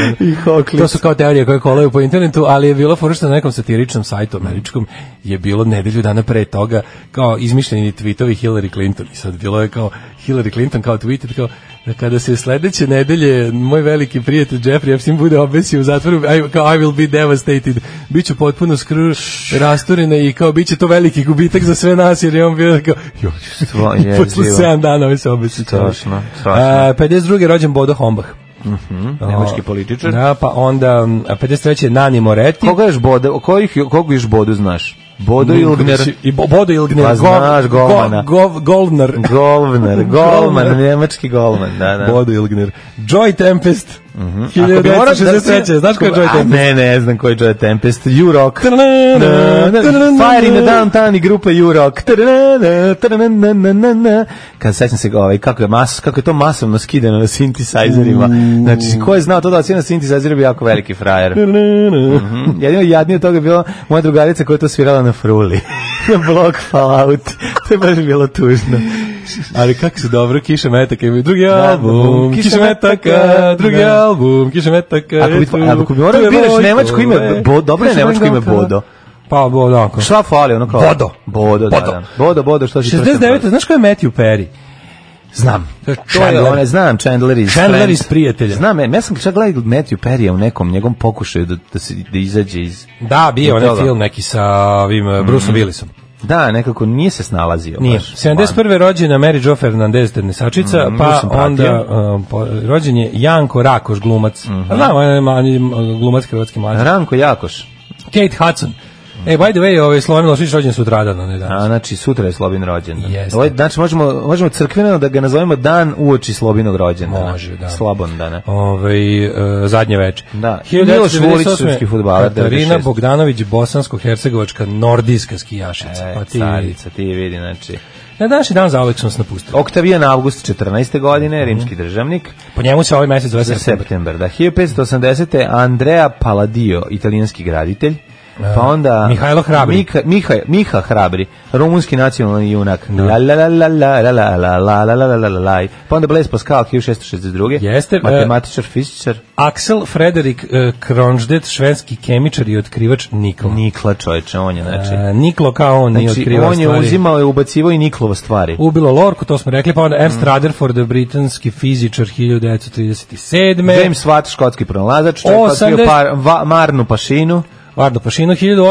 [SPEAKER 6] To su kao teorije koje kolaju po internetu, ali je bilo fora što na nekom satiričnom sajtu američkom je bilo nedelju dana pre toga kao izmišljeni tweetovi Hillary Clinton i sad bilo je kao Hillary Clinton kao tweeted kao da kada se sledeće nedelje moj veliki prijatelj Jeffrey Epstein bude obesio u zatvoru, I, kao I will be devastated, biću potpuno skru rasturena i kao biće to veliki gubitak za sve nas jer je on bio kao joj, posle sedam dana ovaj se obesio.
[SPEAKER 5] Strašno, strašno.
[SPEAKER 6] pedeset druge rođen Bodo Hombach.
[SPEAKER 5] Mhm, nemački političar.
[SPEAKER 6] Da, pa onda pedeset treće Nani Moretti.
[SPEAKER 5] Koga još Bodo, kojih koga još Bodo znaš? Bodo Ilgner.
[SPEAKER 6] I Bodo Ilgner.
[SPEAKER 5] Pa znaš golmana.
[SPEAKER 6] Golvner.
[SPEAKER 5] Golvner. Golman, nemački golman, da, da.
[SPEAKER 6] Bodo Ilgner. Joy Tempest.
[SPEAKER 5] Mhm.
[SPEAKER 6] hiljadu devetsto šezdeset treće Znaš ko je Joy Tempest?
[SPEAKER 5] Ne, ne znam ko je Joy Tempest. U-Rock. Fire in the Downtown i grupa U-Rock. Kad sećam se ovaj, kako je mas, kako je to masovno skidano na synthesizerima. Znači, ko je znao to da odsvira na synthesizeru bi jako veliki frajer. Jedino jadnije od toga je bila moja drugarica koja je to svirala na fruli. Na blok Fallout. To je baš bilo tužno.
[SPEAKER 6] Ali kako se dobro, Kiša Metaka imaju drugi album, Kiša Metaka, drugi album, Kiša Metaka.
[SPEAKER 5] Ako bi morao biraš nemačko ime, dobro je nemačko ime Bodo.
[SPEAKER 6] Pa Bodo.
[SPEAKER 5] Šta fali, ono kao?
[SPEAKER 6] Bodo.
[SPEAKER 5] Bodo, da, da. Bodo, Bodo, što si to?
[SPEAKER 6] šezdeset devete Znaš ko je Matthew Perry?
[SPEAKER 5] Znam. To je, one, znam, Chandler iz
[SPEAKER 6] Chandler iz Prijatelja.
[SPEAKER 5] Znam, ja sam čak gledao Matthew Perry u nekom njegovom pokušaju da, da, se, da izađe iz...
[SPEAKER 6] Da, bio onaj film neki sa ovim mm. Bruceom Willisom.
[SPEAKER 5] Da, nekako nije se snalazio.
[SPEAKER 6] Nije. Baš. sedamdeset prve rođena Mary Jo Fernandez, tenesačica, mm, pa onda uh, po, rođen je Janko Rakoš, glumac. Mm -hmm. Znam, on je glumac hrvatski mlađi.
[SPEAKER 5] Ranko Jakoš.
[SPEAKER 6] Kate Hudson. E, by the way, ovaj Slobodan Milošević rođen sutradan, ne danas.
[SPEAKER 5] A, znači, sutra je Slobin rođendan.
[SPEAKER 6] Jeste.
[SPEAKER 5] Ovaj, znači, možemo, možemo crkveno da ga nazovemo dan uoči Slobinog rođendana.
[SPEAKER 6] Može, da.
[SPEAKER 5] Slobondana.
[SPEAKER 6] Ovaj uh, zadnje veče.
[SPEAKER 5] Da. Miloš Vulić, srpski fudbaler.
[SPEAKER 6] Katarina Bogdanović, bosansko-hercegovačka nordijska skijašica.
[SPEAKER 5] E,
[SPEAKER 6] pa ti
[SPEAKER 5] carica, ti vidi, znači...
[SPEAKER 6] Na današnji dan zauvek sam se napustio.
[SPEAKER 5] Oktavijan Avgust četrnaeste godine, rimski državnik.
[SPEAKER 6] Po njemu se ovaj mesec zove
[SPEAKER 5] september. Da, hiljadu petsto osamdesete Andrea Palladio, italijanski graditelj. Pa onda
[SPEAKER 6] Mihajlo Hrabri.
[SPEAKER 5] Mika, Miha, Miha Hrabri, rumunski nacionalni junak. La la la la la la la la la la la la la la. Pa onda Blaise Pascal hiljadu šessto šezdeset druge.
[SPEAKER 6] Jeste,
[SPEAKER 5] matematičar, fizičar.
[SPEAKER 6] Axel Frederik uh, Kronstedt, švedski kemičar i otkrivač nikla.
[SPEAKER 5] Nikla, čoveče, on je, znači.
[SPEAKER 6] Uh, niklo kao on
[SPEAKER 5] znači,
[SPEAKER 6] je otkrivao
[SPEAKER 5] on je
[SPEAKER 6] stvari.
[SPEAKER 5] uzimao i ubacivao i Niklova stvari.
[SPEAKER 6] Ubilo Lorku, to smo rekli, pa onda Ernst mm. Rutherford, britanski fizičar hiljadu devetsto trideset sedme.
[SPEAKER 5] James Watt, škotski pronalazač, čovjek otkrio par, va, Marnu Pašinu.
[SPEAKER 6] Vardo Pašinu, hiljadu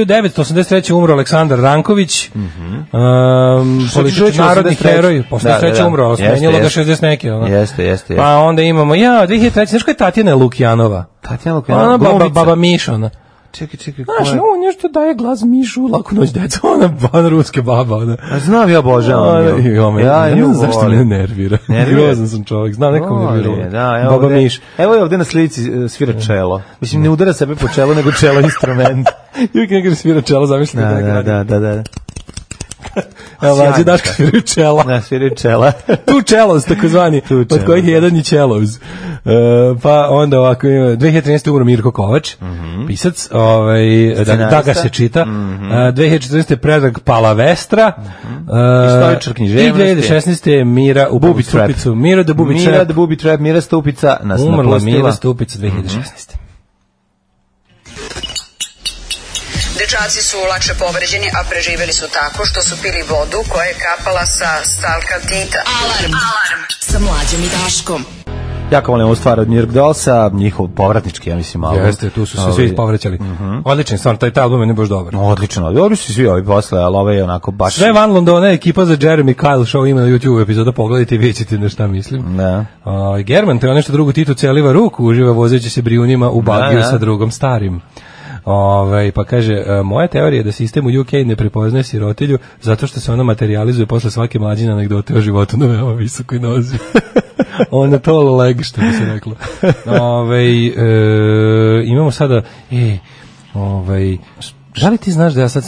[SPEAKER 6] devetsto osamdeset treće umro Aleksandar Ranković, mm -hmm. um, politički narodni heroj, posle da, treće da, da. umro, smenjilo ga šezdeset neke. Ono.
[SPEAKER 5] Jeste, jeste.
[SPEAKER 6] Pa onda imamo, ja, dve hiljade treće, znaš koja je Tatjana Lukjanova?
[SPEAKER 5] Tatjana Lukjanova,
[SPEAKER 6] ona baba, baba Miša, ona.
[SPEAKER 5] Čekaj, čekaj,
[SPEAKER 6] znaš, no, nešto daje glas Mišu, laku noć deca, ona ban ruske baba, ona.
[SPEAKER 5] A znam ja obožavam nju.
[SPEAKER 6] Ja, ja, ja ne znam zašto me nervira. Grozan sam čovjek, znam nekom nervira.
[SPEAKER 5] Da, evo baba Miš. Evo je ovde na slici svira čelo. Mislim, ne udara sebe po čelu, nego čelo instrument.
[SPEAKER 6] Uvijek nekada svira čelo, zamišljate.
[SPEAKER 5] Da, da, da, da.
[SPEAKER 6] Evo, Lađe Daško sviraju čela.
[SPEAKER 5] Da, sviraju čela.
[SPEAKER 6] Tu čelos, takozvani, od kojih je jedan i čeloz. Uh, pa onda ovako, dve hiljade trinaeste umro Mirko Kovač, mm -hmm. pisac, ovaj, da, da ga se čita. Mm -hmm. uh, dve hiljade četrnaeste Predrag Palavestra, mm -hmm. uh,
[SPEAKER 5] istoričar književnosti.
[SPEAKER 6] I dve hiljade šesnaeste Mira u Bubi Stupicu. Mira da Bubi
[SPEAKER 5] Mira da Bubi Trap, Mira Stupica nas
[SPEAKER 6] umrla
[SPEAKER 5] napustila.
[SPEAKER 6] Mira Stupica dve hiljade šesnaeste. Mm -hmm.
[SPEAKER 8] Dečaci su lakše povređeni, a preživjeli su tako što su pili vodu koja je kapala sa stalkatita.
[SPEAKER 7] Alarm, alarm, sa Mlađom i Daškom.
[SPEAKER 5] Jako volim ovu stvar od New York Dollsa, njihov povratnički, ja mislim, album.
[SPEAKER 6] Jeste, tu su se svi povraćali. Mm -hmm. Odličan stvarno, taj, taj album je ne baš dobar.
[SPEAKER 5] Odlično, dobri su svi ovi posle, ali ovaj je onako baš...
[SPEAKER 6] Sve Van Londona, ekipa za Jeremy Kyle Show ima na YouTube epizoda, pogledajte i vidjet ćete na šta mislim.
[SPEAKER 5] Da.
[SPEAKER 6] Uh, German, te on nešto drugu Titu celiva ruku, uživa vozeći se brijunima u bagiju sa drugom starim. Ove, pa kaže, moja teorija je da sistem u U K ne prepoznaje sirotilju zato što se ona materializuje posle svake mlađine anegdote o životu na veoma visokoj nozi. Ona to leg, što bi se reklo. Ove, e, imamo sada, e, ove, da li ti znaš da ja sad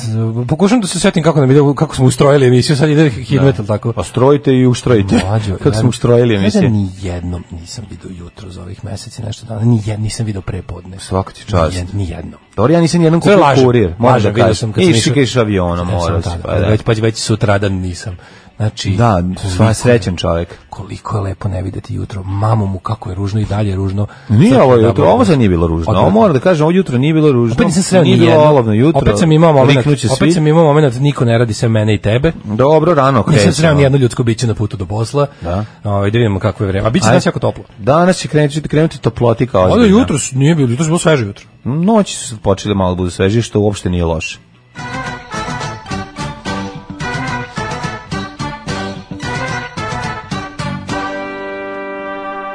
[SPEAKER 6] pokušam da se setim kako nam ide, kako smo ustrojili emisiju, sad ide hit metal tako.
[SPEAKER 5] Pa strojite i ustrojite.
[SPEAKER 6] Mlađo,
[SPEAKER 5] kako smo ustrojili emisiju.
[SPEAKER 6] Ja ni jednom nisam vidio jutro za ovih meseci nešto dana, ni jednom nisam vidio prepodne.
[SPEAKER 5] Svaka ti čast.
[SPEAKER 6] Ni jednom.
[SPEAKER 5] Dobro, ja nisam jednom kupio kurir.
[SPEAKER 6] Može da kažem.
[SPEAKER 5] Išli keš avionom, mora se.
[SPEAKER 6] Već pa već sutradan nisam. Znači,
[SPEAKER 5] da, sva srećan čovjek.
[SPEAKER 6] Koliko je lepo ne videti jutro. Mamu mu kako je ružno i dalje je ružno.
[SPEAKER 5] Nije ovo jutro, ovo sad nije bilo ružno. Ovo mora da kažem, ovo jutro nije bilo ružno.
[SPEAKER 6] Opet nisam sreo
[SPEAKER 5] nije bilo olovno jutro.
[SPEAKER 6] Opet sam imao moment, opet sam imao moment, niko ne radi sve mene i tebe.
[SPEAKER 5] Dobro, rano krećemo.
[SPEAKER 6] Nisam sreo nijedno ljudsko biće na putu do posla. Da. Ovaj, da vidimo kako je vreme. A biće danas jako toplo.
[SPEAKER 5] Danas će krenuti, krenuti toplotika ozbiljna.
[SPEAKER 6] Ovo jutro nije bilo, jutro je bilo sveže jutro.
[SPEAKER 5] Noći su počeli malo budu sveži, što uopšte nije loše.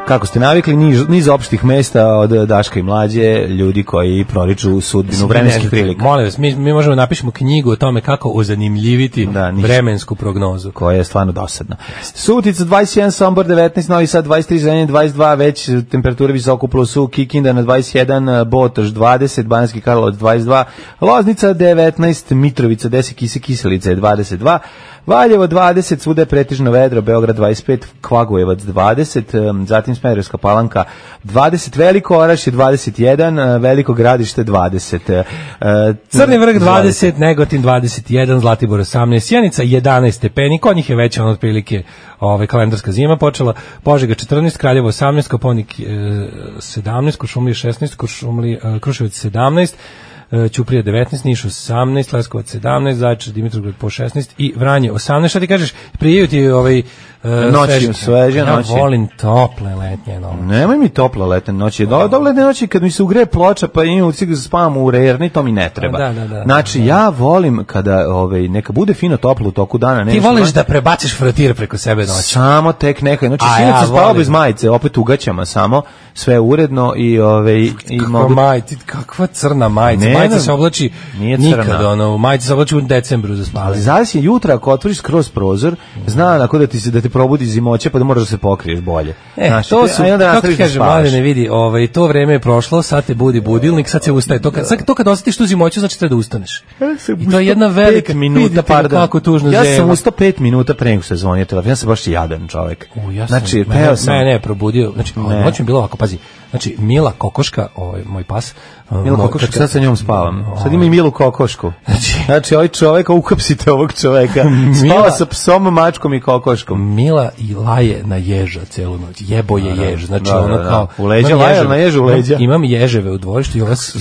[SPEAKER 5] Kako ste navikli, niz, niz opštih mesta od Daška i Mlađe, ljudi koji proriču sudbinu vremenskih prilika.
[SPEAKER 6] Molim vas, mi, mi možemo napišemo knjigu o tome kako ozanimljiviti da, vremensku prognozu.
[SPEAKER 5] Koja je stvarno dosadna. Sutica dvadeset jedan, Sombor devetnaest, Novi Sad dvadeset tri, Zrenjanin dvadeset dva, već temperature visoko plusu, Kikinda na dvadeset jedan, Botoš dvadeset, Banjski Karlovac dvadeset dva, Loznica devetnaest, Mitrovica deset, Kise Kiselica je dvadeset dva, Valjevo dvadeset, svuda je pretežno vedro, Beograd dvadeset pet, Kvagojevac dvadeset, zatim Smederevska Palanka dvadeset, Veliko Orašje dvadeset jedan, Veliko Gradište dvadeset.
[SPEAKER 6] Crni Vrh dvadeset, Negotin dvadeset jedan, Zlatibor osamnaest, Sjenica jedanaest stepeni, kod njih je veća ono otprilike ovaj, kalendarska zima počela, Požega četrnaest, Kraljevo osamnaest, Koponik sedamnaest, Kuršumlija šesnaest, Kuršumlija, Kruševac sedamnaest, Ćuprija devetnaest, Niš osamnaest, Leskovac sedamnaest, Zaječar, Dimitrovgrad po šesnaest i Vranje osamnaest. Šta ti kažeš? Prijaju ti ovaj uh,
[SPEAKER 5] noći, sveže noći.
[SPEAKER 6] Ja volim tople letnje noći.
[SPEAKER 5] Nemoj mi tople letnje noći. Do, dobre letnje noći kad mi se ugreje ploča pa imam ucik da spavam u rerni, to mi ne treba.
[SPEAKER 6] Da, da, da,
[SPEAKER 5] znači,
[SPEAKER 6] da, da.
[SPEAKER 5] ja volim kada ovaj, neka bude fino toplo u toku dana.
[SPEAKER 6] Ti voliš da prebaciš frotir preko sebe noći.
[SPEAKER 5] Samo tek nekaj. Znači, sinoć sam spavao bez majice, opet ugaćama samo, sve uredno i... Ovaj, i mogu...
[SPEAKER 6] majica, kakva crna majica. Ne, majica se oblači nikad, ono, majica se oblači u decembru za spavanje.
[SPEAKER 5] Ali zavisi jutra, ako otvoriš kroz prozor, zna onako da ti se da te probudi zimoće, pa da moraš da se pokriješ bolje.
[SPEAKER 6] E, znači, to su, kako ti kažem, mlade ne vidi, ovaj, to vreme je prošlo, sad te budi budilnik, sad se ustaje. To kad, sad, to kad osjetiš tu zimoću, znači treba da ustaneš. I to je jedna velika minuta, pardon. Kako tužno
[SPEAKER 5] ja
[SPEAKER 6] zema.
[SPEAKER 5] sam ustao pet minuta pre nego se zvonio telefon, ja sam baš jadan čovjek.
[SPEAKER 6] U, ja sam,
[SPEAKER 5] znači,
[SPEAKER 6] mene, sam... mene je probudio, znači, noć mi bilo ovako, pazi, znači, Mila Kokoška, ovaj, moj pas,
[SPEAKER 5] Mila Kokoška, sad sa njom spavam. Sad ima i Milu Kokošku. Znači, znači ovaj čovek, uhapsite ovog čoveka. Spava sa psom, mačkom i kokoškom.
[SPEAKER 6] Mila i laje na ježa celu noć. Jebo je jež. Znači,
[SPEAKER 5] da,
[SPEAKER 6] ono
[SPEAKER 5] da,
[SPEAKER 6] kao...
[SPEAKER 5] U leđa laje, na ježu u leđa.
[SPEAKER 6] Imam ježeve u dvorištu i ova se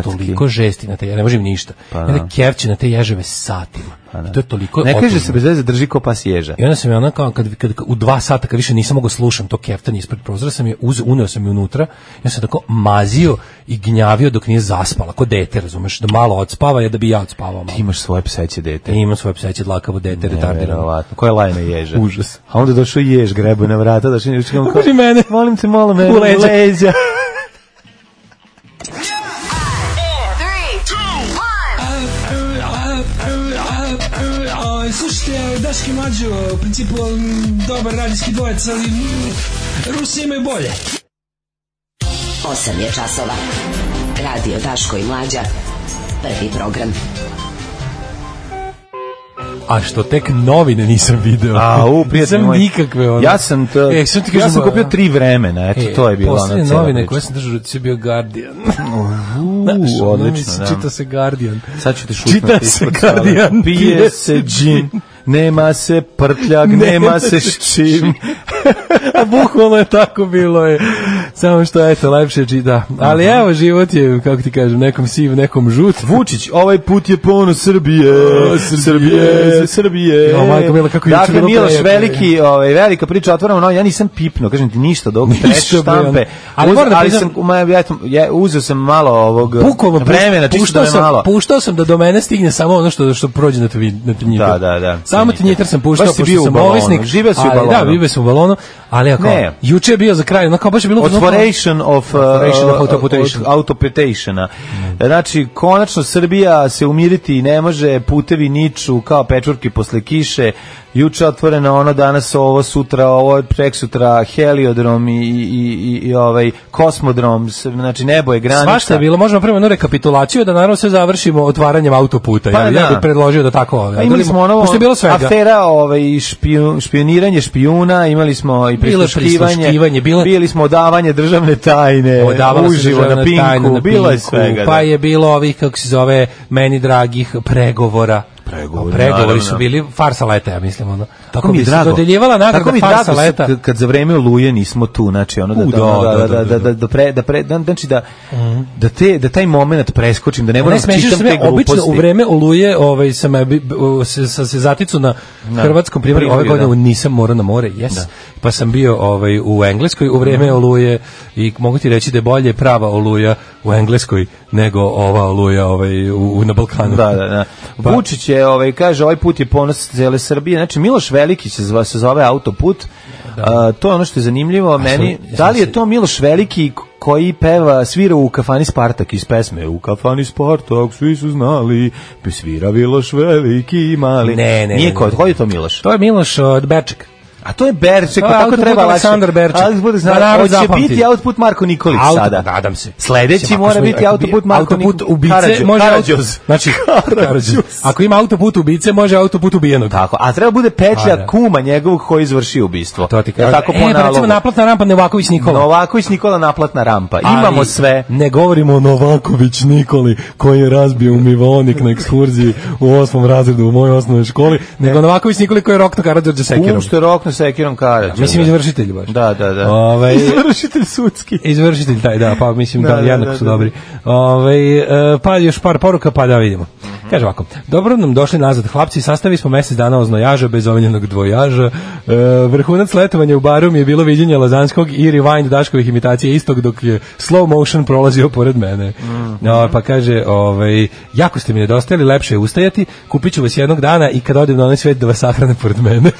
[SPEAKER 6] toliko žesti na te, ja ne možem ništa. Pa, ja kevće na te ježeve satima. I to je toliko
[SPEAKER 5] ne
[SPEAKER 6] otužno.
[SPEAKER 5] Kaže se bez veze drži ko pas ježa.
[SPEAKER 6] I onda sam je ona kao kad, kad, kad u dva sata kad više nisam mogao slušam to keftanje ispred prozora, sam je uz, uneo sam je unutra. Ja sam tako mazio i gnjavio dok nije zaspala, ko dete, razumeš, da malo odspava je da bi ja odspavao malo.
[SPEAKER 5] Ti imaš svoje pseće dete.
[SPEAKER 6] I imam svoje pseće dlakavo dete, retardirano.
[SPEAKER 5] Ko je lajna ježa?
[SPEAKER 6] Užas.
[SPEAKER 5] A onda došao jež, grebo na vrata, došao i kao,
[SPEAKER 6] kaži mene.
[SPEAKER 5] Molim te, malo mene,
[SPEAKER 6] u leđa.
[SPEAKER 5] leđa.
[SPEAKER 9] Slušajte, Daški Mlađo, u principu dobar radijski dvojec, ali Rusi imaju bolje.
[SPEAKER 10] osam je časova. Radio Daško i Mlađa. Prvi program.
[SPEAKER 6] A što tek novine nisam video.
[SPEAKER 5] A, u, prijatelj moj.
[SPEAKER 6] Nikakve ono.
[SPEAKER 5] Ja sam to,
[SPEAKER 6] e, sam,
[SPEAKER 5] ja sam kupio tri vremena, eto, e, to je bilo ona cela priča.
[SPEAKER 6] Poslednje novine koje sam držao, ti si bio Guardian.
[SPEAKER 5] Uuu, odlično, da.
[SPEAKER 6] Čita se Guardian.
[SPEAKER 5] Sad ću te šutnuti.
[SPEAKER 6] Čita se Guardian.
[SPEAKER 5] Pije se džin. Nema se prtljak, nema se ščim.
[SPEAKER 6] A bukvalno je tako bilo je. Samo što eto, lepše čita. Ali evo, život je, kako ti kažem, nekom siv, nekom žut.
[SPEAKER 5] Vučić, ovaj put je ponos Srbije. O, Srbije, Srbije.
[SPEAKER 6] O, majko Mila, kako je
[SPEAKER 5] dakle, Miloš veliki, ovaj, velika priča otvorena, no, ja nisam pipno, kažem ti ništa, dok treš štampe.
[SPEAKER 6] Ali,
[SPEAKER 5] Uz,
[SPEAKER 6] moram da
[SPEAKER 5] ali
[SPEAKER 6] priznam,
[SPEAKER 5] sam, ja, ja, uzeo sam malo ovog
[SPEAKER 6] bukvalno,
[SPEAKER 5] vremena, čisto da me malo.
[SPEAKER 6] Puštao sam da do mene stigne samo ono što, što prođe na tinjitar.
[SPEAKER 5] Da, da, da.
[SPEAKER 6] Samo tinjitar sam puštao,
[SPEAKER 5] pošto sam ovisnik. Živeo si u balonu.
[SPEAKER 6] Da, živeo sam u balonu, ali ako, juče je bio za kraj, ono kao baš je bilo...
[SPEAKER 5] Otvoration of, uh,
[SPEAKER 6] autoputation.
[SPEAKER 5] autoputationa. Znači, konačno Srbija se umiriti ne može, putevi niču kao pečurke posle kiše, juče otvoreno ono, danas ovo, sutra ovo, preksutra heliodrom i, i, i, i ovaj kosmodrom, znači nebo je granica.
[SPEAKER 6] Svašta je bilo, možemo prvo jednu rekapitulaciju da naravno sve završimo otvaranjem autoputa.
[SPEAKER 5] Pa,
[SPEAKER 6] ja,
[SPEAKER 5] da.
[SPEAKER 6] ja bih predložio da tako ovaj.
[SPEAKER 5] Pa imali smo ono,
[SPEAKER 6] je bilo svega.
[SPEAKER 5] Afera ovaj, špijun, špioniranje špijuna, imali smo i prisluškivanje,
[SPEAKER 6] bilo...
[SPEAKER 5] bili smo odavanje državne tajne, uživo na Pinku, na bilo je svega.
[SPEAKER 6] Pa da. Je bilo ovih, kako se zove, meni dragih pregovora.
[SPEAKER 5] Pregovori,
[SPEAKER 6] pregovori su bili farsa leta, ja mislim, ono.
[SPEAKER 5] Tako mi je drago.
[SPEAKER 6] Dodeljivala nagrada farsa leta.
[SPEAKER 5] Kad, kad za vreme Oluje nismo tu, znači ono da
[SPEAKER 6] U,
[SPEAKER 5] da da da da da da pre da pre znači da da te da taj momenat preskočim, da ne moram čitam te gluposti.
[SPEAKER 6] Obično u vreme Oluje, ovaj sam se se se zaticu na hrvatskom primjeru, ove godine nisam morao na more, jes. Pa sam bio ovaj u Engleskoj u vreme Oluje i mogu ti reći da je bolje prava Oluja u Engleskoj nego ova Oluja ovaj u na Balkanu.
[SPEAKER 5] Da, da, da. Vučić je ovaj kaže ovaj put je ponos cele Srbije. Znači Miloš Veliki se zove, se zove autoput. A, to je ono što je zanimljivo a meni. Sam, da li je to Miloš Veliki koji peva, svira u kafani Spartak iz pesme U kafani Spartak svi su znali, bi svira Miloš Veliki i mali.
[SPEAKER 6] Ne, ne,
[SPEAKER 5] nije ko, ko je to Miloš?
[SPEAKER 6] To je Miloš od Berček.
[SPEAKER 5] A to je Berček, pa tako treba
[SPEAKER 6] Aleksandar Berček.
[SPEAKER 5] Ali bude znači, hoće biti autoput Marko Nikolić
[SPEAKER 6] Auto,
[SPEAKER 5] sada.
[SPEAKER 6] Nadam se.
[SPEAKER 5] Sledeći mora biti autoput Marko Nikolić.
[SPEAKER 6] Autoput ubice može Karadžoz. Znači Karadžoz. Ako ima autoput ubice, može autoput ubijenog.
[SPEAKER 5] Tako, a treba bude petlja kuma njegovog koji izvrši ubistvo.
[SPEAKER 6] To ti kaže.
[SPEAKER 5] Tako po
[SPEAKER 6] e, pa recimo naplatna rampa Novaković Nikola.
[SPEAKER 5] Novaković Nikola naplatna rampa. Imamo
[SPEAKER 6] ali
[SPEAKER 5] sve.
[SPEAKER 6] Ne govorimo o Novaković Nikoli koji je razbio umivaonik na ekskurziji u osmom razredu u mojoj osnovnoj školi, nego Novaković Nikoli koji je rokno Karadžorđa sekirom.
[SPEAKER 5] Um što je rokno sekirom Karadžorđa.
[SPEAKER 6] Mislim izvršitelj baš.
[SPEAKER 5] Da, da, da.
[SPEAKER 6] Ove,
[SPEAKER 5] izvršitelj sudski.
[SPEAKER 6] Izvršitelj taj, da, pa mislim da,
[SPEAKER 5] da
[SPEAKER 6] jednako
[SPEAKER 5] da,
[SPEAKER 6] su
[SPEAKER 5] da,
[SPEAKER 6] dobri. Ove, pa još par poruka, pa da vidimo. Mm-hmm. Kaže ovako, dobro nam došli nazad hlapci, sastavili smo mesec dana oznojaža bez omenjenog dvojaža. E, vrhunac letovanja u baru mi je bilo viđenje Lazanskog i rewind Daškovih imitacija istog dok je slow motion prolazio pored mene. Mm-hmm. No, pa kaže, ovaj, jako ste mi nedostajali, lepše je ustajati, kupit ću vas jednog dana i kad odem na onaj svet da vas sahrane pored mene.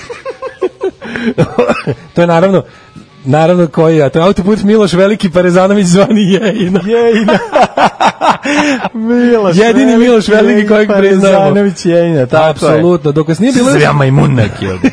[SPEAKER 6] To je naravno naravno koji, a to je autoput Miloš Veliki Parezanović zvani Jejina.
[SPEAKER 5] Jejina. Miloš
[SPEAKER 6] jedini Miloš Veliki kojeg priznajemo.
[SPEAKER 5] Parezanović Jenja, tako
[SPEAKER 6] apsolutno. Dok vas nije bilo
[SPEAKER 5] ja majmun neki ovdje.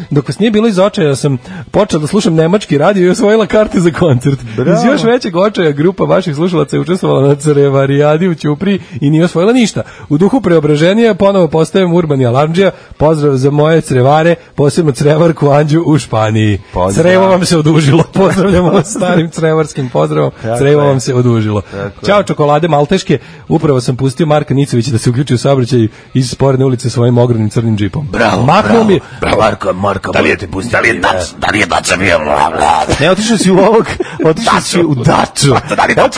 [SPEAKER 6] Dok vas nije bilo iz očaja, sam počela da slušam nemački radio i osvojila karte za koncert.
[SPEAKER 5] Bravo.
[SPEAKER 6] Iz još većeg očaja grupa vaših slušalaca je učestvovala na Crevarijadi u Ćupriji i nije osvojila ništa. U duhu preobraženja ponovo postajem Urbani Alarmdžija. Pozdrav za moje crevare, posebno crevarku Anđu u Španiji. Pozdrav. Crevo vam se odužilo. Pozdravljamo vas starim crevarskim pozdravom. Tako Crevo je. Vam se odužilo. Tako Ćao je. Čokolade malteške. Upravo sam pustio Marka Nicovića da se uključi u saobraćaj iz sporedne ulice svojim ogromnim crnim džipom.
[SPEAKER 5] Bravo,
[SPEAKER 6] Mahnuo
[SPEAKER 5] bravo,
[SPEAKER 6] mi,
[SPEAKER 5] bravo. Marko, Marko, da li je ti pustio? Da li je dač, da li je dača bio? Ne, otišao si u ovog, otišao si u daču. Da li da,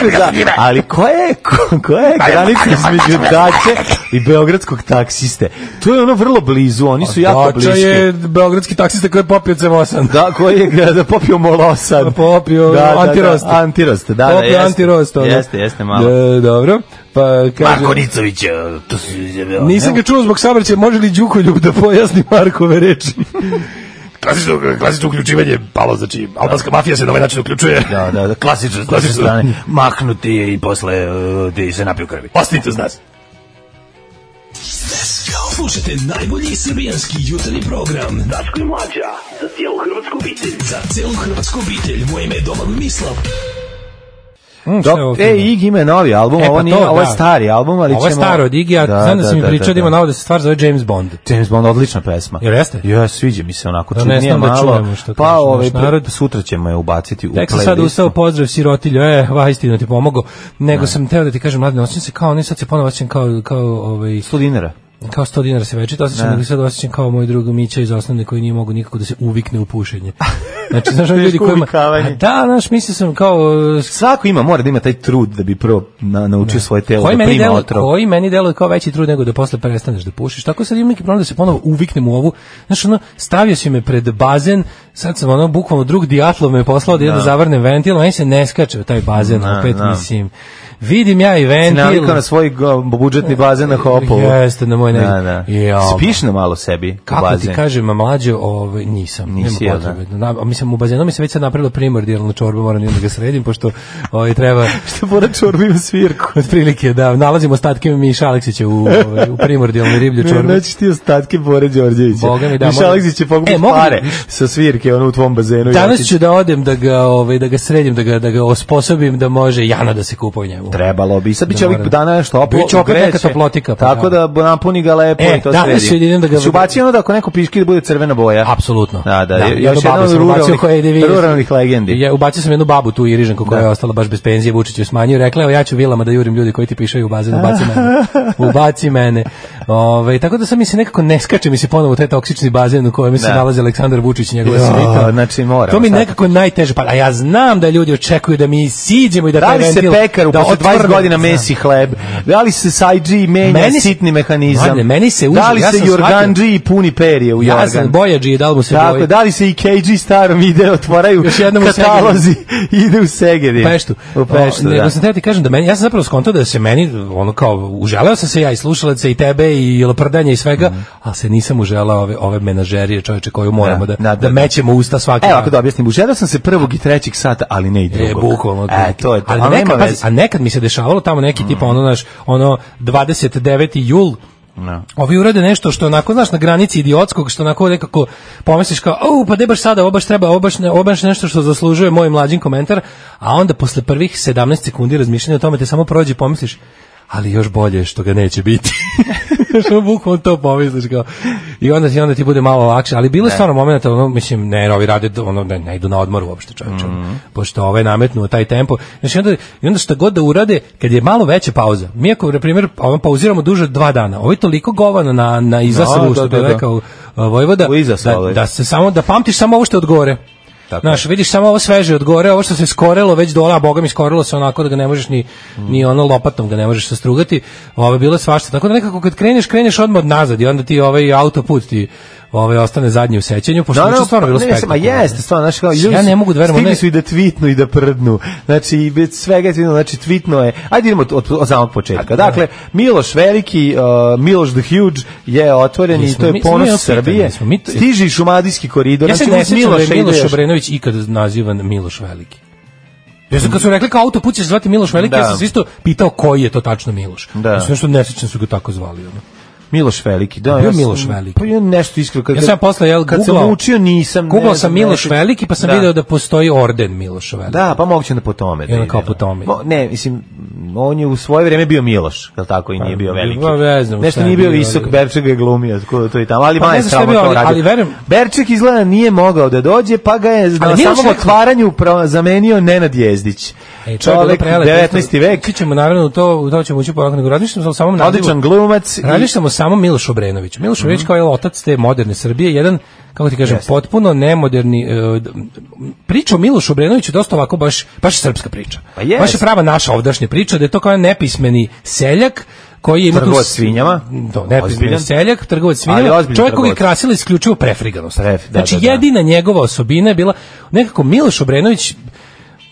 [SPEAKER 5] ali koja je, koja je granica između dače i beogradskog taksiste? To je ono vrlo blizu, oni su jako bliski.
[SPEAKER 6] Dača je beogradski taksista koji je popio C osam.
[SPEAKER 5] Da, koji je da popio molosan.
[SPEAKER 6] Popio
[SPEAKER 5] da,
[SPEAKER 6] antirost.
[SPEAKER 5] Da, da, antirost, da, da,
[SPEAKER 6] popio
[SPEAKER 5] jeste.
[SPEAKER 6] Antirost, ono.
[SPEAKER 5] Jeste, jeste malo.
[SPEAKER 6] Da, dobro. Pa kaže
[SPEAKER 5] Marko Nicović, to su izjavio.
[SPEAKER 6] Nisam ga čuo zbog saobraćaja, može li Đukoljub da pojasni Markove reči?
[SPEAKER 11] Klasično, klasično uključivanje palo, znači albanska mafija se na ovaj način uključuje.
[SPEAKER 5] Da, da, da, klasično, s naše strane. Mahnuti je i posle uh, ti se napiju krvi.
[SPEAKER 11] Ostanite uz nas.
[SPEAKER 9] Slušajte najbolji srbijanski jutarnji program Daško i Mlađa, za cijelu hrvatsku obitelj. Za cijelu hrvatsku obitelj, moje ime je Domagoj Mislav.
[SPEAKER 6] Mm,
[SPEAKER 5] Dok, e, Ig ima novi album, e, ovo, nije, to, ovo je stari album, ali
[SPEAKER 6] ovo je
[SPEAKER 5] ćemo...
[SPEAKER 6] staro od Igi, a da, znam da, da si mi da, pričao da, da ima novo da se stvar zove James Bond.
[SPEAKER 5] James Bond, odlična pesma.
[SPEAKER 6] Jer jeste?
[SPEAKER 5] Ja, sviđa mi se onako,
[SPEAKER 6] da,
[SPEAKER 5] čudnije malo.
[SPEAKER 6] Da čujemo što
[SPEAKER 5] pa
[SPEAKER 6] kaže
[SPEAKER 5] ovaj,
[SPEAKER 6] narod.
[SPEAKER 5] Sutra ćemo je ubaciti u
[SPEAKER 6] playlistu. Tek sam
[SPEAKER 5] playlistu.
[SPEAKER 6] sad ustao, pozdrav sirotilju, e, vajstino ti pomogao. Nego ne. sam teo da ti kažem, mladine, osjećam se kao, ne sad se ponovo osjećam kao, kao ovaj...
[SPEAKER 5] sto dinara.
[SPEAKER 6] Kao sto dinara se večito osjećam, nego sad osjećam kao moj drug Mića iz osnovne koji nije mogu nikako da se uvikne u pušenje. Znači, znaš, ljudi koji ima... Da, znaš, mislio sam kao...
[SPEAKER 5] Svako ima, mora da ima taj trud da bi prvo na, naučio ne. svoje telo koji da prima delo, otrov.
[SPEAKER 6] Koji meni deluje kao veći trud nego da posle prestaneš da pušiš. Tako sad imam neki problem da se ponovo uviknem u ovu. Znaš, ono, stavio si me pred bazen, sad sam ono, bukvalno drug Dijatlov me poslao da jedno zavrnem ventil, meni se ne skače u taj bazen, no, opet no. mislim... Vidim ja i ventil.
[SPEAKER 5] Si navikao na svoj budžetni bazen na Hopovu.
[SPEAKER 6] Jeste, na moj negdje.
[SPEAKER 5] Da, da. Ja, spiš na malo sebi
[SPEAKER 6] kako
[SPEAKER 5] u bazen?
[SPEAKER 6] Ti kažem, mlađo, ovaj, nisam.
[SPEAKER 5] Nisi,
[SPEAKER 6] nema potrebe. Da. Na, mislim, u bazenu mi se već sad napravilo primordijalno čorba, moram da ga sredim, pošto ovaj, treba...
[SPEAKER 5] Što mora čorba ima svirku?
[SPEAKER 6] Od prilike, da. Nalazimo ostatke Miša Aleksića u, ovaj, u primordijalnoj riblju čorbu.
[SPEAKER 5] Nećeš ti ostatke Bore Đorđevića.
[SPEAKER 6] Boga mi da.
[SPEAKER 5] Miša Aleksić će pogubiti e, pare mi, sa svirke ono, u tvom bazenu.
[SPEAKER 6] Danas ću da odem da ga, ovaj, da ga sredim, da ga, da ga osposobim da može Jana da se kupa u njemu.
[SPEAKER 5] Trebalo bi. Sad biće ovih dana nešto oplo.
[SPEAKER 6] Biće opet neka toplotika.
[SPEAKER 5] Pa tako da napuni ga lepo
[SPEAKER 6] e,
[SPEAKER 5] i to
[SPEAKER 6] sredi.
[SPEAKER 5] Sredi.
[SPEAKER 6] Idem da ga...
[SPEAKER 5] Si ubacio ono da ako neko piški da bude crvena boja.
[SPEAKER 6] Apsolutno.
[SPEAKER 5] Da, da.
[SPEAKER 6] da
[SPEAKER 5] još jedan ruralnih, ruralnih legendi.
[SPEAKER 6] Ja ubacio sam jednu babu tu Irižanku koja je ostala baš bez penzije, Vučić je smanjio. Rekla je, ja ću vilama da jurim ljudi koji ti pišaju u bazen, ubaci mene. Ubaci mene. Ove, tako da sam mi se nekako ne skače mi se ponovo u taj toksični bazen u kojem se nalazi Aleksandar Vučić i njegova svita.
[SPEAKER 5] Znači mora.
[SPEAKER 6] To mi nekako najteže. Pa a ja znam da ljudi očekuju da mi siđemo i da taj ventil...
[SPEAKER 5] Da li se pekaru posle dvadeset godina mesi hleb? Da li se Sajđi menja meni, sitni mehanizam?
[SPEAKER 6] Mladine, meni se uži,
[SPEAKER 5] da li
[SPEAKER 6] ja
[SPEAKER 5] se Jorganđi puni perje u Jorgan?
[SPEAKER 6] Ja sam Bojađi, da li mu se
[SPEAKER 5] tako, boji? Da li se i K G starom ide, otvaraju katalozi i ide u Segedin?
[SPEAKER 6] U Peštu.
[SPEAKER 5] U Peštu,
[SPEAKER 6] o, nego sam teo ti kažem da meni, ja sam zapravo skontao da se meni, ono kao, uželeo sam se ja i slušalaca i tebe i laprdanja i svega, mm. ali se nisam uželao ove, ove menažerije čoveče koju moramo da, da, da, da, da mećemo usta svaki.
[SPEAKER 5] Evo, ako da objasnim, uželeo sam se prvog i trećeg sata, ali ne i drugog.
[SPEAKER 6] E, bukvalno.
[SPEAKER 5] E, to je to.
[SPEAKER 6] Ali nekad, pazi, a nekad mi se dešavalo tamo neki mm. tipa ono, naš, ono, dvadeset deveti jul, no. Ovi urade nešto što onako, znaš, na granici idiotskog, što onako nekako pomisliš kao, au, pa de baš sada, ovo baš treba, ovo baš, ne, ovo baš nešto što zaslužuje moj mlađin komentar, a onda posle prvih sedamnaest sekundi razmišljanja o tome te samo prođe i pomisliš, ali još bolje što ga neće biti. Što bukvalno to pomisliš kao. I onda ti onda ti bude malo lakše, ali bilo je stvarno momenata, ono mislim ne, ovi rade ono ne, ne idu na odmor uopšte, čoveče. Mm. Pošto ovaj nametnuo taj tempo. Znači onda i onda što god da urade, kad je malo veća pauza. Mi ako na primjer ovaj pauziramo duže od dva dana. Ovo je toliko govano na na izaslavu, što bi rekao Vojvoda, da, da se samo da pamtiš samo ovo što je od gore. Znaš, vidiš samo ovo sveže od gore, ovo što se skorelo već dole, a boga mi skorelo se onako da ga ne možeš ni, mm. ni ono lopatom ga ne možeš sastrugati, ovo je bilo svašta, tako da nekako kad kreneš, kreneš odmah od nazad i onda ti ovaj autoput ti ovaj ostane zadnji u sećanju, pošto
[SPEAKER 5] no, no,
[SPEAKER 6] je stvarno bilo spektakularno.
[SPEAKER 5] Ma jeste, stvarno, znači kao ljudi,
[SPEAKER 6] ja ne mogu da verujem,
[SPEAKER 5] stigli su i da tweetnu i da prdnu. Znači i bez svega tweetnu, znači tweetno je. Ajde idemo od, od, od samog početka. Dakle, Miloš Veliki, uh, Miloš the Huge je otvoren i to je ponos mi, Srbije. Mi, to, stiži Šumadijski koridor.
[SPEAKER 6] Ja se ne sjećam da je Miloš Obrenović ikad nazivan Miloš Veliki. Ja sam kad su rekli kao autoput će se zvati Miloš Veliki,
[SPEAKER 5] Da.
[SPEAKER 6] ja sam se isto pitao koji je to tačno Miloš.
[SPEAKER 5] Da.
[SPEAKER 6] Ja sam nešto nesrećno su ga tako zvali. Ono.
[SPEAKER 5] Miloš Veliki, da.
[SPEAKER 6] Bio
[SPEAKER 5] ja sam-
[SPEAKER 6] Miloš Veliki.
[SPEAKER 5] Pa ja nešto iskreno kad
[SPEAKER 6] Ja sam posle jel
[SPEAKER 5] kad sam
[SPEAKER 6] googlao-
[SPEAKER 5] učio nisam.
[SPEAKER 6] Googlao
[SPEAKER 5] ne
[SPEAKER 6] sam
[SPEAKER 5] znam,
[SPEAKER 6] Miloš
[SPEAKER 5] nešto-
[SPEAKER 6] Veliki, pa sam
[SPEAKER 5] Da.
[SPEAKER 6] video da postoji orden Miloša Veliki.
[SPEAKER 5] Da, pa moguće da po tome.
[SPEAKER 6] I onda
[SPEAKER 5] ide,
[SPEAKER 6] kao
[SPEAKER 5] da.
[SPEAKER 6] po tome.
[SPEAKER 5] Mo- Ne, mislim, on je u svoje vrijeme bio Miloš, je li tako, i nije bio veliki.
[SPEAKER 6] Pa, ne znam
[SPEAKER 5] Nešto
[SPEAKER 6] šta je
[SPEAKER 5] nije bio
[SPEAKER 6] bio,
[SPEAKER 5] visok,
[SPEAKER 6] ali-
[SPEAKER 5] Berček ga je glumio, tako to i tamo, ali
[SPEAKER 6] Pa ne
[SPEAKER 5] manje
[SPEAKER 6] znam šta je
[SPEAKER 5] samo
[SPEAKER 6] bio,
[SPEAKER 5] to
[SPEAKER 6] ali-
[SPEAKER 5] radio.
[SPEAKER 6] ali verujem-
[SPEAKER 5] Berček izgleda nije mogao da dođe, pa ga je na
[SPEAKER 6] Miloš
[SPEAKER 5] samom
[SPEAKER 6] rekao-
[SPEAKER 5] otvaranju pro- zamenio Nenad Jezdić.
[SPEAKER 6] Ej, čovjek,
[SPEAKER 5] Čovjek,
[SPEAKER 6] dobro, prelepo.
[SPEAKER 5] devetnaesti vek,
[SPEAKER 6] Svi ćemo naravno u to, u to ćemo ući polako, nego razmišljamo o samom nazivu.
[SPEAKER 5] odličan glumac. i-
[SPEAKER 6] Razmišljamo o samom Milošu Obrenoviću. Miloš Obrenović kao je otac te moderne Srbije, jedan, kako ti kažem,
[SPEAKER 5] Jeste.
[SPEAKER 6] potpuno nemoderni, e, d- priča o Milošu Obrenoviću je dosta ovako baš, baš srpska priča.
[SPEAKER 5] Pa jest.
[SPEAKER 6] Baš je prava naša ovdašnja priča, da je to kao jedan nepismeni seljak, koji ima tu
[SPEAKER 5] Trgovac
[SPEAKER 6] s-
[SPEAKER 5] svinjama.
[SPEAKER 6] To, nepismeni
[SPEAKER 5] Ozbiljan.
[SPEAKER 6] seljak, trgovac
[SPEAKER 5] Ali
[SPEAKER 6] svinjama,
[SPEAKER 5] ozbiljan
[SPEAKER 6] čovjek koji je
[SPEAKER 5] trgovac.
[SPEAKER 6] krasila isključivo prefriganost.
[SPEAKER 5] Pref- da,
[SPEAKER 6] znači,
[SPEAKER 5] da, da.
[SPEAKER 6] jedina njegova osobina je bila, nekako Miloš Obrenović,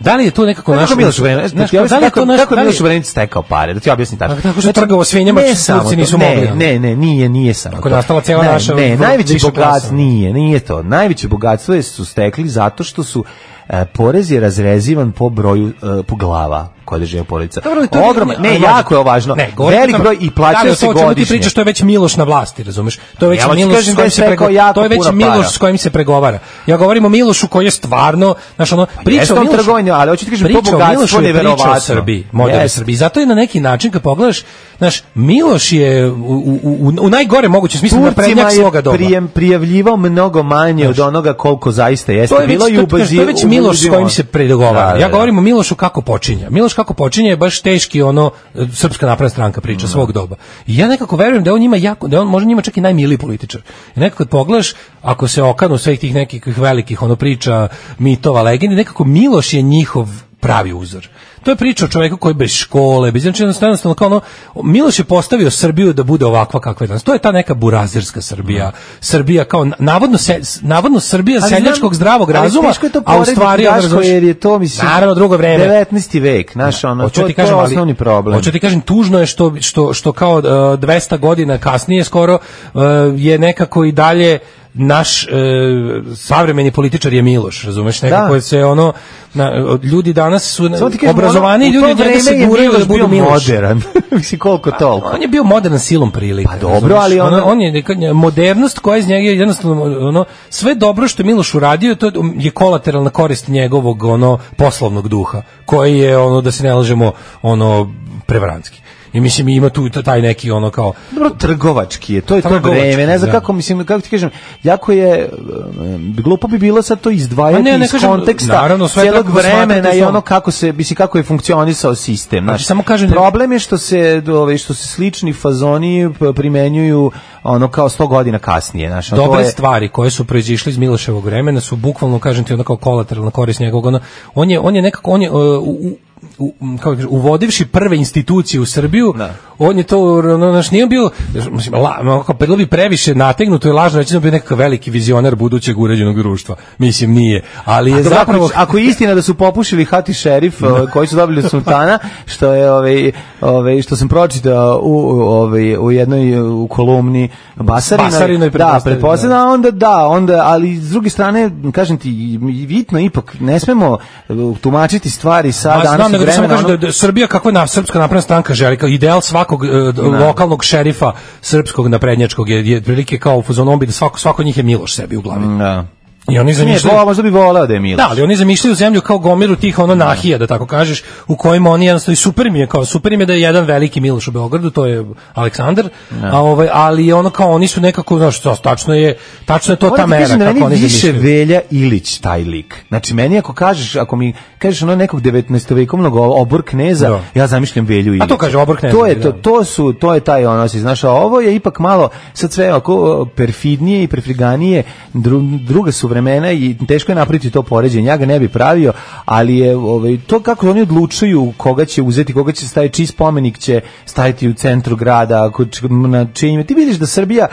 [SPEAKER 6] da li je to nekako naš...
[SPEAKER 5] Kako Miloš Obrenović,
[SPEAKER 6] znaš,
[SPEAKER 5] da ti
[SPEAKER 6] da li je
[SPEAKER 5] objasnim
[SPEAKER 6] to
[SPEAKER 5] kako,
[SPEAKER 6] naš-
[SPEAKER 5] kako je
[SPEAKER 6] da li-
[SPEAKER 5] Miloš Obrenović stekao pare, da ti objasnim tačno.
[SPEAKER 6] Pa tako što je trgovao svinjama,
[SPEAKER 5] Ne
[SPEAKER 6] Turci
[SPEAKER 5] samo to,
[SPEAKER 6] nisu
[SPEAKER 5] ne,
[SPEAKER 6] mogli, ono.
[SPEAKER 5] Ne, ne, nije, nije samo
[SPEAKER 6] Tako je
[SPEAKER 5] to.
[SPEAKER 6] nastala cijela
[SPEAKER 5] ne,
[SPEAKER 6] naša
[SPEAKER 5] Ne,
[SPEAKER 6] v-
[SPEAKER 5] najveći
[SPEAKER 6] viša
[SPEAKER 5] bogatstvo
[SPEAKER 6] klasa.
[SPEAKER 5] nije, nije to. Najveće bogatstvo je su stekli zato što su e, porez je razrezivan po broju, e, po glava koje žive porodica.
[SPEAKER 6] Dobro, ali to je-
[SPEAKER 5] Ogroman, ne,
[SPEAKER 6] ali
[SPEAKER 5] jako je ovo važno.
[SPEAKER 6] Ne, govorim
[SPEAKER 5] Velik
[SPEAKER 6] o tome-
[SPEAKER 5] broj i
[SPEAKER 6] da
[SPEAKER 5] plaćaju
[SPEAKER 6] li
[SPEAKER 5] se
[SPEAKER 6] to o čemu ti
[SPEAKER 5] godišnje.
[SPEAKER 6] pričaš, to je već Miloš na vlasti, razumeš? To je već
[SPEAKER 5] Ja hoću
[SPEAKER 6] Miloš
[SPEAKER 5] kažem
[SPEAKER 6] s
[SPEAKER 5] da je
[SPEAKER 6] kojim se
[SPEAKER 5] stekao
[SPEAKER 6] prego-
[SPEAKER 5] jako
[SPEAKER 6] to je već
[SPEAKER 5] puno
[SPEAKER 6] Miloš
[SPEAKER 5] para.
[SPEAKER 6] s kojim se pregovara. Ja govorim o Milošu koji je stvarno, znaš, ono, priča
[SPEAKER 5] jeste
[SPEAKER 6] o
[SPEAKER 5] on
[SPEAKER 6] Milošu.
[SPEAKER 5] trgovanje, ali hoću ti kažem, to
[SPEAKER 6] priča o
[SPEAKER 5] bogatstvo
[SPEAKER 6] Milošu je priča
[SPEAKER 5] neverovatno.
[SPEAKER 6] o Srbiji, modernoj
[SPEAKER 5] Jeste.
[SPEAKER 6] Srbiji. Zato je na neki način kad pogledaš, znaš, Miloš je u, u, u, u najgore mogućem smislu
[SPEAKER 5] Turcima
[SPEAKER 6] naprednjak svoga
[SPEAKER 5] je
[SPEAKER 6] doba.
[SPEAKER 5] prijem, prijavljivao mnogo manje od onoga koliko zaista jeste
[SPEAKER 6] To je već,
[SPEAKER 5] bilo i
[SPEAKER 6] to, to,
[SPEAKER 5] ubazi-
[SPEAKER 6] to je već Miloš s
[SPEAKER 5] ubazivao.
[SPEAKER 6] kojim se predogovara.
[SPEAKER 5] Da, da,
[SPEAKER 6] Ja
[SPEAKER 5] da.
[SPEAKER 6] govorim o Milošu kako počinje. Miloš kako počinje je baš teški ono e, Srpska napredna stranka priča svog doba. I ja nekako verujem da je on njima jako, da je on možda njima čak i najmiliji političar. I nekako kad pogledaš, ako se okanu svih tih nekih velikih ono priča, mitova, legendi, nekako Miloš je njihov pravi uzor. To je priča o čoveku koji bez škole, bez znači jednostavno kao ono, Miloš je postavio Srbiju da bude ovakva kakva je danas. To je ta neka burazerska Srbija. Srbija kao na- navodno se, navodno Srbija
[SPEAKER 5] Ali
[SPEAKER 6] seljačkog
[SPEAKER 5] znam,
[SPEAKER 6] zdravog
[SPEAKER 5] ali
[SPEAKER 6] razuma,
[SPEAKER 5] teško je to
[SPEAKER 6] a u
[SPEAKER 5] porediti,
[SPEAKER 6] stvari
[SPEAKER 5] Daško,
[SPEAKER 6] razumeš,
[SPEAKER 5] jer je to, mislim,
[SPEAKER 6] naravno drugo vreme.
[SPEAKER 5] devetnaesti vek, znaš, ono,
[SPEAKER 6] Hoću
[SPEAKER 5] to,
[SPEAKER 6] ti
[SPEAKER 5] to je
[SPEAKER 6] kažem, ali-
[SPEAKER 5] osnovni problem.
[SPEAKER 6] Hoću ti kažem, tužno je što, što, što kao uh, dvesta godina kasnije skoro uh, je nekako i dalje naš e, savremeni političar je Miloš, razumeš, nekako
[SPEAKER 5] Da.
[SPEAKER 6] se ono na, ljudi danas su
[SPEAKER 5] Samo ti kažem,
[SPEAKER 6] obrazovani
[SPEAKER 5] ono,
[SPEAKER 6] ljudi
[SPEAKER 5] u
[SPEAKER 6] od
[SPEAKER 5] to
[SPEAKER 6] njega se
[SPEAKER 5] vreme je
[SPEAKER 6] guraju da
[SPEAKER 5] Miloš
[SPEAKER 6] budu
[SPEAKER 5] bio
[SPEAKER 6] Miloš.
[SPEAKER 5] modern. Mislim, koliko toliko.
[SPEAKER 6] On je bio modern silom prilika.
[SPEAKER 5] Pa dobro,
[SPEAKER 6] razumeš?
[SPEAKER 5] ali
[SPEAKER 6] ono,
[SPEAKER 5] ono-
[SPEAKER 6] on je neka- modernost koja iz njega je jednostavno ono sve dobro što je Miloš uradio, to je kolateralna korist njegovog ono poslovnog duha, koji je ono da se ne lažemo ono prevarantski. I mislim ima tu taj neki ono kao
[SPEAKER 5] Dobro, trgovački je, to je to
[SPEAKER 6] Trgovački,
[SPEAKER 5] vreme, ne znam
[SPEAKER 6] da.
[SPEAKER 5] kako, mislim, kako ti kažem, jako je, um, glupo bi bilo sad to izdvajati
[SPEAKER 6] Ma ne, ne
[SPEAKER 5] iz
[SPEAKER 6] kažem,
[SPEAKER 5] konteksta
[SPEAKER 6] naravno, sve
[SPEAKER 5] cijelog
[SPEAKER 6] treba
[SPEAKER 5] vremena
[SPEAKER 6] posmatrati
[SPEAKER 5] i
[SPEAKER 6] u
[SPEAKER 5] ono
[SPEAKER 6] svom-
[SPEAKER 5] kako se, mislim, kako je funkcionisao sistem, znači,
[SPEAKER 6] samo kažem da-
[SPEAKER 5] problem je što se, ove, što se slični fazoni p- primenjuju ono kao sto godina kasnije, znači,
[SPEAKER 6] dobre
[SPEAKER 5] to je,
[SPEAKER 6] stvari koje su proizišle iz Miloševog vremena su bukvalno, kažem ti, ono kao kolateralna korist njegovog, ono, on je, on je nekako, on je, uh, u, u, u, kako kažem, uvodivši prve institucije u Srbiju,
[SPEAKER 5] Da.
[SPEAKER 6] on je to, ono, znaš, nije on bio, mislim, la, ono, kao, bilo bi previše nategnuto i lažno reći da je bio nekakav veliki vizionar budućeg uređenog društva. Mislim, nije. Ali je
[SPEAKER 5] A dobro,
[SPEAKER 6] zapravo...
[SPEAKER 5] ako, ako je istina da su popušili Hati šerif ovaj, koji su dobili od sultana, što je ovaj ovaj što sam pročitao u ovaj u jednoj u kolumni Basarinoj,
[SPEAKER 6] Basarinoj,
[SPEAKER 5] da,
[SPEAKER 6] pretpostavljam,
[SPEAKER 5] pretpostavljam, onda da, onda, ali s druge strane, kažem ti, vitno ipak ne smemo uh, tumačiti stvari sa
[SPEAKER 6] Ma,
[SPEAKER 5] danas
[SPEAKER 6] znam, nego da samo
[SPEAKER 5] vremena.
[SPEAKER 6] kažem da, da Srbija kakva je na srpska napredna stranka želi, kao ideal svakog e, d- lokalnog šerifa srpskog naprednjačkog je, je prilike kao u fazonu bi da svako, svako od njih je Miloš sebi u glavi.
[SPEAKER 5] ono, da.
[SPEAKER 6] I oni
[SPEAKER 5] Nije,
[SPEAKER 6] zamišljaju...
[SPEAKER 5] vo- možda bi voleo da je Miloš.
[SPEAKER 6] Da, ali oni zamišljaju zemlju kao gomiru tih ono nahija, da tako kažeš, u kojima oni jednostavno i super im je, kao super im je da je jedan veliki Miloš u Beogradu, to je Aleksandar, a ovaj, ali ono kao oni su nekako, znaš, to, tačno je, tačno je to ta
[SPEAKER 5] Moram ti
[SPEAKER 6] mera,
[SPEAKER 5] kažem da
[SPEAKER 6] kako
[SPEAKER 5] meni
[SPEAKER 6] oni
[SPEAKER 5] više
[SPEAKER 6] zamišljaju.
[SPEAKER 5] Velja Ilić taj lik. Znači meni ako kažeš, ako mi kažeš ono nekog devetnaestovekovnog obor kneza,
[SPEAKER 6] Da.
[SPEAKER 5] ja zamišljam Velju Ilić.
[SPEAKER 6] to kaže obor kneza,
[SPEAKER 5] To je
[SPEAKER 6] da.
[SPEAKER 5] to, to su to je taj ono, si znaš, a ovo je ipak malo sad sve oko perfidnije i perfriganije, dru, druga su vremena i teško je napraviti to poređenje. Ja ga ne bi pravio, ali je ovaj to kako oni odlučuju koga će uzeti, koga će staviti, čiji spomenik će staviti u centru grada, ako č- na čijim. Ti vidiš da Srbija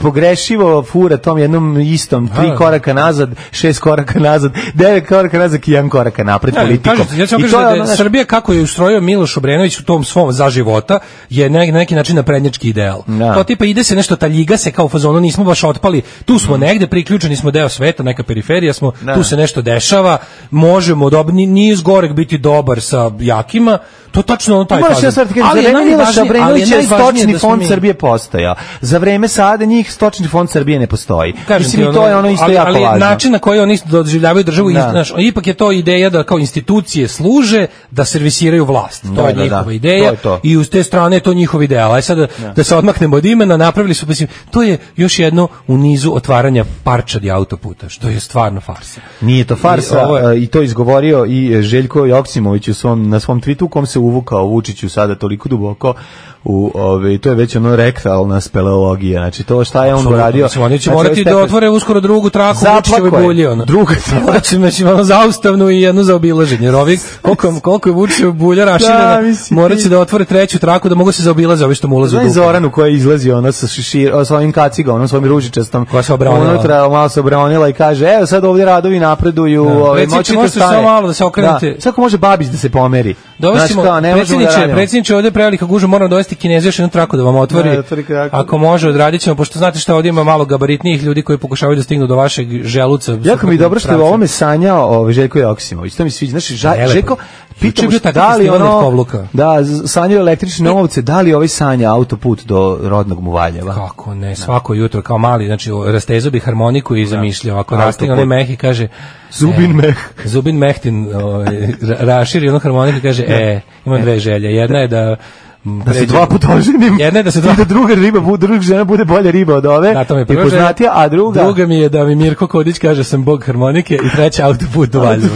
[SPEAKER 5] nepogrešivo fura tom jednom istom, tri
[SPEAKER 6] Da.
[SPEAKER 5] koraka nazad, šest koraka nazad, devet koraka nazad i jedan koraka napred
[SPEAKER 6] Ja,
[SPEAKER 5] politikom.
[SPEAKER 6] kažem ti, ja ću vam
[SPEAKER 5] I
[SPEAKER 6] kažem
[SPEAKER 5] to
[SPEAKER 6] da,
[SPEAKER 5] je
[SPEAKER 6] da
[SPEAKER 5] ono,
[SPEAKER 6] je
[SPEAKER 5] znaš,
[SPEAKER 6] Srbija kako je ustrojio Miloš Obrenović u tom svom za života je na neki način naprednjački ideal.
[SPEAKER 5] Da.
[SPEAKER 6] To tipa ide se nešto, taljiga se kao u fazonu, nismo baš otpali, tu smo negde, priključeni smo deo sveta, neka periferija smo,
[SPEAKER 5] Da.
[SPEAKER 6] tu se nešto dešava, možemo, dob, nije zgorek biti dobar sa jakima, to je tačno ono taj
[SPEAKER 5] Moraš
[SPEAKER 6] fazon.
[SPEAKER 5] ja sad ti kažem, za
[SPEAKER 6] Ali je
[SPEAKER 5] vreme Miloša
[SPEAKER 6] najvažnije- ali je
[SPEAKER 5] Obrenovića je
[SPEAKER 6] najvažnije
[SPEAKER 5] stočni
[SPEAKER 6] da smo
[SPEAKER 5] fond
[SPEAKER 6] mi-
[SPEAKER 5] Srbije postojao. Za vreme sada njih stočni fond Srbije ne postoji.
[SPEAKER 6] Kažem
[SPEAKER 5] Mislim,
[SPEAKER 6] ti,
[SPEAKER 5] i to je ono isto
[SPEAKER 6] ali,
[SPEAKER 5] jako
[SPEAKER 6] ali
[SPEAKER 5] važno.
[SPEAKER 6] način na koji oni doživljavaju državu,
[SPEAKER 5] Da.
[SPEAKER 6] i, znaš, ipak je to ideja da kao institucije služe da servisiraju vlast. To
[SPEAKER 5] Da,
[SPEAKER 6] je
[SPEAKER 5] da,
[SPEAKER 6] njihova
[SPEAKER 5] da.
[SPEAKER 6] ideja
[SPEAKER 5] To je to.
[SPEAKER 6] i uz te strane je to njihov ideal. Aj sad da, da se odmaknemo od imena, napravili su, mislim, to je još jedno u nizu otvaranja parčadi autoputa, što je stvarno farsa.
[SPEAKER 5] Nije to farsa
[SPEAKER 6] I ovo je-
[SPEAKER 5] i, i to izgovorio i Željko Joksimović u svom, na svom tweetu u kom se uvukao Vučiću sada toliko duboko u ove, to je već ono rektalna speleologija, znači to šta je on
[SPEAKER 6] Apsolutno.
[SPEAKER 5] uradio.
[SPEAKER 6] Mislim, oni će
[SPEAKER 5] Znači,
[SPEAKER 6] morati
[SPEAKER 5] ovaj
[SPEAKER 6] da
[SPEAKER 5] stepen-
[SPEAKER 6] otvore uskoro drugu traku
[SPEAKER 5] Zaplako
[SPEAKER 6] Vučićeve
[SPEAKER 5] je.
[SPEAKER 6] bulje. Ono.
[SPEAKER 5] Druga
[SPEAKER 6] Znači, znači, ono zaustavnu i jednu za obilaženje. Jer ovi, koliko, koliko je Vučićeva bulja raširena,
[SPEAKER 5] Da, mislim,
[SPEAKER 6] morat
[SPEAKER 5] ti-
[SPEAKER 6] će da otvore treću traku da mogu se zaobilaze ovi što mu ulaze u
[SPEAKER 5] Znaš
[SPEAKER 6] dupe.
[SPEAKER 5] Zoranu koja izlazi ona sa šešir, sa ovim kacigom, onom svojim ružičastom.
[SPEAKER 6] Koja se obranila.
[SPEAKER 5] Unutra malo se obranila i kaže, evo sad ovdje radovi napreduju.
[SPEAKER 6] Da.
[SPEAKER 5] Ovaj,
[SPEAKER 6] Predsjedniče,
[SPEAKER 5] moćete
[SPEAKER 6] možete
[SPEAKER 5] stane.
[SPEAKER 6] samo malo da se okrenete.
[SPEAKER 5] Da. Svako može Babić da se pomeri.
[SPEAKER 6] Dovestimo,
[SPEAKER 5] Znaš kao, ne možemo da
[SPEAKER 6] predsjedniče,
[SPEAKER 5] radimo.
[SPEAKER 6] predsjedniče, ovdje je prevelika gužva, moramo dovesti Kineza još jednu traku da vam otvori.
[SPEAKER 5] Da, otvori traku.
[SPEAKER 6] Ako može, odradit ćemo, pošto znate šta ovdje ima malo gabaritnijih ljudi koji pokušavaju da stignu do vašeg želuca.
[SPEAKER 5] Jako mi je dobro što je o
[SPEAKER 6] pravca.
[SPEAKER 5] ovome sanjao ovaj Željko Joksimović. To mi sviđa. Znaš, ža,
[SPEAKER 6] Nelepo.
[SPEAKER 5] Željko,
[SPEAKER 6] Juče
[SPEAKER 5] pitamo
[SPEAKER 6] je bio
[SPEAKER 5] što
[SPEAKER 6] takav
[SPEAKER 5] da li
[SPEAKER 6] festival
[SPEAKER 5] ono...
[SPEAKER 6] netkovluka.
[SPEAKER 5] Da, z- sanjao električne ovce, da li ovaj sanja autoput do rodnog mu Valjeva?
[SPEAKER 6] Kako ne, svako jutro kao mali, znači rastezao bi harmoniku i zamišljao, ako rastegne onaj meh i kaže
[SPEAKER 5] Zubin
[SPEAKER 6] e,
[SPEAKER 5] meh.
[SPEAKER 6] Zubin Mehtin ovaj, ra- raširi onu harmoniku i kaže, e, imam dve želje, jedna je da m,
[SPEAKER 5] Da se
[SPEAKER 6] pređem-
[SPEAKER 5] dva puta oženim.
[SPEAKER 6] Jedna je da se dva
[SPEAKER 5] I da druga riba, bu- druga žena bude bolja riba od ove.
[SPEAKER 6] Da, to mi je
[SPEAKER 5] i
[SPEAKER 6] prva želja.
[SPEAKER 5] poznatija, a druga...
[SPEAKER 6] Druga mi je da mi Mirko Kodić kaže sam bog harmonike i treća autoput do Valjeva.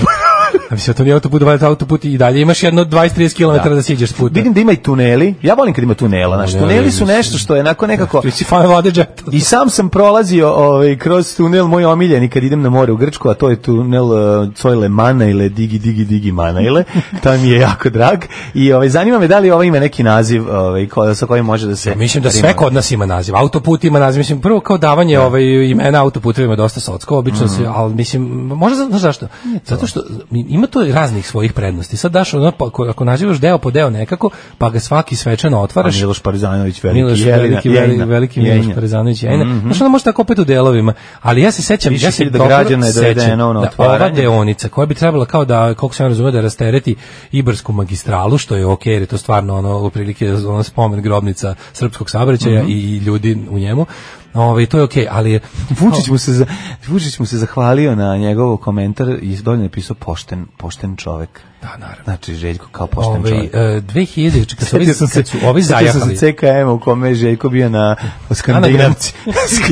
[SPEAKER 6] A mislim, to nije autoput do Valjeva, autoput i dalje imaš jedno dvadeset do trideset kilometara da. da siđeš s puta.
[SPEAKER 5] Vidim da ima i tuneli. Ja volim kad ima tunela. Znači,
[SPEAKER 6] Tuneli,
[SPEAKER 5] tuneli su
[SPEAKER 6] mislim.
[SPEAKER 5] nešto što je onako nekako...
[SPEAKER 6] Ti si fan Vlade Džeta.
[SPEAKER 5] I sam sam prolazio ovaj, kroz tunel moj omiljeni kad idem na more u Grčku, a to je tunel uh, Cojle Manajle, Digi, Digi, Digi Manajle. To mi je jako drag. I ovaj, zanima me da li ovo ima neki naziv ovaj, ko, sa kojim može da se...
[SPEAKER 6] Mislim da sve kod nas ima naziv. Autoput ima naziv. Mislim, prvo kao davanje ovaj, imena autoputevima je dosta socko, obično se, ali mislim, možda znaš zašto? Zato što ima to raznih svojih prednosti. Sad daš ono, pa, ako, ako nazivaš deo po deo nekako, pa ga svaki svečano
[SPEAKER 5] A
[SPEAKER 6] otvaraš.
[SPEAKER 5] Miloš Parizanović, veliki
[SPEAKER 6] Miloš,
[SPEAKER 5] Jelina,
[SPEAKER 6] veliki,
[SPEAKER 5] Jelina,
[SPEAKER 6] veliki, veliki Miloš
[SPEAKER 5] Jelina.
[SPEAKER 6] Parizanović Jelina.
[SPEAKER 5] Mhm.
[SPEAKER 6] Znaš, ono može tako opet u delovima. Ali ja se sećam,
[SPEAKER 5] Više
[SPEAKER 6] ja se
[SPEAKER 5] hiljada
[SPEAKER 6] dobro
[SPEAKER 5] građana je
[SPEAKER 6] sećam
[SPEAKER 5] dovedeno na
[SPEAKER 6] da ova
[SPEAKER 5] otvaranje.
[SPEAKER 6] deonica koja bi trebala kao da, koliko sam ja razumio, da rastereti Ibarsku magistralu, što je okej, jer je to stvarno ono, u prilike ono spomen grobnica srpskog saobraćaja
[SPEAKER 5] Mhm.
[SPEAKER 6] i, i ljudi u njemu. Ovaj to je okej, ali je
[SPEAKER 5] Vučić mu se za, Vučić mu se zahvalio na njegov komentar i dolje napisao pošten, pošten čovek.
[SPEAKER 6] Da, naravno.
[SPEAKER 5] Znači Željko kao pošten
[SPEAKER 6] Ovaj
[SPEAKER 5] čovek.
[SPEAKER 6] e, dve hiljade kad su ovi
[SPEAKER 5] Sjetio sam se,
[SPEAKER 6] kad su ovi
[SPEAKER 5] sjetio sam
[SPEAKER 6] zajahali.
[SPEAKER 5] se C K M u kome je Željko bio na Skandinavci.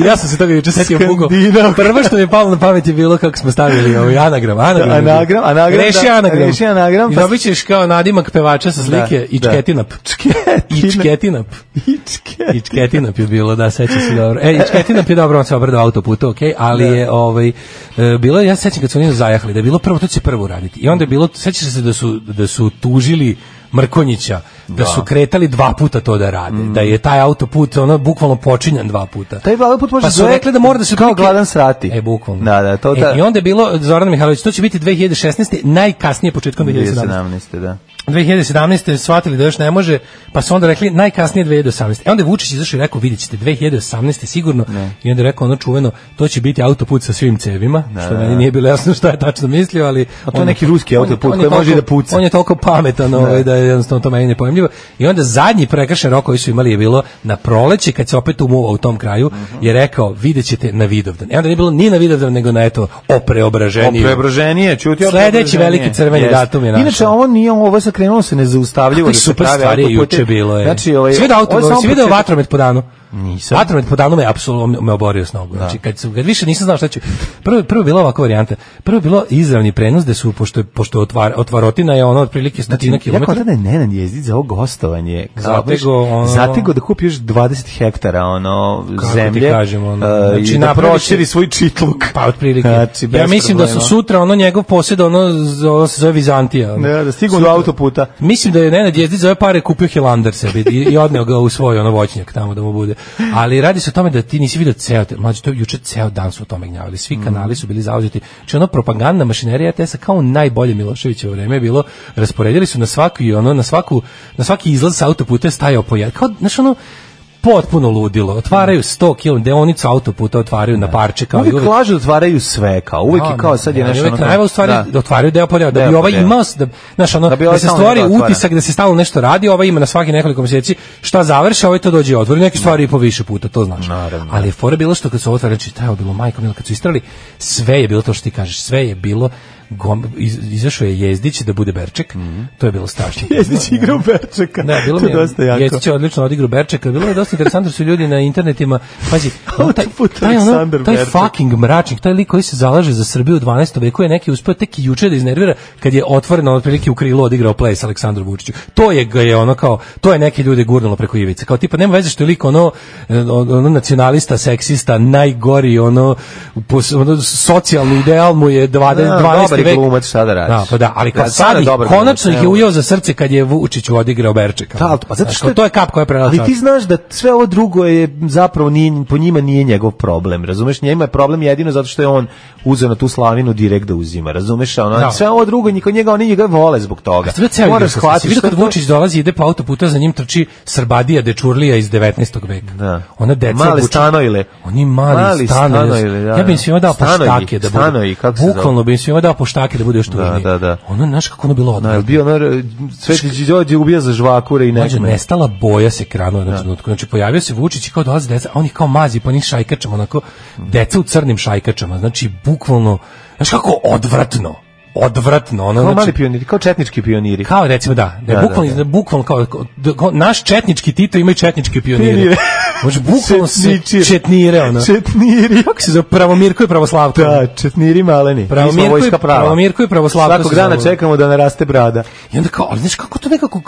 [SPEAKER 6] Ja sam se toga juče setio Bugo.
[SPEAKER 5] Skandinav.
[SPEAKER 6] Prvo što mi je palo na pamet je bilo kako smo stavili ovaj anagram, anagram. je bio.
[SPEAKER 5] Anagram, anagram,
[SPEAKER 6] Reši
[SPEAKER 5] da,
[SPEAKER 6] anagram.
[SPEAKER 5] reši anagram,
[SPEAKER 6] I
[SPEAKER 5] pa-
[SPEAKER 6] dobit ćeš kao nadimak pevača sa slike
[SPEAKER 5] Da,
[SPEAKER 6] Ičketinap. Ičketinap.
[SPEAKER 5] Ičke.
[SPEAKER 6] Ičketinap je bilo, da, sećam se dobro. E, Ičketinap je dobro, on se obrada autoputa, okej, ali je ovaj e, bilo, ja se sećam kad su oni zajahali, da je bilo prvo, to će se prvo uraditi. I onda je bilo, sećaš se da su da su tužili Mrkonjića, da su kretali dva puta to da rade, da je taj autoput ono bukvalno počinjan dva puta.
[SPEAKER 5] Taj autoput može
[SPEAKER 6] Pa su
[SPEAKER 5] zove
[SPEAKER 6] rekli da mora da se
[SPEAKER 5] kao
[SPEAKER 6] otprilike-
[SPEAKER 5] gladan srati.
[SPEAKER 6] E, bukvalno.
[SPEAKER 5] Da, da, to da.
[SPEAKER 6] E, I onda je bilo, Zoran Mihajlović, to će biti dve hiljade šesnaeste, najkasnije početkom dve hiljade sedamnaeste.
[SPEAKER 5] dvije hiljade sedamnaeste, da.
[SPEAKER 6] dve hiljade sedamnaeste shvatili da još ne može, pa su onda rekli najkasnije dve hiljade osamnaeste. E onda je Vučić izašao i rekao, vidjet ćete, dve hiljade osamnaeste sigurno, i onda je rekao ono čuveno, to će biti autoput sa svim cevima, što meni nije bilo jasno šta je tačno mislio, ali...
[SPEAKER 5] A to je
[SPEAKER 6] on-
[SPEAKER 5] neki ruski
[SPEAKER 6] on-
[SPEAKER 5] autoput
[SPEAKER 6] on
[SPEAKER 5] koji
[SPEAKER 6] je
[SPEAKER 5] može i da
[SPEAKER 6] toliko-
[SPEAKER 5] puca.
[SPEAKER 6] On je toliko pametan ovaj, da je jednostavno to meni nepojmljivo. I onda zadnji prekršen rok koji su imali je bilo na proleće, kad se opet umuvao u tom kraju, je rekao, vidjet ćete na Vidovdan. E onda nije bilo ni na Vidovdan, nego na eto, o preobraženiju.
[SPEAKER 5] O preobraženije, čuti o
[SPEAKER 6] Sledeći
[SPEAKER 5] preobraženije.
[SPEAKER 6] veliki crveni
[SPEAKER 5] Jeste.
[SPEAKER 6] datum je našao.
[SPEAKER 5] Inače, ovo nije, ovo je sakrenulo se nezaustavljivo.
[SPEAKER 6] Kakve
[SPEAKER 5] da se
[SPEAKER 6] super
[SPEAKER 5] pravi
[SPEAKER 6] stvari je
[SPEAKER 5] autoputi.
[SPEAKER 6] juče bilo je.
[SPEAKER 5] Znači, ovaj,
[SPEAKER 6] si vidio auto,
[SPEAKER 5] ovo je samo
[SPEAKER 6] si vidio
[SPEAKER 5] početak.
[SPEAKER 6] vatromet po danu?
[SPEAKER 5] Nisam.
[SPEAKER 6] Vatromet po danu me apsolutno me oborio s nogu. Znači kad su kad više nisam znao šta ću. Prvo prvo je bila ovakva varijanta. Prvo je bilo izravni prenos da su pošto je pošto otvar, otvarotina je ono otprilike stotina
[SPEAKER 5] Znači, ja kao
[SPEAKER 6] kilometara.
[SPEAKER 5] tada je Nenad Jezdić za ovo gostovanje.
[SPEAKER 6] Zatego, ono-
[SPEAKER 5] Zatego da kupi još dvadeset hektara ono,
[SPEAKER 6] Kako
[SPEAKER 5] zemlje.
[SPEAKER 6] ti kažem, ono,
[SPEAKER 5] uh,
[SPEAKER 6] znači,
[SPEAKER 5] i da
[SPEAKER 6] napravit će-
[SPEAKER 5] proširi svoj čitluk.
[SPEAKER 6] Pa otprilike.
[SPEAKER 5] Znači, bez
[SPEAKER 6] ja mislim da su
[SPEAKER 5] problema.
[SPEAKER 6] sutra ono njegov posjed ono, z- ono se zove Vizantija. Ono.
[SPEAKER 5] Da, da stignu do
[SPEAKER 6] Sutra-
[SPEAKER 5] autoputa.
[SPEAKER 6] Mislim da je Nenad Jezdić za ove pare kupio Hilandar sebi i, i odneo ga u svoj ono voćnjak tamo da mu bude. Ali radi se o tome da ti nisi vidio ceo, te- mlađe, to je juče ceo dan su o tome gnjavili. Svi kanali su bili zauzeti. Znači ono propagandna mašinerija R T S-a kao u najbolje Miloševićevo vreme je bilo, rasporedili su na svaki ono na svaku na svaki izlaz sa autoputa je stajao po jedan. Kao znači ono potpuno ludilo. Otvaraju sto kilometara deonicu autoputa, otvaraju na parče kao
[SPEAKER 5] uvijek
[SPEAKER 6] i uvijek.
[SPEAKER 5] Lažu, otvaraju sve kao. Uvijek je kao sad je nešto
[SPEAKER 6] ono.
[SPEAKER 5] Uvijek
[SPEAKER 6] u stvari
[SPEAKER 5] da.
[SPEAKER 6] da otvaraju deo po deo, da
[SPEAKER 5] deo
[SPEAKER 6] bi ovaj
[SPEAKER 5] deo.
[SPEAKER 6] imao da znaš ono da,
[SPEAKER 5] da,
[SPEAKER 6] da se stvori utisak da se stalno nešto radi, ovaj ima na svaki nekoliko mjeseci šta završi, ovaj to dođe i otvori neke stvari i po više puta, to znaš.
[SPEAKER 5] Naravno.
[SPEAKER 6] Ali je fora bilo što kad su otvarali, znači tajao bilo majko mila kad su istrali, sve je bilo to što ti kažeš, sve je bilo Gom, iz, izašao je Jezdić da bude Berček, mm-hmm. to je bilo strašno.
[SPEAKER 5] Jezdić igrao Berčeka.
[SPEAKER 6] Da, bilo mi je, Jezdić je odlično odigrao Berčeka, bilo je dosta interesantno, su ljudi na internetima, pazi, ono, taj, taj, ono, taj fucking mračnik, taj lik koji se zalaže za Srbiju u dvanaestom veku je neki uspeo tek i juče da iznervira kad je otvoreno otprilike u krilu odigrao play sa Aleksandrom Vučiću. To je ga je ono kao, to je neke ljude gurnulo preko ivice. Kao tipa nema veze što je lik ono, ono nacionalista, seksista, najgori ono, ono socijalni ideal mu je dvanaesti
[SPEAKER 5] glumac, šta da radiš.
[SPEAKER 6] Da, pa da, ali kad da, sad ih, konačno ih je ujeo za srce kad je Vučić odigrao Berčeka.
[SPEAKER 5] Da, pa zato što je,
[SPEAKER 6] to je kap koja je prelazila.
[SPEAKER 5] Ali ti znaš da sve ovo drugo je zapravo nije, po njima nije njegov problem, razumeš? Njima je problem jedino zato što je on uzeo na tu slavinu direkt da uzima, razumeš? Ono, da. Sve ovo drugo, niko njega, oni njega vole zbog toga.
[SPEAKER 6] Moraš shvatiti. Vidio kad Vučić dolazi, ide po autoputa, za njim trči Srbadija Dečurlija iz devetnaestog veka.
[SPEAKER 5] Da.
[SPEAKER 6] Ona deca
[SPEAKER 5] mali stanojile.
[SPEAKER 6] Oni mali, mali stanojile. Da, ja bih im svima dao poštake da
[SPEAKER 5] budu.
[SPEAKER 6] Bukvalno bih im svima dao poštake da bude još tužnije.
[SPEAKER 5] Da, da.
[SPEAKER 6] Ono, znaš kako ono bilo odvratno.
[SPEAKER 5] Da, bio ono, Svetić dođe ubija za žvakure i nekme.
[SPEAKER 6] Nestala boja se kranula na trenutku. Znači, pojavio se Vučić i kao dolaze deca, a on ih kao mazi po njih šajkačama, onako, deca u crnim šajkačama. Znači, bukvalno, znaš kako odvratno. Odvratno, ono,
[SPEAKER 5] kao
[SPEAKER 6] znači,
[SPEAKER 5] mali pioniri, kao četnički pioniri.
[SPEAKER 6] Kao recimo da, da, da bukvalno, da, da. bukvalno kao, kao naš četnički Tito ima i četnički pioniri. Pionire. Može bukvalno se četnire, ono.
[SPEAKER 5] Četniri.
[SPEAKER 6] Kako se zove, Pravomirko i Pravoslavko.
[SPEAKER 5] Da, četniri maleni.
[SPEAKER 6] Pravomirko i Pravomirko i Pravoslavko.
[SPEAKER 5] Svakog dana čekamo da naraste brada.
[SPEAKER 6] I onda kao, ali znaš kako to nekako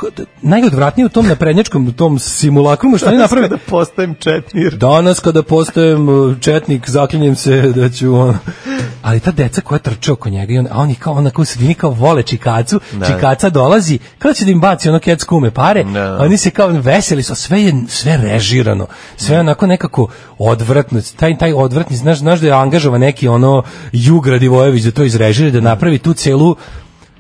[SPEAKER 6] najodvratnije u tom naprednjačkom, u tom simulakrumu, što oni naprave.
[SPEAKER 5] Danas kada postajem četnir.
[SPEAKER 6] Danas kada postajem četnik, zaklinjem se da ću, ono. Ali ta deca koja trče oko njega i on, a oni kao onako u sredini kao vole čikacu, da. Čikaca dolazi, kao će da im baci ono kec kume pare, da. Oni se kao veseli su, sve je sve režirano, sve onako nekako odvratno, taj, taj odvratni, znaš, znaš da je angažovan neki ono Jugra Divojević da to izrežira, da napravi tu celu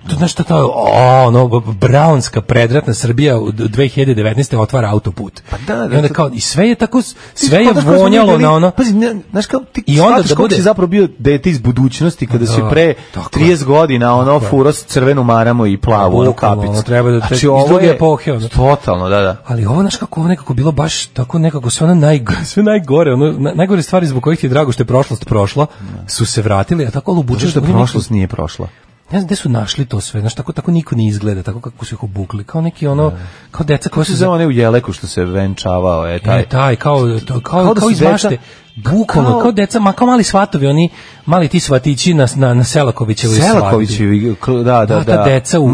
[SPEAKER 6] to znaš šta to, o, ono, braunska predratna Srbija u dve hiljade devetnaeste otvara autoput. Pa da, da, I onda kao, i sve je tako, sve je vonjalo bili, na ono.
[SPEAKER 5] Pazi, znaš kao, ti
[SPEAKER 6] i onda da bude
[SPEAKER 5] si zapravo bio dete iz budućnosti kada si pre trideset godina ono furo s crvenu maramu i plavu ono kapicu.
[SPEAKER 6] Ono, treba da
[SPEAKER 5] znači,
[SPEAKER 6] iz druge epohe. Ono.
[SPEAKER 5] Totalno, da, da.
[SPEAKER 6] Ali ovo, znaš kako, ovo nekako bilo baš tako nekako sve ono najgore, sve najgore, ono, najgore stvari zbog kojih ti je drago što je prošlost prošla, su se vratili, a tako lubuče
[SPEAKER 5] što prošlost nije prošla.
[SPEAKER 6] Ne znam gde su našli to sve, znaš, tako, tako niko ne izgleda, tako kako su ih obukli, kao neki ono, ne. Kao deca koja su...
[SPEAKER 5] Za one u Jeleku što se venčavao, je taj...
[SPEAKER 6] E, taj, kao, to, kao, kao, kao iz mašte, bukvalno, kao, kao deca, ma, kao mali svatovi, oni, mali ti svatići na, na, na Selakovićevoj svadbi.
[SPEAKER 5] Selakovićevi, da, da, da.
[SPEAKER 6] deca u, u,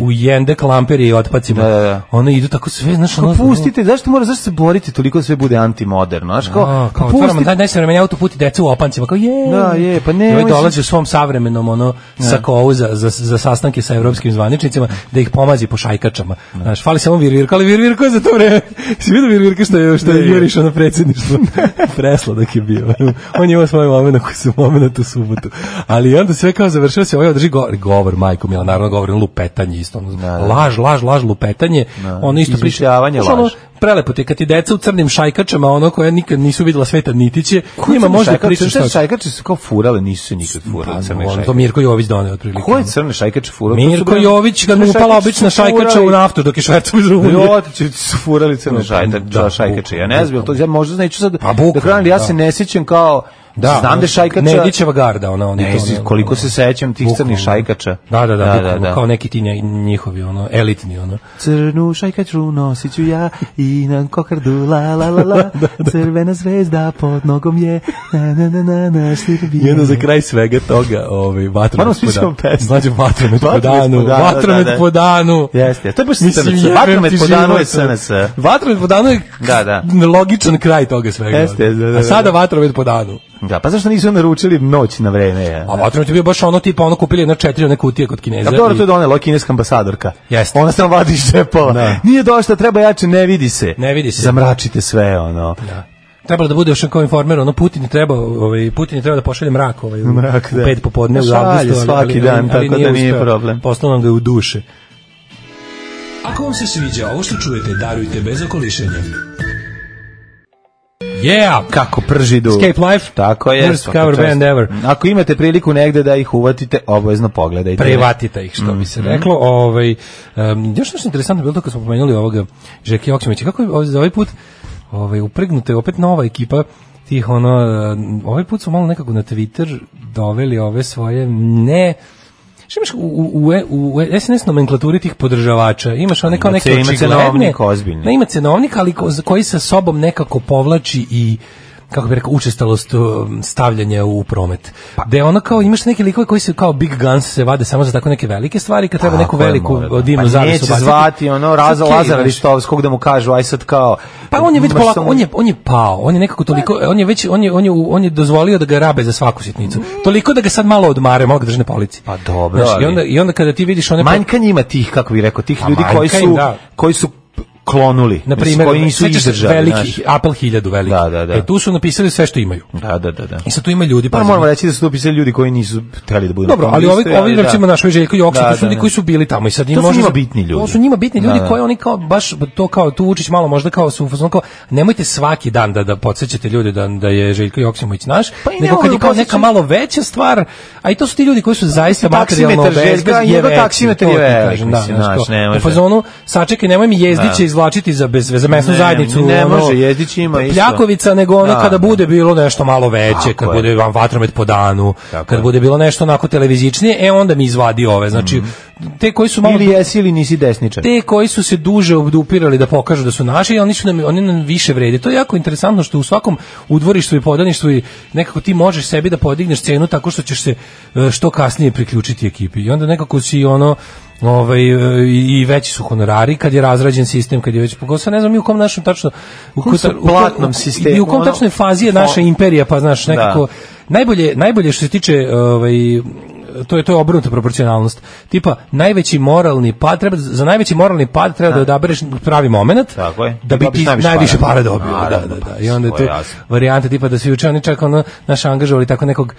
[SPEAKER 6] u, u jende klamperi i otpacima, da, da. One idu tako sve, znaš, ono...
[SPEAKER 5] Pustite, zašto mora, zašto se borite toliko sve bude antimoderno, znaš, kao...
[SPEAKER 6] A, kao otvaramo, daj, daj se vremenja autoputi deca u opancima, kao je...
[SPEAKER 5] Da, je, pa ne...
[SPEAKER 6] I ovaj dolazi u svom savremenom, ono, sakovu za, za, za sastanke sa evropskim zvaničnicima, da ih pomazi po šajkačama. Znaš, fali samo Virvirko, ali Virvirko je za to vreme. Si vidio Virvirko što je, što je jurišao na predsjedništvo? Presla dok je bio. On je imao svoj moment koji su moment u subotu. Ali onda sve kao završio se, ovaj održi govor, govor majko mila, naravno govor, lupetanje isto. Ono, da, da. Laž, laž, laž, lupetanje. Da. Ono isto
[SPEAKER 5] izmišljavanje, laž.
[SPEAKER 6] Ono, prelepo ti kad ti deca u crnim šajkačama, ono koje nikad nisu videla sveta nitiće, njima može pričati šta.
[SPEAKER 5] Šajkače su kao furale, nisu se nikad furale.
[SPEAKER 6] Pa, crne šajkače. To Mirko Jović doneo otprilike.
[SPEAKER 5] Koje crne šajkače furale?
[SPEAKER 6] Mirko Jović kad mu upala obična šajkača u naftu dok je švercao iz Rumunije.
[SPEAKER 5] Jo, ti su furali crne šajkače. Ja ne znam, to ja možda neću sad da kranim, ja se ne sjećam kao
[SPEAKER 6] da,
[SPEAKER 5] znam da šajkača
[SPEAKER 6] Nedićeva garda, ona oni
[SPEAKER 5] ne, to. Koliko se sećam tih crnih šajkača.
[SPEAKER 6] Da, da, da, da, da, da. Kao neki ti njihovi, ono, elitni, ono.
[SPEAKER 5] Crnu šajkaču nosit ću ja i na kokardu, la, la, la, la, crvena zvezda pod nogom je, na, na, na, na, na, Srbije.
[SPEAKER 6] I onda za kraj svega toga, ovaj, vatromet po danu. Znači, vatromet po danu, vatromet po danu.
[SPEAKER 5] Jeste, to je baš S N S. Vatromet po danu je S N S.
[SPEAKER 6] Vatromet po danu je logičan kraj toga svega.
[SPEAKER 5] Jeste, da, da.
[SPEAKER 6] A sada vatromet po danu.
[SPEAKER 5] Da, pa zašto nisu naručili noć na vreme? Ja?
[SPEAKER 6] A vatromet je bio baš ono tipa, ono kupili jedna četiri one kutije kod Kineza.
[SPEAKER 5] A dobro, to je donela kineska ambasadorka.
[SPEAKER 6] Jeste.
[SPEAKER 5] Ona se vadi iz džepova. Da. Nije došla, treba jače, ne vidi se.
[SPEAKER 6] Ne vidi se.
[SPEAKER 5] Zamračite sve, ono.
[SPEAKER 6] Da. Trebalo da bude još kao informer, ono Putin treba, ovaj Putin treba da pošalje mrak, ovaj u,
[SPEAKER 5] mrak,
[SPEAKER 6] u pet popodne u avgustu,
[SPEAKER 5] svaki dan, ali, ali tako da nije uspeo, problem.
[SPEAKER 6] Poslao nam ga u duše.
[SPEAKER 9] Ako vam se sviđa ovo što čujete, darujte bez okolišenja.
[SPEAKER 6] Yeah!
[SPEAKER 5] Kako pržidu.
[SPEAKER 6] Escape Life.
[SPEAKER 5] Tako je.
[SPEAKER 6] Worst cover band ever.
[SPEAKER 5] Ako imate priliku negde da ih uvatite, obavezno pogledajte.
[SPEAKER 6] Prevatite ih, što bi se reklo. Ovaj, um, još nešto interesantno bilo to kad smo pomenuli ovoga Žeke Joksimovića. Kako je za ovaj put ovaj, upregnuta je opet nova ekipa tih, ono, ovaj put su malo nekako na Twitter doveli ove svoje ne... Što imaš u, u, u, u es en es nomenklaturi tih podržavača? Imaš one kao neke očigledne... Ima cenovnik ozbiljni. Ne, ima cenovnik, ali ko, koji sa sobom nekako povlači i kako bih rekao, učestalost stavljanja u promet. Pa, da ono kao, imaš neke likove koji se kao Big Guns se vade samo za tako neke velike stvari, kad treba neku veliku divnu zavisu.
[SPEAKER 5] Pa neće zvati ono Raza Lazara Ristovskog da mu kažu, aj sad kao...
[SPEAKER 6] Pa on je već polako, on je, on je pao, on je nekako toliko, on je već, on je, on je, on je dozvolio da ga rabe za svaku sitnicu. Toliko da ga sad malo odmare, malo ga drže na polici.
[SPEAKER 5] Pa dobro,
[SPEAKER 6] znaš, i, onda, i onda kada ti vidiš one...
[SPEAKER 5] Manjka njima tih, kako bih rekao, tih
[SPEAKER 6] pa
[SPEAKER 5] ljudi koji su, da. koji su klonuli,
[SPEAKER 6] na primjer,
[SPEAKER 5] koji nisu izdržali,
[SPEAKER 6] veliki Apple hiljadu veliki.
[SPEAKER 5] Da, da, da.
[SPEAKER 6] E tu su napisali sve što imaju.
[SPEAKER 5] Da, da, da, da.
[SPEAKER 6] I sad tu ima ljudi,
[SPEAKER 5] pa, pa moramo reći da su to pisali ljudi koji nisu hteli da budu.
[SPEAKER 6] Dobro, ali ovi ovi recimo naš Željko Joksimović, to su ljudi koji su bili tamo i sad im
[SPEAKER 5] možda
[SPEAKER 6] to
[SPEAKER 5] su njima bitni ljudi.
[SPEAKER 6] To su njima bitni ljudi koji oni kao baš to kao tu Vučić malo možda kao su kao nemojte svaki dan da da podsećate ljude da da je Željko Joksimović naš,
[SPEAKER 5] pa
[SPEAKER 6] nego kad je kao neka malo veća stvar, a i to su ti ljudi koji su zaista materijalno bezbedni,
[SPEAKER 5] njegov taksimetar je veliki, mislim, naš, ne može.
[SPEAKER 6] U fazonu sačekaj, nemoj mi Jezdiće izvlačiti za bez za mesnu zajednicu.
[SPEAKER 5] Ne, ne može, Jezdić ima isto.
[SPEAKER 6] Pljakovica, nego ono kada bude bilo nešto malo veće, kad bude vam vatromet po danu, kad bude bilo nešto onako televizičnije, e onda mi izvadi ove. Znači, te koji su malo...
[SPEAKER 5] Ili jesi ili nisi desničar.
[SPEAKER 6] Te koji su se duže obdupirali da pokažu da su naši, oni su nam, oni nam više vrede. To je jako interesantno što u svakom udvorištvu i podaništvu i nekako ti možeš sebi da podigneš cenu tako što ćeš se što kasnije priključiti ekipi. I onda nekako si ono ovaj i veći su honorari kad je razrađen sistem, kad je već pogotovo ne znam mi u kom našem tačno
[SPEAKER 5] u kom platnom sistemu
[SPEAKER 6] i u kom tačnoj fazi je naša imperija, pa znaš nekako da. najbolje najbolje što se tiče ovaj to je to je obrnuta proporcionalnost. Tipa najveći moralni pad treba za najveći moralni pad treba da odabereš pravi momenat da bi ti najviše para dobio. Da, da, da. I onda je to varijanta tipa da svi učeni čak ono naš angažovali tako nekog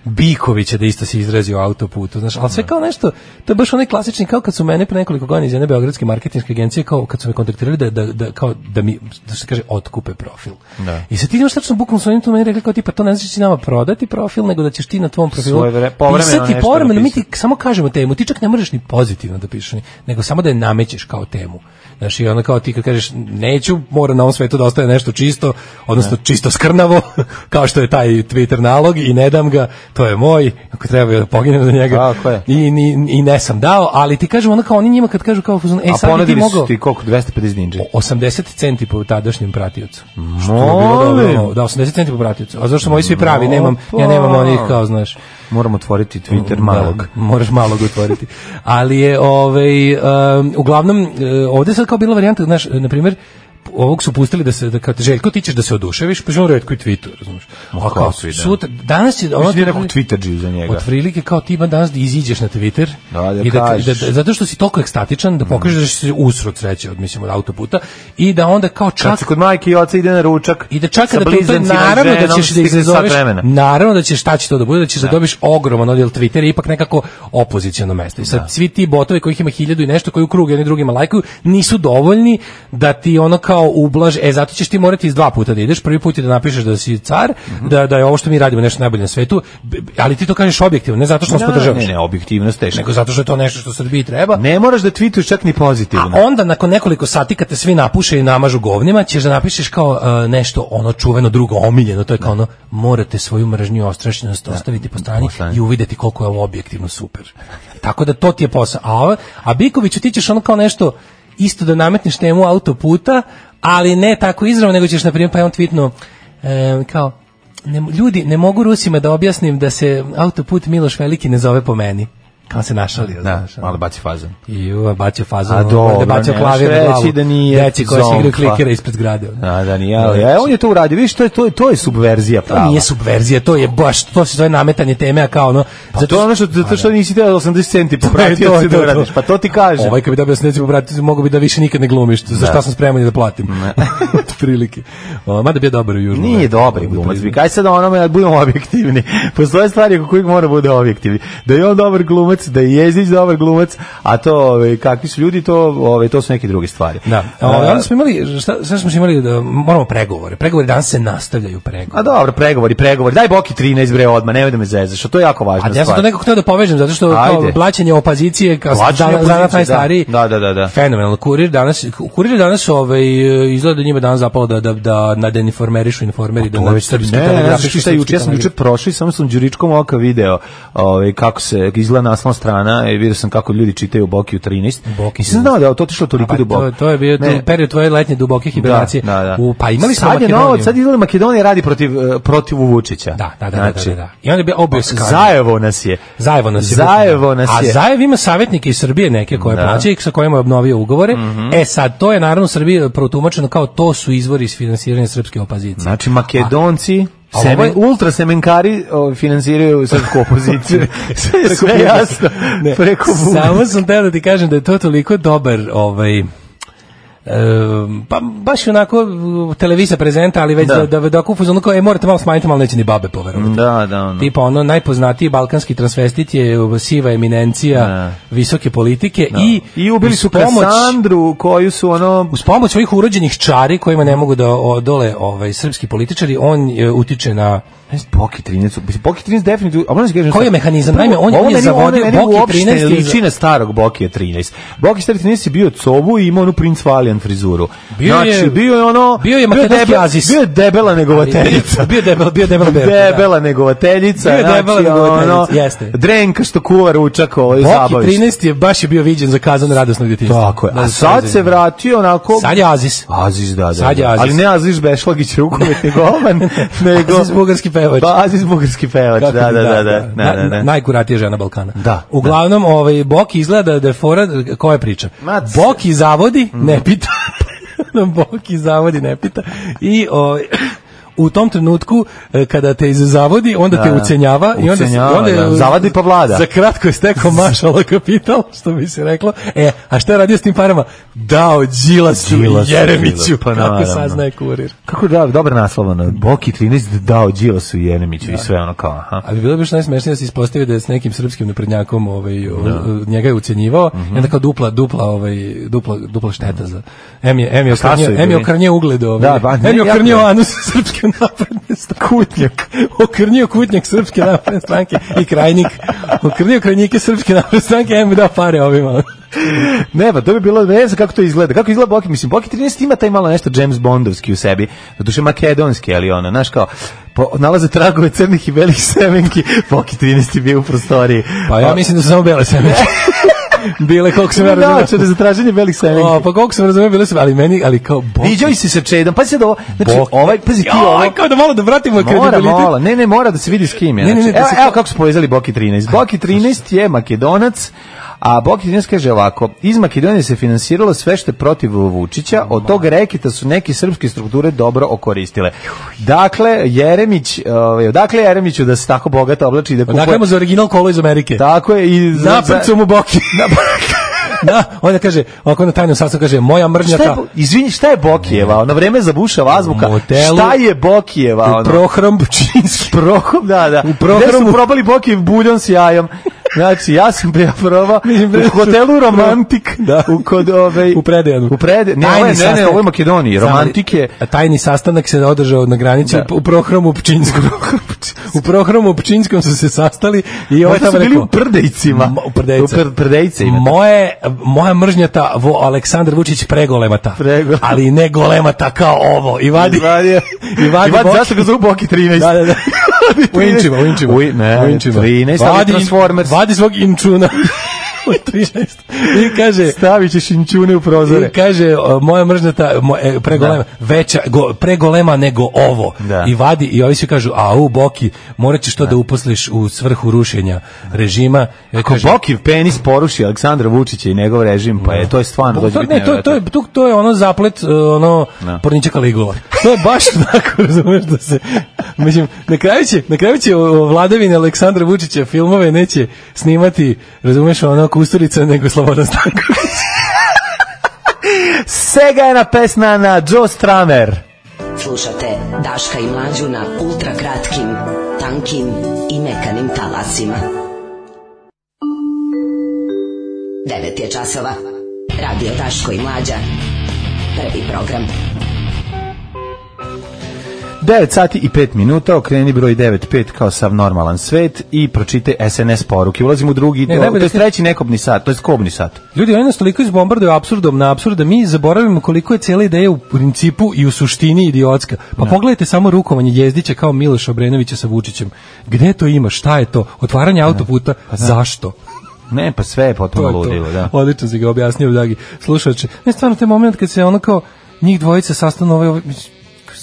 [SPEAKER 6] Bikovića da isto se izrazio o autoputu, znaš, ali sve kao nešto, to je baš onaj klasični, kao kad su mene pre nekoliko godina iz jedne beogradske marketinške agencije, kao kad su me kontaktirali da, da, da, kao, da mi, da se kaže, otkupe profil. Da. I sad ti imaš tačno bukvalno s onim tu meni rekli kao tipa, to ne znači da će nama prodati profil, nego da ćeš ti na tvom profilu
[SPEAKER 5] vre,
[SPEAKER 6] pisati povremeno, mi ti samo kažemo temu, ti čak ne možeš ni pozitivno da pišeš, nego samo da je namećeš kao temu. Znaš, i onda kao ti kad kažeš neću, mora na ovom svetu da ostaje nešto čisto, odnosno ne. čisto skrnavo, kao što je taj Twitter nalog i ne dam ga, to je moj, ako treba da poginem za njega. I, i, I ne sam dao, ali ti kažem onda kao oni njima kad kažu kao, e sad bi ti mogao...
[SPEAKER 5] A ti koliko, dvesta pedeset dinđe?
[SPEAKER 6] osamdeset centi po tadašnjem pratiocu. Što je bilo dobro, da, osamdeset centi po pratiocu. A zašto moji svi pravi, nemam, ja nemam onih kao, znaš...
[SPEAKER 5] Moramo otvoriti Twitter malog.
[SPEAKER 6] Da, moraš malog otvoriti. Ali je, ovaj, um, uglavnom, ovdje sad kao bila varijanta, znaš, na primjer, ovog su pustili da se da kad Željko ti ćeš da se oduševiš, pa žao retko i Twitter, razumiješ.
[SPEAKER 5] A kao
[SPEAKER 6] sutra danas će ono
[SPEAKER 5] je nekog Twitterđi za njega.
[SPEAKER 6] Otprilike kao ti danas da iziđeš na Twitter
[SPEAKER 5] da, da
[SPEAKER 6] i da, da zato što si toliko ekstatičan da pokažeš da si usro sreće od mislim od autoputa i da onda kao čak
[SPEAKER 5] kad kod majke i oca ide na ručak
[SPEAKER 6] i da čak da to, to naravno da ćeš da izazoveš naravno da ćeš šta će to da bude da ćeš da dobiš ogroman odjel Twittera ipak nekako opoziciono mesto. I sad svi ti botovi kojih ima hiljadu i nešto koji u krug jedni drugima lajkuju nisu dovoljni da ti ono kao ublaž, e zato ćeš ti morati iz dva puta da ideš, prvi put je da napišeš da si car, mm-hmm. da, da je ovo što mi radimo nešto najbolje na svetu, ali ti to kažeš objektivno, ne zato što nas podržavaš.
[SPEAKER 5] Ne, ne, objektivnost teško.
[SPEAKER 6] Nego zato što je to nešto što Srbiji treba.
[SPEAKER 5] Ne moraš da tweetuješ čak ni pozitivno.
[SPEAKER 6] A onda nakon nekoliko sati kad te svi napuše i namažu govnima, ćeš da napišeš kao uh, nešto ono čuveno drugo omiljeno, to je kao ono morate svoju mržnju i ostrašćenost ostaviti po strani i uvideti koliko je ovo objektivno super. Tako da to ti je posao. A, a Bikoviću ti ćeš ono kao nešto isto da nametneš temu autoputa, ali ne tako izravno, nego ćeš, na primjer, pa je on tweetnuo, e, kao, ne, ljudi, ne mogu Rusima da objasnim da se autoput Miloš Veliki ne zove po meni. Kao se našalio.
[SPEAKER 5] Da, malo baci fazon.
[SPEAKER 6] I uva, bacio fazon.
[SPEAKER 5] A dobro,
[SPEAKER 6] da bacio klavir na glavu.
[SPEAKER 5] Da nije
[SPEAKER 6] deci koji se igraju klikera ispred zgrade.
[SPEAKER 5] A, da nije, ali ja, on je to uradio. Viš, to je, to je, to je subverzija prava.
[SPEAKER 6] To nije subverzija, to je baš, to se zove nametanje teme, a kao ono...
[SPEAKER 5] Pa zato, to je ono što, zato što nisi teo osamdeset centi popratio se da uradiš, pa to ti kaže.
[SPEAKER 6] Ovaj kad bi dobio osamdeset centi popratio, mogu bi da više nikad ne glumiš, za šta sam spreman da platim. Od prilike. Mada bi je dobar u Južnom.
[SPEAKER 5] Nije dobar glumac, bi kaj sad onome, budemo objektivni. Postoje stvari oko kojih mora bude objektivni. Da je on dobar glumac, glumac, da je Jezdić dobar glumac, a to ove, kakvi su ljudi, to ove, to su neke druge stvari.
[SPEAKER 6] Da. A, onda smo imali, šta, šta smo imali da moramo pregovore. Pregovori danas se nastavljaju pregovori.
[SPEAKER 5] A dobro, pregovori, pregovori. Daj Boki trinaest bre odmah, nemoj da me zezaš, to je jako važna stvar.
[SPEAKER 6] A ja sam to nekako hteo da povežem, zato što kao blaćenje opozicije, kao danas najstariji.
[SPEAKER 5] Da, da, da, da.
[SPEAKER 6] Fenomenalno. Kurir danas, kurir danas ovaj, izgleda da njima danas zapalo da, da, da nadeninformerišu informeri, da na srpski telegrafišu.
[SPEAKER 5] Šta juče, ja sam juče prošao i samo sam đuričkom oka video ovaj, kako se izgleda naslovna strana i vidio sam kako ljudi čitaju Bokiju trinaest. Nisam znao da je to otišlo toliko duboko.
[SPEAKER 6] To, to je bio ne. period tvoje letnje duboke hibernacije.
[SPEAKER 5] Da, da, da.
[SPEAKER 6] U, pa imali smo
[SPEAKER 5] sad je
[SPEAKER 6] Makedoniju.
[SPEAKER 5] novo, sad izgleda Makedonija radi protiv, protiv Vučića.
[SPEAKER 6] Da, da, da.
[SPEAKER 5] Znači,
[SPEAKER 6] da, da, da. I onda je bio obio skandal.
[SPEAKER 5] Zajevo nas je.
[SPEAKER 6] Zajevo nas je.
[SPEAKER 5] Zajevo nas je.
[SPEAKER 6] A Zajev ima savjetnike iz Srbije neke koje
[SPEAKER 5] da.
[SPEAKER 6] plaćaju i sa kojima je obnovio ugovore. Mm-hmm. E sad, to je naravno u Srbiji protumačeno kao to su izvori iz finansiranja srpske opozicije.
[SPEAKER 5] Znači, Makedonci...
[SPEAKER 6] A,
[SPEAKER 5] Semen,
[SPEAKER 6] ovo je,
[SPEAKER 5] ultra semenkari o, finansiraju srpsku opoziciju. sve, sve jasno.
[SPEAKER 6] Ne,
[SPEAKER 5] preko
[SPEAKER 6] samo sam teo da ti kažem da je to toliko dobar ovaj E, pa baš onako televizija prezenta, ali već da da, da, da kupu ono kao, e, morate malo smanjiti, malo neće ni babe poverovati.
[SPEAKER 5] Da, da, ono.
[SPEAKER 6] Tipa ono, najpoznatiji balkanski transvestit je siva eminencija da. visoke politike da. i
[SPEAKER 5] i ubili su pomoć, Kasandru, koju su ono...
[SPEAKER 6] Uz pomoć svojih urođenih čari, kojima ne mogu da odole ovaj, srpski političari, on je, utiče na...
[SPEAKER 5] Boki trinaest, Boki trinaest definitivno... A možda
[SPEAKER 6] koji je mehanizam? Naime, on, on je zavodio Boki trinaest...
[SPEAKER 5] liči na starog Boki trinaest. Boki trinaest je bio covu i imao onu Prince Valiant frizuru.
[SPEAKER 6] Bio
[SPEAKER 5] znači,
[SPEAKER 6] je,
[SPEAKER 5] bio je ono...
[SPEAKER 6] Bio je makedonski Azis.
[SPEAKER 5] Bio je debela negovateljica.
[SPEAKER 6] Bio je debela, bio je debela berka.
[SPEAKER 5] Debela negovateljica.
[SPEAKER 6] Bio je debela
[SPEAKER 5] znači,
[SPEAKER 6] negovateljica,
[SPEAKER 5] ono,
[SPEAKER 6] jeste.
[SPEAKER 5] Drenka što kuva ručak, ovo je zabaviš.
[SPEAKER 6] Boki trinaest je baš je bio viđen za kazan radosnog djetinjstva.
[SPEAKER 5] Tako je. A sad se vratio onako...
[SPEAKER 6] Sad je Azis.
[SPEAKER 5] Azis, da, da.
[SPEAKER 6] Sad je Azis.
[SPEAKER 5] Ali ne Azis Bešlagić rukometni golman, nego...
[SPEAKER 6] Azis bugarski pevač.
[SPEAKER 5] Azis bugarski pevač, da, da, da, da, da, da.
[SPEAKER 6] Najkuratija žena Balkana.
[SPEAKER 5] Da.
[SPEAKER 6] Uglavnom, ovaj Boki izgleda da je fora, koja je priča? Boki zavodi, ne pita. Boki zavodi, ne pita. I ovaj u tom trenutku kada te zavodi, onda da, te ucenjava i onda
[SPEAKER 5] ucenjava,
[SPEAKER 6] onda
[SPEAKER 5] da. zavadi pa vlada.
[SPEAKER 6] Za kratko je stekao mašala kapital, što bi se reklo. E, a šta je radio s tim parama? Dao Đilasu i Jeremiću, pa kako saznaje Kurir.
[SPEAKER 5] Kako da, dobro naslovano. Boki trinaest dao Đilasu i Jeremiću da. i sve ono kao, aha.
[SPEAKER 6] Ali bilo bi što najsmešnije da se ispostavi da je s nekim srpskim naprednjakom ovaj, da. njega je ucenjivao, mm-hmm. i onda kao dupla, dupla, ovaj, dupla, dupla šteta za... Em je, em je okrnio, em je okrnio ugled, ovaj, da, em je okrnio anus srpske napredne stranke. Kutnjak. Okrnio kutnjak srpske napredne stranke i krajnik. Okrnio krajnike srpske napredne stranke, em mi dao pare ovima.
[SPEAKER 5] Ne, pa to bi bilo, ne znam kako to izgleda. Kako izgleda Boki? Mislim, Boki trinaest ima taj malo nešto James Bondovski u sebi. Doduše makedonski, ali ono, znaš kao, po, nalaze tragove crnih i belih semenki. Boki trinaest je bio u prostoriji.
[SPEAKER 6] Pa ja mislim da su samo bele semenke. Bile, koliko sam ja razumio.
[SPEAKER 5] Načine za traženje belih semenki.
[SPEAKER 6] O, pa koliko sam razumio, bile su, ali meni, ali kao Boki.
[SPEAKER 5] Viđao si sa Čedom, pa si da ovo, znači,
[SPEAKER 6] Boki.
[SPEAKER 5] ovaj, pazi ti ovo.
[SPEAKER 6] Kao da malo da vratimo kredibilitet.
[SPEAKER 5] Mora, mora, ne, ne, mora da se vidi s kim je.
[SPEAKER 6] Ne, ne, ne,
[SPEAKER 5] znači, evo,
[SPEAKER 6] se...
[SPEAKER 5] evo kako su povezali Boki trinaest. Boki trinaest je Makedonac, a Boki trinaest kaže ovako, iz Makedonije se finansiralo sve što je protiv Vučića, od tog reketa su neke srpske strukture dobro okoristile. Dakle, Jeremić, ovaj, odakle Jeremiću da se tako bogato oblači i da kupuje...
[SPEAKER 6] Dakle, mu za original kolo iz Amerike.
[SPEAKER 5] Tako je. I za,
[SPEAKER 6] naprcu mu Boki. Da, onda kaže, ovako na tajnom sastavu kaže, moja mržnja ta...
[SPEAKER 5] Izvini, šta je Bokijeva? Ono vreme za Buša azbuka. Modelu, šta je Bokijeva? Ono?
[SPEAKER 6] U prohrom Bučinski.
[SPEAKER 5] Prohrom, da, da.
[SPEAKER 6] U prohromu...
[SPEAKER 5] Gde su probali Bokijev buljon s jajom? Znači, ja sam ja probao u hotelu Romantik,
[SPEAKER 6] da.
[SPEAKER 5] u kod ovaj
[SPEAKER 6] u Predejanu.
[SPEAKER 5] U Prede, ne, ovo je, ne, ne, ovo je Makedoniji. Romantik je.
[SPEAKER 6] A tajni sastanak se održao na granici da. u prohromu Pčinjskom. U prohromu Pčinjskom su se sastali i ovaj tamo
[SPEAKER 5] rekao u Prdejcima.
[SPEAKER 6] U Prdejcima.
[SPEAKER 5] U Prdejcima.
[SPEAKER 6] Moje moja mržnjata vo Aleksandar Vučić pregolemata.
[SPEAKER 5] Pregole.
[SPEAKER 6] Ali ne golemata kao ovo. I vadi.
[SPEAKER 5] I vadi. Zašto ga zovu Boki trinaest?
[SPEAKER 6] Da, da, da. U Inčima, u Inčima.
[SPEAKER 5] U Inčima. trinaest, ali Transformers.
[SPEAKER 6] Vadi svog Inčuna. trinaest. I kaže,
[SPEAKER 5] stavit ćeš Inčune u prozore.
[SPEAKER 6] I kaže, moja mržnata mo, pregolema, veća, go, pregolema nego ovo. Da. I vadi, i ovi svi kažu, a u Boki, morat ćeš to da, da uposliš u svrhu rušenja režima.
[SPEAKER 5] Ako kaže, Boki penis poruši Aleksandra Vučića i njegov režim, pa je, to je stvarno dođe biti
[SPEAKER 6] ne, to, to, je, to, to je ono zaplet, ono, no. Pornića Kaligula. To je baš tako, razumeš, da se, mislim, na kraju će, na kraju će vladavine Aleksandra Vučića filmove neće snimati, razumeš, ono, Kusturica nego Slobodan Stanković.
[SPEAKER 5] Sega je na pesna na Joe Stramer.
[SPEAKER 10] Slušate Daška i Mlađu na ultra kratkim, tankim i mekanim talasima. devet je časova. Radio Daško i Mlađa. Prvi program.
[SPEAKER 5] devet sati i pet minuta, okreni broj devet pet kao sav normalan svet i pročite S N S poruke. Ulazimo u drugi, ne, to, to je treći nekobni sat, to je kobni sat.
[SPEAKER 6] Ljudi, oni nas toliko izbombarduju apsurdom na apsurd da mi zaboravimo koliko je cijela ideja u principu i u suštini idiotska. Pa ne. Pogledajte samo rukovanje Jezdića kao Miloša Obrenovića sa Vučićem. Gde to ima? Šta je to? Otvaranje autoputa? Pa zašto?
[SPEAKER 5] Ne, pa sve je potpuno ludilo, da.
[SPEAKER 6] Odlično si ga objasnio, dragi slušače. Ne, stvarno, taj moment kad se ono kao njih dvojica sastanu ovaj...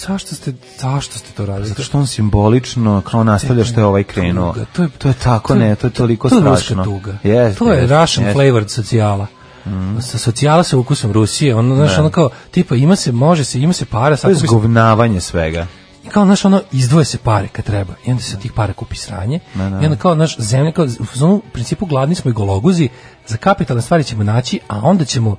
[SPEAKER 6] Zašto ste, zašto ste to radili?
[SPEAKER 5] Zato što on simbolično kao nastavlja što je ovaj krenuo. To je, to je tako, to, ne, to je toliko
[SPEAKER 6] to, to
[SPEAKER 5] strašno.
[SPEAKER 6] Tuga.
[SPEAKER 5] Yes,
[SPEAKER 6] to je
[SPEAKER 5] yes,
[SPEAKER 6] Russian
[SPEAKER 5] yes.
[SPEAKER 6] flavored socijala. Mm. Sa socijala sa ukusom Rusije. Ono, znaš, ono kao, tipa, ima se, može se, ima se para.
[SPEAKER 5] To je zgovnavanje svega.
[SPEAKER 6] Kao, znaš, ono, izdvoje se pare kad treba. I onda se od tih para kupi sranje. Ne, ne. I onda kao, naš zemlja, kao, u principu gladni smo i gologuzi, za kapitalne stvari ćemo naći, a onda ćemo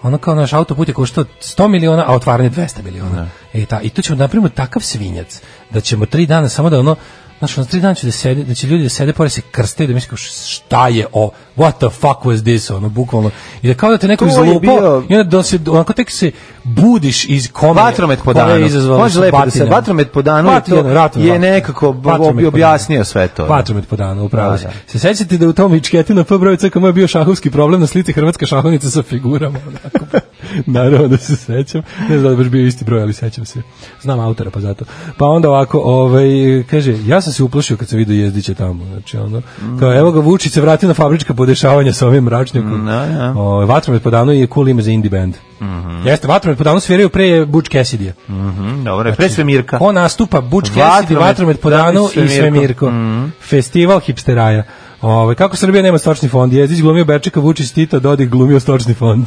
[SPEAKER 6] ono kao naš autoput je koštao sto miliona, a otvaranje dvesta miliona. E, ta, I to ćemo napravimo takav svinjac, da ćemo tri dana samo da ono, znaš, ono tri dana će da, sedi, da će ljudi da sede pored se krste i da misle šta je o, what the fuck was this, ono, bukvalno. I da kao da te neko izlupao, bio... i onda da se, onako tek se budiš iz kome,
[SPEAKER 5] vatromet po danu. Može lepo da se, vatromet po danu je, to,
[SPEAKER 6] ratom,
[SPEAKER 5] je nekako objasnio sve to.
[SPEAKER 6] Vatromet po danu, upravo se. Se sećate da u tom Vičketi na F broju C K M je bio šahovski problem na slici hrvatska šahovnica sa figurama, onako. Naravno da se sećam. Ne znam da je baš bio isti broj, ali sećam se. Znam autora, pa zato. Pa onda ovako, ovaj, kaže, ja sam se uplašio kad sam vidio Jezdića tamo. Znači, ono, kao, evo ga Vučić se vratio na fabrička podešavanja sa ovim mračnjakom.
[SPEAKER 5] No, ja.
[SPEAKER 6] O, vatromet po danu je cool ime za indie band. Mm -hmm. Jeste, vatromet po danu sviraju pre Butch Cassidy-a.
[SPEAKER 5] Mm -hmm, dobro, znači, pre Svemirka.
[SPEAKER 6] On nastupa Butch Cassidy, vatromet po danu i Svemirko. Mm -hmm. Festival hipsteraja. Ove, kako Srbija nema stočni fond? Jezdić glumio Berčeka, Vučić Tita, Dodik glumio stočni fond.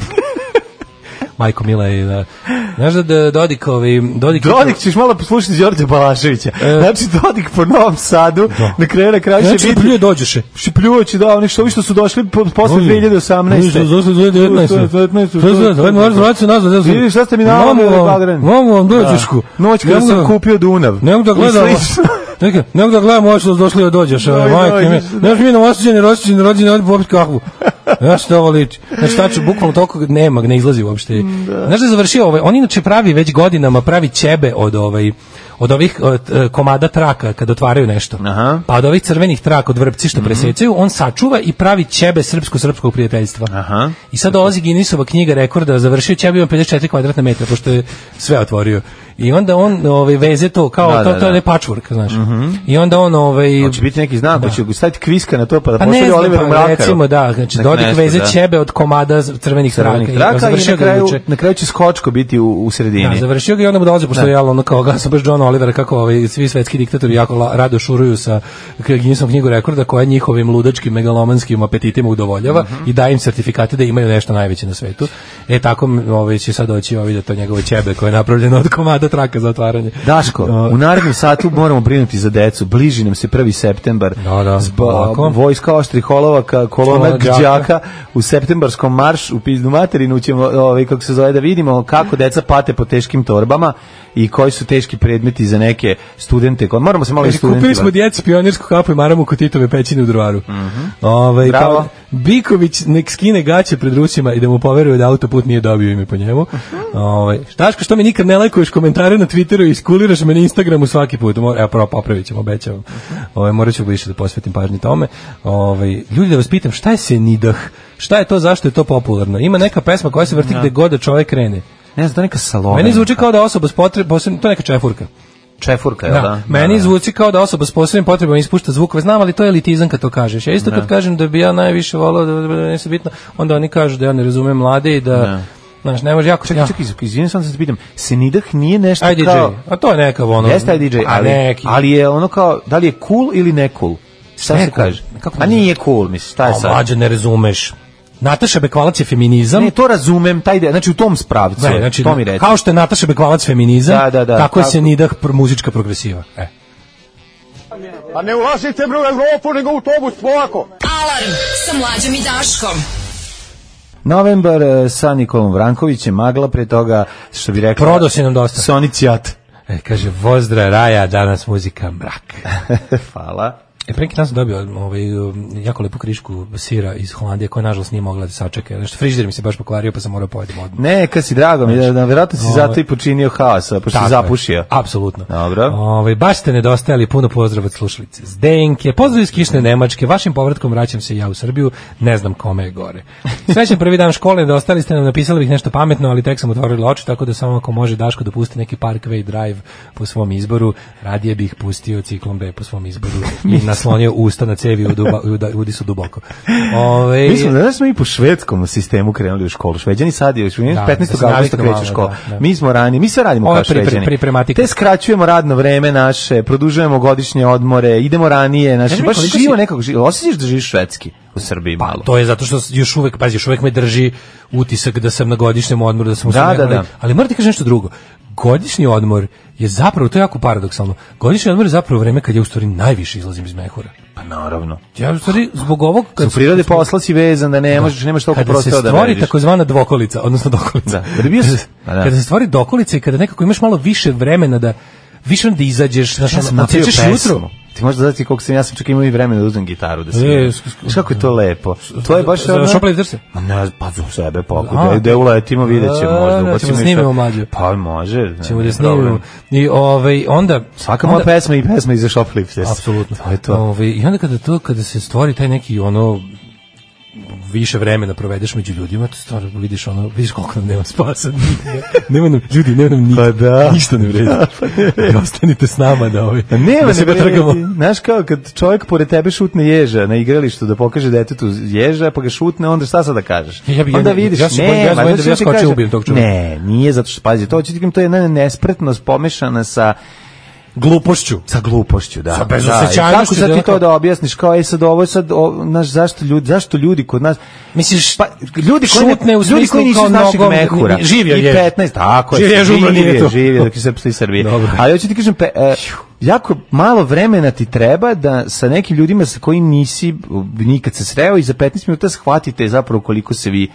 [SPEAKER 6] Majko Mila je da... Znaš da Dodik... Ovaj, Dodik,
[SPEAKER 5] Dodik ćeš malo poslušati Đorđa Balaševića. E, znači Dodik po Novom Sadu, da. Na kraju na kraju će
[SPEAKER 6] znači, biti... Šipljuje dođeše.
[SPEAKER 5] Šipljujući, da, oni što, ovi što su došli po, posle dve hiljade osamnaeste.
[SPEAKER 6] Oni što su došli dve hiljade devetnaeste.
[SPEAKER 5] Vidi, šta ste mi navali Bagran?
[SPEAKER 6] Mogu vam dođešku.
[SPEAKER 5] Noć kada sam kupio Dunav.
[SPEAKER 6] Ne mogu da gledam... Neka, ne mogu da gledam ovo što došli da dođeš, majke mi. Znaš mi na osjećanje, rođeni, rođeni, ovdje popiti kahvu. Znaš što ovo liči. Znači, tačno, bukvalno toliko nema, ne izlazi uopšte. Znaš da je završio ovaj, on inače pravi već godinama, pravi ćebe od ovaj, od ovih od, komada traka kad otvaraju nešto. Aha. Pa od ovih crvenih traka od vrpci što mm -hmm. presecaju, on sačuva i pravi ćebe srpsko-srpskog prijateljstva. Aha. I sad dolazi Guinnessova knjiga rekorda, završio ćebe ima pedeset četiri kvadratna metra, pošto je sve otvorio. I onda on ovaj veze to kao da, to, da, to je patchwork, znaš. Mm -hmm. I onda on ovaj
[SPEAKER 5] hoće biti neki znak, da. Hoće staviti kviska na to pa da
[SPEAKER 6] pa
[SPEAKER 5] pošalje Oliveru Mrakaru.
[SPEAKER 6] Recimo da, znači Dodik veze da. Ćebe od komada crvenih traka i,
[SPEAKER 5] i na kraju na kraju će Skočko biti u, u sredini.
[SPEAKER 6] Da, završio ga i onda mu dolazi pošto je ono kao ga sa baš John Olivera kako ovaj svi svetski diktatori jako rado šuruju sa Guinnessovom knjigu rekorda koja njihovim ludačkim megalomanskim apetitima udovoljava mm -hmm. i daje im sertifikate da imaju nešto najveće na svetu. E tako ovaj će sad doći ovaj da to njegovo ćebe koje je napravljeno od komada traka za otvaranje.
[SPEAKER 5] Daško, u narednom satu moramo brinuti za decu. Bliži nam se prvi septembar.
[SPEAKER 6] Da, da.
[SPEAKER 5] Zba, vojska oštrih holovaka, kolona đaka u septembarskom maršu u pizdu materinu ćemo, ovaj, kako se zove, da vidimo kako deca pate po teškim torbama i koji su teški predmeti za neke studente. Moramo se malo i studentima.
[SPEAKER 6] Kupili smo djeci pionirsku kapu i maramu kod Titove pećine u Drvaru. Mm -hmm. Ove,
[SPEAKER 5] Bravo.
[SPEAKER 6] Kao, Biković nek skine gaće pred Rusima i da mu poveruje da autoput nije dobio ime po njemu. Ove, Štaško, što mi nikad ne lajkuješ komentare na Twitteru i iskuliraš me na Instagramu svaki put. Evo, prvo popravit ćemo, obećavam. Ove, morat ću više da posvetim pažnji tome. Ove, ljudi, da vas pitam, šta je Senidah? Šta je to, zašto je to popularno? Ima neka pesma koja se vrti gde god da čovjek krene.
[SPEAKER 5] Ne znam, to neka Salome.
[SPEAKER 6] Meni zvuči kao da osoba s potrebom, to je neka čefurka.
[SPEAKER 5] Čefurka, je da? da?
[SPEAKER 6] Meni da, zvuči kao da osoba s posebnim potrebama ispušta zvukove, znam, ali to je elitizam kad to kažeš. Ja isto da. Kad kažem da bi ja najviše volao, da, da ne se bitno, onda oni kažu da ja ne razumem mlade i da... da. Znaš, ne može jako...
[SPEAKER 5] Čekaj, ja. čekaj, izvijem sam da se pitam, Senidah nije nešto
[SPEAKER 6] I D J.
[SPEAKER 5] kao...
[SPEAKER 6] A to je neka ono...
[SPEAKER 5] Jeste I D J, ali, ali je ono kao, da li je cool ili ne cool? Šta se kaže? Kako a nije cool, misliš, šta je sad?
[SPEAKER 6] A mlađe ne razumeš. Nataša Bekvalac je feminizam.
[SPEAKER 5] Ne, to razumem, taj ide, znači u tom spravcu, ne, znači, to mi reći.
[SPEAKER 6] Kao što je Nataša Bekvalac feminizam, da, da, da, tako je Senidah muzička progresiva. E.
[SPEAKER 12] A ne ulazite bre u Evropu, nego u autobus, polako.
[SPEAKER 7] Alarm sa Mlađom i Daškom.
[SPEAKER 5] Novembar sa Nikolom Vrankovićem, Magla, pre toga, što bi rekla...
[SPEAKER 6] Prodao si nam dosta.
[SPEAKER 5] Soni Cijat.
[SPEAKER 6] E, kaže, Vozdra Raja, danas muzika mrak.
[SPEAKER 5] Hvala.
[SPEAKER 6] E, pre neki dan sam dobio ovaj, jako lepu krišku sira iz Holandije koja nažalost nije mogla da sačeka. Nešto frižider mi se baš pokvario pa sam morao pojedem odmah.
[SPEAKER 5] Ne, kad si drago mi, da, da verovatno si zato i počinio haosa, pošto si zapušio.
[SPEAKER 6] Apsolutno.
[SPEAKER 5] Dobro.
[SPEAKER 6] Ovaj, baš ste nedostajali, puno pozdrav od slušalice Zdenke. Pozdrav iz kišne Nemačke, vašim povratkom vraćam se ja u Srbiju, ne znam kome je gore. Srećan prvi dan škole, nedostali ste nam, napisali bih nešto pametno, ali tek sam otvorila oči, tako da samo ako može Daško da pusti neki Parkway Drive po svom izboru, radije bih pustio Ciklon B po svom izboru i naslonio usta na cevi u duba, udi su duboko. Ove,
[SPEAKER 5] mi smo, da smo i po švedskom sistemu krenuli u školu. Šveđani sad je, petnaestog avgusta kreće škola. Da, da. Mi smo ranije, mi sve radimo Ove kao pri, Šveđani. Pri, pri, Te skraćujemo radno vreme naše, produžujemo godišnje odmore, idemo ranije, naše, baš živo si... nekako, živo. Osjećaš da živiš švedski u Srbiji malo?
[SPEAKER 6] Pa, to je zato što još uvek, pazi, još uvek me drži utisak da sam na godišnjem odmoru, da sam u
[SPEAKER 5] da,
[SPEAKER 6] Srbiji,
[SPEAKER 5] da, da.
[SPEAKER 6] ali, ali moram ti kažem nešto drugo. Godišnji odmor je zapravo, to je jako paradoksalno, godišnji odmor je zapravo vreme kad ja u stvari najviše izlazim iz mehura.
[SPEAKER 5] Pa naravno.
[SPEAKER 6] Ja u stvari zbog ovog...
[SPEAKER 5] Kad su prirode posla si vezan da ne možeš, nemaš toliko prostora da
[SPEAKER 6] Kada se stvori takozvana dvokolica, odnosno dokolica.
[SPEAKER 5] Da, da bio se, da.
[SPEAKER 6] Kada se stvori dokolica i kada nekako imaš malo više vremena da više da izađeš, znaš,
[SPEAKER 5] ja sam napravio pesmu. Ti možda znati koliko sam, ja sam čak imao i vremena da uzmem gitaru da sviram. Znaš kako je to lepo. To je baš
[SPEAKER 6] ono... Šopali drse?
[SPEAKER 5] Ma ne, pa za sebe pokuda. Da uletimo, vidjet ćemo možda.
[SPEAKER 6] Da, ćemo snimimo mlađe.
[SPEAKER 5] Pa može.
[SPEAKER 6] Ćemo da snimimo. I ovaj, onda...
[SPEAKER 5] Svaka moja pesma i pesma iza Shoplifters.
[SPEAKER 6] Apsolutno. To je to. I onda kada to, kada se stvori taj neki ono... više vremena provedeš među ljudima, to stvarno vidiš ono, vidiš koliko nam nema spasa. Nema nam, ljudi, nema nam ni,
[SPEAKER 5] pa da.
[SPEAKER 6] ništa ne vredi. I ostanite s nama da ovi,
[SPEAKER 5] nema da se trgamo. Znaš kao kad čovjek pored tebe šutne ježa na igralištu da pokaže detetu ježa, pa ga šutne, onda šta sad da kažeš?
[SPEAKER 6] Ja, ja,
[SPEAKER 5] onda vidiš,
[SPEAKER 6] ja, ja,
[SPEAKER 5] ne,
[SPEAKER 6] ja, ja, ja skočio ubijem tog čovjeka.
[SPEAKER 5] Ne, nije zato što, pazi, to, ću to je jedna nespretnost pomešana sa
[SPEAKER 6] glupošću,
[SPEAKER 5] sa glupošću, da.
[SPEAKER 6] Sa bezosećajnošću.
[SPEAKER 5] Kako sad ti to da objasniš, kao ej sad ovo je sad, o, naš, zašto ljudi, zašto ljudi kod nas,
[SPEAKER 6] misliš,
[SPEAKER 5] pa ljudi koji
[SPEAKER 6] šutne
[SPEAKER 5] ne,
[SPEAKER 6] u
[SPEAKER 5] ljudi koji nisu iz našeg
[SPEAKER 6] nogom,
[SPEAKER 5] mehura,
[SPEAKER 6] živio je,
[SPEAKER 5] i petnaest, tako
[SPEAKER 6] živio
[SPEAKER 5] je, živio
[SPEAKER 6] je,
[SPEAKER 5] živio dok je Srpstvo i Srbije. Ali hoću ti kažem, pe, e, jako malo vremena ti treba da sa nekim ljudima sa kojim nisi nikad se sreo i za petnaest minuta shvatite zapravo koliko se vi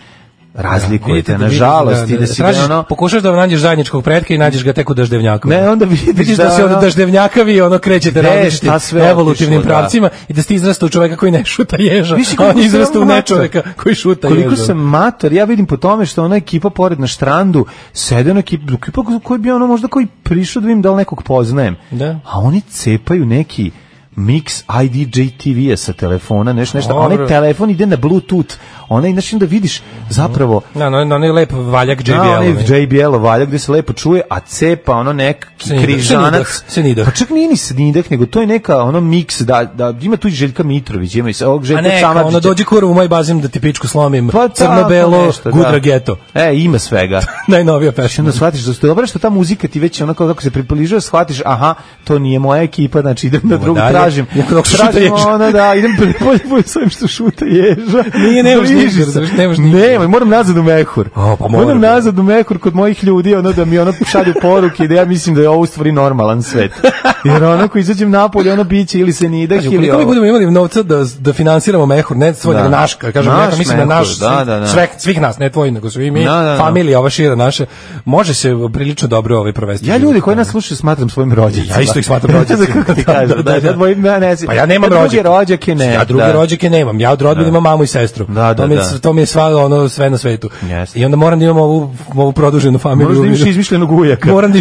[SPEAKER 5] razlikujete,
[SPEAKER 6] da,
[SPEAKER 5] nažalost,
[SPEAKER 6] da, da,
[SPEAKER 5] da si
[SPEAKER 6] tražiš,
[SPEAKER 5] da ono...
[SPEAKER 6] Pokušaš da nađeš zajedničkog pretka i nađeš ga tek u daždevnjakovi.
[SPEAKER 5] Ne, onda vidiš,
[SPEAKER 6] vidiš da, da se od daždevnjakavi ono krećete različitim evolutivnim
[SPEAKER 5] otišlo,
[SPEAKER 6] pravcima da. I da ste izrasta u čoveka koji ne šuta ježa, a on izrasta u nečoveka koji šuta
[SPEAKER 5] koliko
[SPEAKER 6] ježa.
[SPEAKER 5] Koliko sam mator, ja vidim po tome što ona ekipa pored na štrandu sede na ekipa, ekipa koji bi ono možda koji prišao da vidim da li nekog poznajem.
[SPEAKER 6] Da.
[SPEAKER 5] A oni cepaju neki mix I D J T V-a sa telefona, nešto, nešto, onaj telefon ide na Bluetooth, onaj, znači da vidiš zapravo...
[SPEAKER 6] Na, no, no, onaj lep valjak J B L.
[SPEAKER 5] Na, onaj J B L valjak gde se lepo čuje, a cepa ono neki križanac.
[SPEAKER 6] Senidah.
[SPEAKER 5] Pa čak nije ni senidah, nego to je neka ono mix, da, da ima tu i Željka Mitrović, ima i ovog Željka Samardžića. A neka,
[SPEAKER 6] ono dođi kurvu u moj bazin da ti pičku slomim,
[SPEAKER 5] pa,
[SPEAKER 6] crno-belo,
[SPEAKER 5] nešto,
[SPEAKER 6] Gudra
[SPEAKER 5] da.
[SPEAKER 6] Geto.
[SPEAKER 5] E, ima svega.
[SPEAKER 6] Najnovija pesma.
[SPEAKER 5] Onda shvatiš da ste dobro što ta muzika ti već onako kako se približava, shvatiš, aha, to nije moja ekipa, znači idem na drugu tražim. Tražim ono da idem prepolje po svojim što šuta ježa.
[SPEAKER 6] Nije, nemaš ništa, nemaš ništa.
[SPEAKER 5] Ne, moram nazad u mehur.
[SPEAKER 6] O, pa
[SPEAKER 5] moram, moram nazad u mehur kod mojih ljudi, ono da mi ono šalju poruke da ja mislim da je ovo u stvari normalan svet. Jer ono ko izađem napolje, ono biće ili se nidah ili
[SPEAKER 6] ovo. Kako mi budemo imali novca da, da finansiramo mehur, ne svoj, nego naš, kažem, naš mislim mehur, na naš,
[SPEAKER 5] da, da, da.
[SPEAKER 6] Sve, svih nas, ne tvoj, nego svi mi,
[SPEAKER 5] da, da, da.
[SPEAKER 6] familija, ova šira naša, može se prilično dobro ovaj provesti.
[SPEAKER 5] Ja ljudi koji nas slušaju smatram svojim rođacima.
[SPEAKER 6] Ja isto ih smatram rođacima.
[SPEAKER 5] Pa ja nemam rođake, ne.
[SPEAKER 6] Ja druge rođake nemam. Ja od rodbine imam mamu i sestru.
[SPEAKER 5] Da, da,
[SPEAKER 6] to mi je, to mi je sva, ono, sve na svetu.
[SPEAKER 5] Yes.
[SPEAKER 6] I onda moram da imam ovu, ovu produženu familiju.
[SPEAKER 5] Moram da imaš izmišljenog ujaka.
[SPEAKER 6] Moram da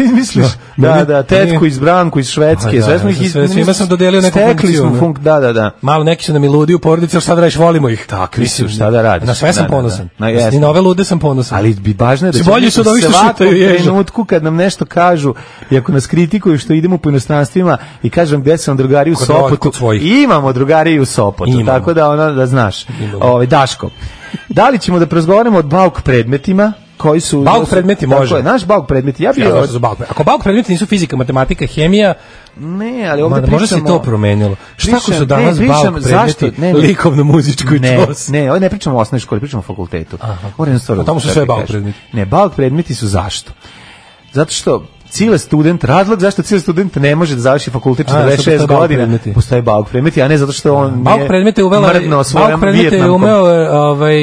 [SPEAKER 6] izmišljam.
[SPEAKER 5] Da, da, tetku iz Branku, iz Švedske. Sve smo ih izmišljali.
[SPEAKER 6] Svima sam dodelio neku funkciju.
[SPEAKER 5] Funk, da, da, da.
[SPEAKER 6] Malo neki su nam i ludi u porodici, ali šta da radiš, volimo ih.
[SPEAKER 5] Tako, mislim, šta da radiš.
[SPEAKER 6] Na sve sam ponosan. I na ove lude sam ponosan.
[SPEAKER 5] Ali bi važno je da
[SPEAKER 6] bolji su od ovih što šutaju ježa.
[SPEAKER 5] Trenutku kad nam nešto kažu i ako nas kritikuju što idemo po inostranstvima i kažem gde sam drugari u Sopotu, imamo drugari u Sopotu, imamo. Tako da ono da znaš. Ovaj Daško. Da li ćemo da razgovaramo o bauk predmetima koji su
[SPEAKER 6] bauk predmeti može.
[SPEAKER 5] Tako je, naš bauk predmeti. Ja bih
[SPEAKER 6] ja, od... bauk. Ako bauk predmeti nisu fizika, matematika, hemija,
[SPEAKER 5] ne, ali ovdje pričamo...
[SPEAKER 6] Možda se to promenilo. Šta ako su danas ne, bauk predmeti ne, ne, likovno-muzičko i
[SPEAKER 5] ne,
[SPEAKER 6] čos?
[SPEAKER 5] Ne, ovdje ne pričamo o osnovnoj školi, pričamo o fakultetu.
[SPEAKER 6] A tamo su sve bauk predmeti.
[SPEAKER 5] Ne, bauk predmeti su zašto? Zato što Cile student, razlog zašto cile student ne može da završi fakultet četrdeset šest godina, postoje bauk predmeti, a ne zato što on
[SPEAKER 6] bauk predmete uvela, bauk predmete je umeo, ovaj,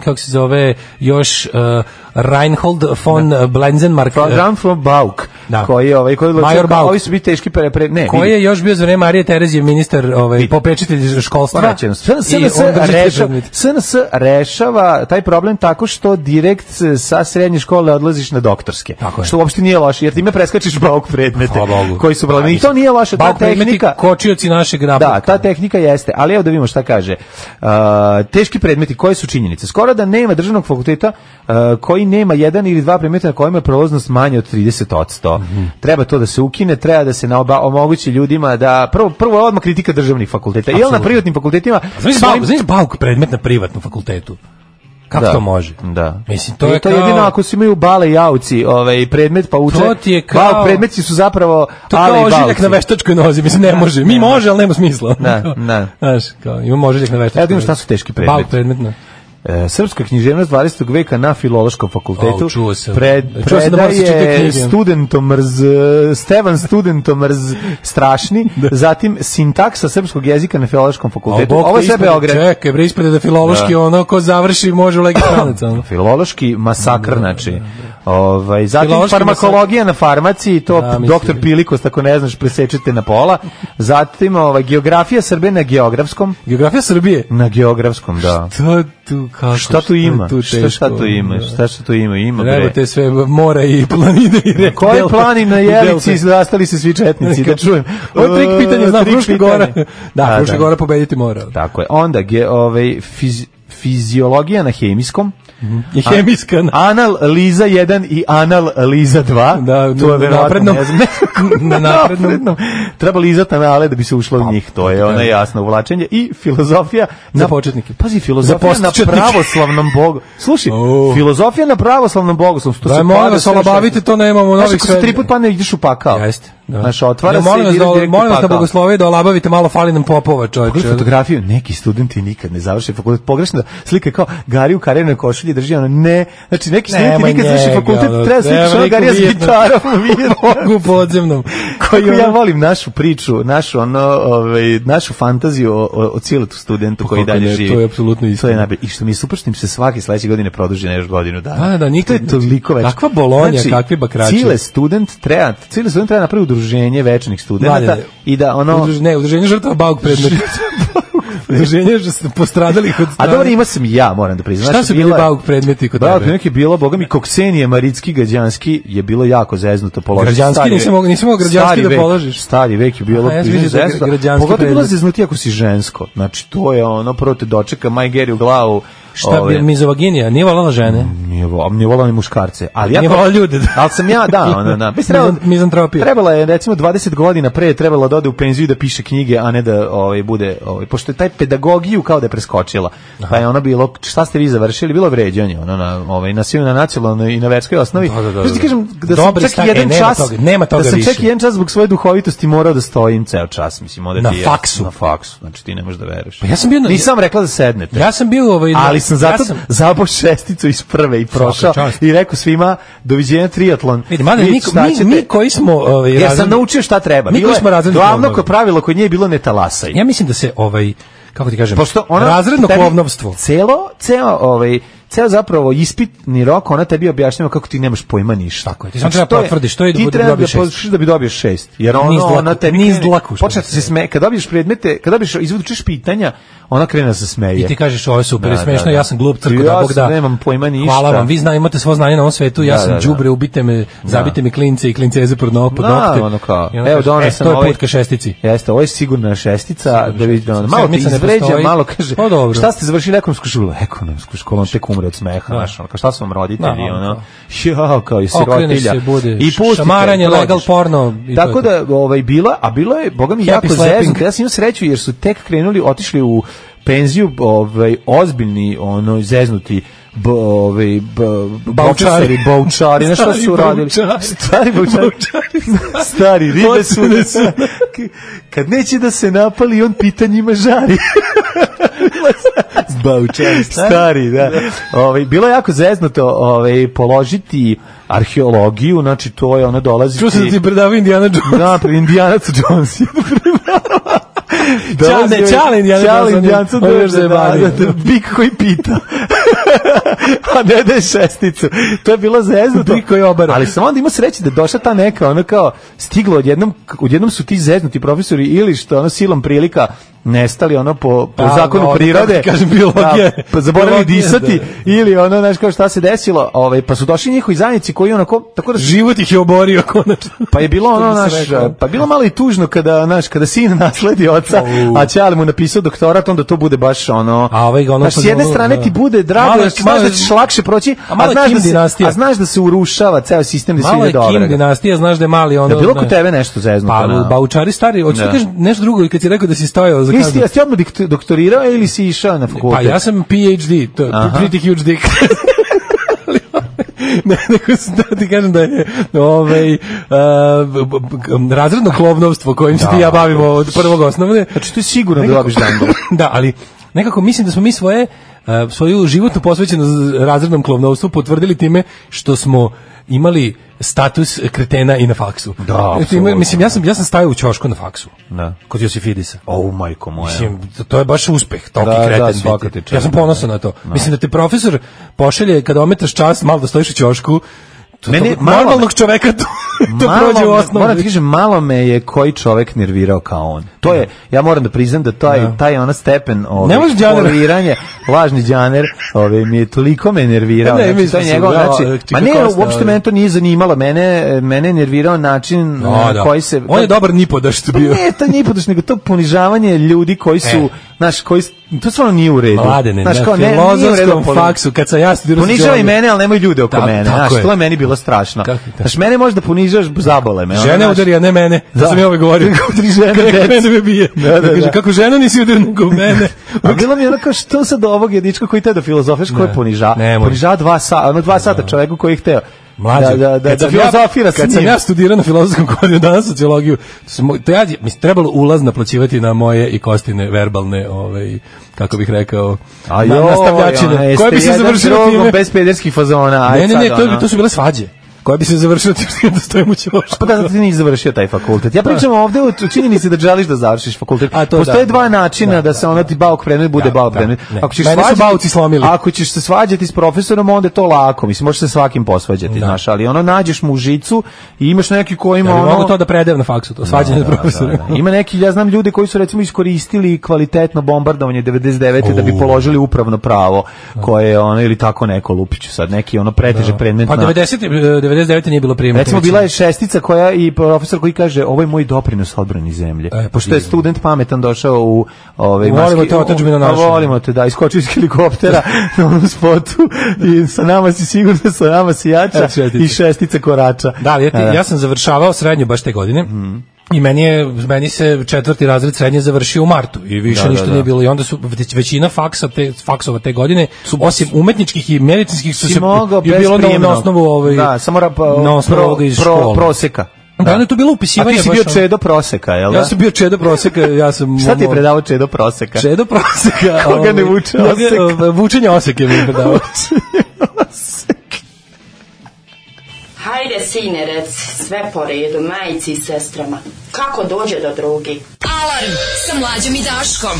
[SPEAKER 6] kako se zove, još uh, Reinhold von Blenzenmark.
[SPEAKER 5] Program from Bauk.
[SPEAKER 6] Da.
[SPEAKER 5] Koji je ovaj koji
[SPEAKER 6] Major Bauk.
[SPEAKER 5] Ovi su biti teški pre, pre ne.
[SPEAKER 6] Koji je još bio za vreme Marije Terezije ministar, ovaj popečitelj školstva.
[SPEAKER 5] S N S rešava taj problem tako što direkt sa srednje škole odlaziš na doktorske. Što uopšte nije loše, jer time preskačiš Bauk predmete koji su problem. I to nije loše, ta tehnika.
[SPEAKER 6] Kočioci našeg napretka.
[SPEAKER 5] Da, ta tehnika jeste, ali evo da vidimo šta kaže. Uh, teški predmeti, koje su činjenice? Skoro da nema državnog fakulteta uh, koji nema jedan ili dva predmeta na kojima je prolaznost manje od trideset posto. Mm-hmm. Treba to da se ukine, treba da se naoba, omogući ljudima da prvo prvo odmah kritika državnih fakulteta. Jel na privatnim fakultetima?
[SPEAKER 6] Znači svojim... znači Bauk predmet na privatnom fakultetu. Kako
[SPEAKER 5] da,
[SPEAKER 6] to može?
[SPEAKER 5] Da.
[SPEAKER 6] Mislim, to
[SPEAKER 5] I
[SPEAKER 6] je
[SPEAKER 5] to
[SPEAKER 6] kao...
[SPEAKER 5] jedino ako se imaju bale i auci, ovaj predmet pa uče.
[SPEAKER 6] To ti je kao...
[SPEAKER 5] Bauk predmeti su zapravo
[SPEAKER 6] to
[SPEAKER 5] ale i
[SPEAKER 6] kao ožiljak na veštačkoj nozi, mislim ne može. Mi može, ali nema smisla.
[SPEAKER 5] Da, da.
[SPEAKER 6] Znaš, kao imamo ožiljak na veštačkoj.
[SPEAKER 5] Evo šta su teški predmeti.
[SPEAKER 6] Bauk predmet na
[SPEAKER 5] E, srpska književnost dvadesetog veka na Filološkom fakultetu.
[SPEAKER 6] Oh, čuo sam.
[SPEAKER 5] Pred,
[SPEAKER 6] čuo sam da
[SPEAKER 5] predaje studentomrz, Stevan studentomrz strašni, zatim sintaksa srpskog jezika na Filološkom fakultetu.
[SPEAKER 6] Oh,
[SPEAKER 5] ovo je sve Beograd.
[SPEAKER 6] Čekaj, bre, ispred da filološki da. Ono ko završi može u legistranac.
[SPEAKER 5] Filološki masakr, znači. Ovaj, zatim filološki farmakologija masakr. Na farmaciji, to da, doktor Pilikos, tako ne znaš, presečete na pola. Zatim ovaj, geografija Srbije na geografskom.
[SPEAKER 6] Geografija Srbije?
[SPEAKER 5] Na geografskom, da.
[SPEAKER 6] Što tu kako?
[SPEAKER 5] Šta tu ima? Tu šta, šta tu ima? Šta što tu ima? Ima bre.
[SPEAKER 6] Evo te sve mora i planine i reke.
[SPEAKER 5] Koji planina na Jelici zastali se svi četnici, da čujem.
[SPEAKER 6] Ovo trik pitanja, znam, Fruška Gora. Da, Fruška Gora pobediti mora.
[SPEAKER 5] Tako je. Onda, ge, ovaj, fiz, fiziologija na hemijskom.
[SPEAKER 6] Mm-hmm. Je hemijska.
[SPEAKER 5] Anal Liza jedan i Anal Liza dva.
[SPEAKER 6] Da,
[SPEAKER 5] to je
[SPEAKER 6] naprednom.
[SPEAKER 5] Na naprednom. Treba lizati anale da bi se ušlo u njih. To je ono jasno uvlačenje. I filozofija
[SPEAKER 6] za na početnike.
[SPEAKER 5] Pazi, filozofija na pravoslavnom bogu. Slušaj, oh. filozofija na pravoslavnom bogu.
[SPEAKER 6] Da je molim vas, olabavite, to nemamo novih sve.
[SPEAKER 5] Znaš, ako se tri put padne, ideš u pakao.
[SPEAKER 6] Jeste. Da.
[SPEAKER 5] Znaš, otvara
[SPEAKER 6] ja,
[SPEAKER 5] se
[SPEAKER 6] i ideš direkt u pakao. Molim vas na bogoslovije da olabavite malo, fali nam popova, čovječe.
[SPEAKER 5] Pogledaj fotografiju, neki studenti nikad ne završe fakultet. Pogrešna slika kao Gari u karijernoj košulji drži ono, ne, znači neki studenti nikad završe fakultet, treba slikaš ono Garija s gitarom u Vijetnamu.
[SPEAKER 6] U podzemnom.
[SPEAKER 5] Kako ja volim našu priču, našu ono, ovaj, našu fantaziju o, o, o cijelotu studentu koji dalje živi.
[SPEAKER 6] To je apsolutno isto.
[SPEAKER 5] To je najbolje. I što mi je super što im se svake sledeće godine produži na još godinu dana.
[SPEAKER 6] Da, da, nikad,
[SPEAKER 5] to je toliko već.
[SPEAKER 6] Kakva Bolonja, znači, kakvi bakrači.
[SPEAKER 5] Cijele student treba, cijele student treba napraviti udruženje večnih studenta i da ono
[SPEAKER 6] Udruž, ne, udruženje žrtava Bauk predmeta. Udruženje postradalih od strane.
[SPEAKER 5] A dobro, ima sam ja, moram da priznam.
[SPEAKER 6] Šta su bili Bauk predmeti kod tebe?
[SPEAKER 5] Bauk predmeti je bilo, boga mi, Koksenije, Maritski, Gađanski je bilo jako zeznuto položiti.
[SPEAKER 6] Građanski, nisam mogao nisam mogao Građanski da položiš.
[SPEAKER 5] Stari vek je bilo zeznuto. Pogotovo bilo zeznuti ako si žensko. Znači, to je ono, prvo te dočeka Maj Geri u glavu.
[SPEAKER 6] Šta bi mizovaginija, nije volala žene?
[SPEAKER 5] Nije volala, nije volala ni muškarce. Ali ja
[SPEAKER 6] nije volala ljude.
[SPEAKER 5] Ali sam ja, da, ona, da. Trebala,
[SPEAKER 6] mizantropija.
[SPEAKER 5] Trebala je, recimo, dvadeset godina pre trebala da ode u penziju i da piše knjige, a ne da ovaj, bude, ovaj, pošto je taj pedagogiju kao da je preskočila. Aha. Pa je ono bilo, šta ste vi završili? Bilo vređanje, ono, na, ovaj, na svim, na nacionalnoj i na verskoj osnovi.
[SPEAKER 6] Da, da, da.
[SPEAKER 5] Znači ti kažem, da
[SPEAKER 6] Dobri
[SPEAKER 5] sam čak
[SPEAKER 6] stak,
[SPEAKER 5] jedan
[SPEAKER 6] e,
[SPEAKER 5] čas,
[SPEAKER 6] toga, nema toga
[SPEAKER 5] da sam
[SPEAKER 6] više.
[SPEAKER 5] čak jedan čas zbog svoje duhovitosti morao da stojim ceo čas, mislim, ovde
[SPEAKER 6] na
[SPEAKER 5] ti
[SPEAKER 6] faksu.
[SPEAKER 5] Na faksu, znači ti ne možeš da veruješ.
[SPEAKER 6] Pa ja sam bio na,
[SPEAKER 5] nisam rekla da sednete.
[SPEAKER 6] Ja sam bio ovaj,
[SPEAKER 5] ali sam zato
[SPEAKER 6] ja sam,
[SPEAKER 5] zabao šesticu iz prve i prošao i rekao svima doviđenja triatlon.
[SPEAKER 6] Vidi, mada, mi, mi, mi koji smo ovaj,
[SPEAKER 5] ja sam naučio šta treba.
[SPEAKER 6] Mi koji smo razredno
[SPEAKER 5] glavno ko pravilo kod nje je bilo ne talasaj.
[SPEAKER 6] Ja mislim da se ovaj kako ti kažem,
[SPEAKER 5] pošto ono,
[SPEAKER 6] razredno plovnovstvo.
[SPEAKER 5] Celo, ceo ovaj ceo zapravo ispitni rok, ona tebi objašnjava kako ti nemaš pojma ništa.
[SPEAKER 6] Tako je. Ti samo treba potvrdiš što je da bude dobiješ šest.
[SPEAKER 5] Ti da bi dobiješ šest. Jer ono, ona tebi
[SPEAKER 6] niz dlaku.
[SPEAKER 5] Počne se sme, kad dobiješ predmete, kad dobiješ izvučeš pitanja, ona krene da se smeje.
[SPEAKER 6] I ti kažeš ovo je super, da, smešno, da, da. Ja sam glup crko da Bog da.
[SPEAKER 5] Ja nemam pojma ništa.
[SPEAKER 6] Hvala vam, vi znate, imate svo znanje na ovom svetu, ja da, sam đubre, da, da. Ubite me, zabite mi klince i klinceze pod nokte.
[SPEAKER 5] Da, ono kao. Evo donesam
[SPEAKER 6] ovaj. To je put ka šestici.
[SPEAKER 5] Jeste, ovo je sigurna šestica, da vidi malo ti izvređa, malo kaže. Šta ste završili ekonomsku školu? Ekonomsku školu, tek umre od smeha. Kao šta su vam roditelji, ono, ja, kao i sirotilja. I pustite.
[SPEAKER 6] Šamaranje, legal porno.
[SPEAKER 5] Tako da, ovaj, bila, a bilo je, boga mi, jako zeznuto. Ja sam imao sreću jer su tek krenuli, otišli u penziju, ovaj, ozbiljni, ono, zeznuti, b, ovaj, b, baučari, baučari, na šta su radili? Stari baučari. Stari, ribe su. Kad neće da se napali, on pitanjima žari.
[SPEAKER 6] Baučari,
[SPEAKER 5] stari, da. Ovaj bilo je jako zeznuto, ovaj položiti arheologiju, znači to je ona dolazi.
[SPEAKER 6] Čuo sam da ti predavao Indiana Jones.
[SPEAKER 5] Da, pre Indiana Jones.
[SPEAKER 6] Čale, čale Indiana Jones.
[SPEAKER 5] Čale Indiana Jones, da, da, da, bik koji pita. a ne daje šesticu. To je bilo zeznuto. Ali sam onda imao sreće da došla ta neka, ono kao, stiglo odjednom, odjednom su ti zeznuti profesori ili što ono silom prilika nestali ono po, po da, zakonu no, prirode,
[SPEAKER 6] kažem, biologije,
[SPEAKER 5] da, pa zaboravili disati, da. Ili ono, znaš kao šta se desilo, ovaj, pa su došli njihovi zajednici koji onako, tako da...
[SPEAKER 6] Život ih je oborio, konačno.
[SPEAKER 5] Pa je bilo ono, naš, pa bilo malo i tužno kada, naš, kada sin nasledi oca, uh. a ćale mu napisao doktorat, onda to bude baš ono,
[SPEAKER 6] a ovaj, ono
[SPEAKER 5] znaš, s jedne strane da. Ti bude drago, malo, znaš malo, da ćeš lakše proći, a, a, znaš da se, a znaš da se urušava ceo sistem, da svi ide dobro.
[SPEAKER 6] Malo je Kim dinastija, znaš da je mali ono...
[SPEAKER 5] Da bilo kod tebe nešto zeznuto.
[SPEAKER 6] Pa, baučari stari, hoćeš da kažeš nešto drugo i kad si rekao da si stojao za kaznu.
[SPEAKER 5] Jesi ti odmah doktorirao ili si išao na fakultet?
[SPEAKER 6] Pa ja sam P H D, to je pretty huge dick. Ne, nego da ti kažem da je ovaj, uh, razredno klovnovstvo kojim se ti ja bavimo od prvog osnovne.
[SPEAKER 5] Znači to je sigurno da dobiš dango.
[SPEAKER 6] Da, ali nekako mislim da smo mi svoje, uh, svoju životnu posvećenost razrednom klovnovstvu potvrdili time što smo imali status kretena i na faksu.
[SPEAKER 5] Da,
[SPEAKER 6] Ima, mislim, ja sam, ja sam stajao u ćošku na faksu.
[SPEAKER 5] Da.
[SPEAKER 6] Kod Josifidisa.
[SPEAKER 5] O, majko moja.
[SPEAKER 6] Mislim, to je baš uspeh, toki
[SPEAKER 5] da,
[SPEAKER 6] kreten
[SPEAKER 5] da,
[SPEAKER 6] biti. Ja sam ponosan na to. Da. Mislim da te profesor pošalje kada ometaš čas, malo da stojiš u ćošku, to, mene, to, normalnog čoveka to, to prođe u osnovu.
[SPEAKER 5] Moram ti kažem, malo me je koji čovek nervirao kao on. To je, ja moram da priznam da taj, da. taj ona stepen poliranje, lažni džaner, ove, mi je toliko me nervirao. Ne, znači, to je njegov, znači, ma ne, uopšte mene to nije zanimalo, mene, mene je nervirao način
[SPEAKER 6] no, da.
[SPEAKER 5] koji se...
[SPEAKER 6] On je dobar nipodaš to bio.
[SPEAKER 5] Ne, to nipodaš, nego to ponižavanje ljudi koji su, e. znaš, koji, to stvarno nije u redu.
[SPEAKER 6] Mladene,
[SPEAKER 5] znaš,
[SPEAKER 6] na
[SPEAKER 5] kao,
[SPEAKER 6] filozofskom faksu, kad sam ja studirao...
[SPEAKER 5] Ponižavaj mene, ali nemoj ljude oko da, mene, znaš, to je meni bilo strašno. Znaš, mene možda ponižaš, zabole me.
[SPEAKER 6] Žene udari, a ne mene. Da sam ja ovaj govorio.
[SPEAKER 5] Tri žene,
[SPEAKER 6] mene me bije. Da, da, da. Kako žena nisi udari nego mene.
[SPEAKER 5] A bilo mi je onako, što sad ovog jedička koji te da filozofeš, koji poniža. Poniža dva sata, ono dva sata čoveku koji je hteo.
[SPEAKER 6] Mlađe,
[SPEAKER 5] da, da, da, da filozofira
[SPEAKER 6] kad sam ja studirao na filozofskom kodiju, danas sociologiju, to ja, mislim, trebalo ulaz naplaćivati na moje i Kostine verbalne, ovaj, kako bih rekao,
[SPEAKER 5] a jo,
[SPEAKER 6] nastavljačine, koje bi se završilo time.
[SPEAKER 5] Bez pederskih fazona.
[SPEAKER 6] Ne, ne, ne, to, to su bile svađe. Koja bi se završila tim da stojimo u ćošku.
[SPEAKER 5] Pa da, ti nisi završio taj fakultet. Ja pričam ovde o činjenici da želiš da završiš fakultet. Postoje da, dva načina da, da se ono ti bauk predmet bude da, bauk predmet.
[SPEAKER 6] Da, ako ćeš svađati,
[SPEAKER 5] ako ćeš se svađati s profesorom, onda je to lako. Mislim, možeš se svakim posvađati, da. Znaš, ali ono nađeš mu u žicu i imaš neki koji ima
[SPEAKER 6] ja,
[SPEAKER 5] ono...
[SPEAKER 6] mogu to da predajem na faksu, to svađanje da, da, profesora.
[SPEAKER 5] Da, da. Ima neki, ja znam ljude koji su recimo iskoristili kvalitetno bombardovanje devedeset devete da bi položili upravno pravo, koje je ono, ili tako neko Lupiću sad, neki ono preteže predmet.
[SPEAKER 6] Pa devedeset devete nije bilo prijemno.
[SPEAKER 5] Recimo bila je šestica koja i profesor koji kaže ovo je moj doprinos odbrani zemlje. E, pošto je student pametan došao u ovaj
[SPEAKER 6] maski. Volimo te otadžbinu našu.
[SPEAKER 5] Volimo te da iskoči iz helikoptera na onom spotu i sa nama si sigurno, sa nama si jača i šestica korača.
[SPEAKER 6] Da, ja, ti, ja sam završavao srednju baš te godine. Mm. I meni je meni se četvrti razred srednje završio u martu i više da, ništa da, da. nije bilo i onda su većina faksa te faksova te godine su osim umetničkih i medicinskih su se je bilo na, na osnovu ovaj
[SPEAKER 5] da samo ra, pa,
[SPEAKER 6] na osnovu ovoga iz
[SPEAKER 5] pro,
[SPEAKER 6] škole.
[SPEAKER 5] proseka.
[SPEAKER 6] Da, da je to bilo upisivanje.
[SPEAKER 5] A ti si bio čedo proseka, je l' da?
[SPEAKER 6] Ja sam bio čedo proseka, ja sam...
[SPEAKER 5] Šta ti je predavao čedo proseka?
[SPEAKER 6] Čedo proseka...
[SPEAKER 5] Koga ne vuče osek?
[SPEAKER 6] Vučenje oseke mi je predavao.
[SPEAKER 13] Hajde, sine, rec, sve po redu, majici i sestrama. Kako dođe do drugi?
[SPEAKER 7] Alarm sa Mlađom i Daškom.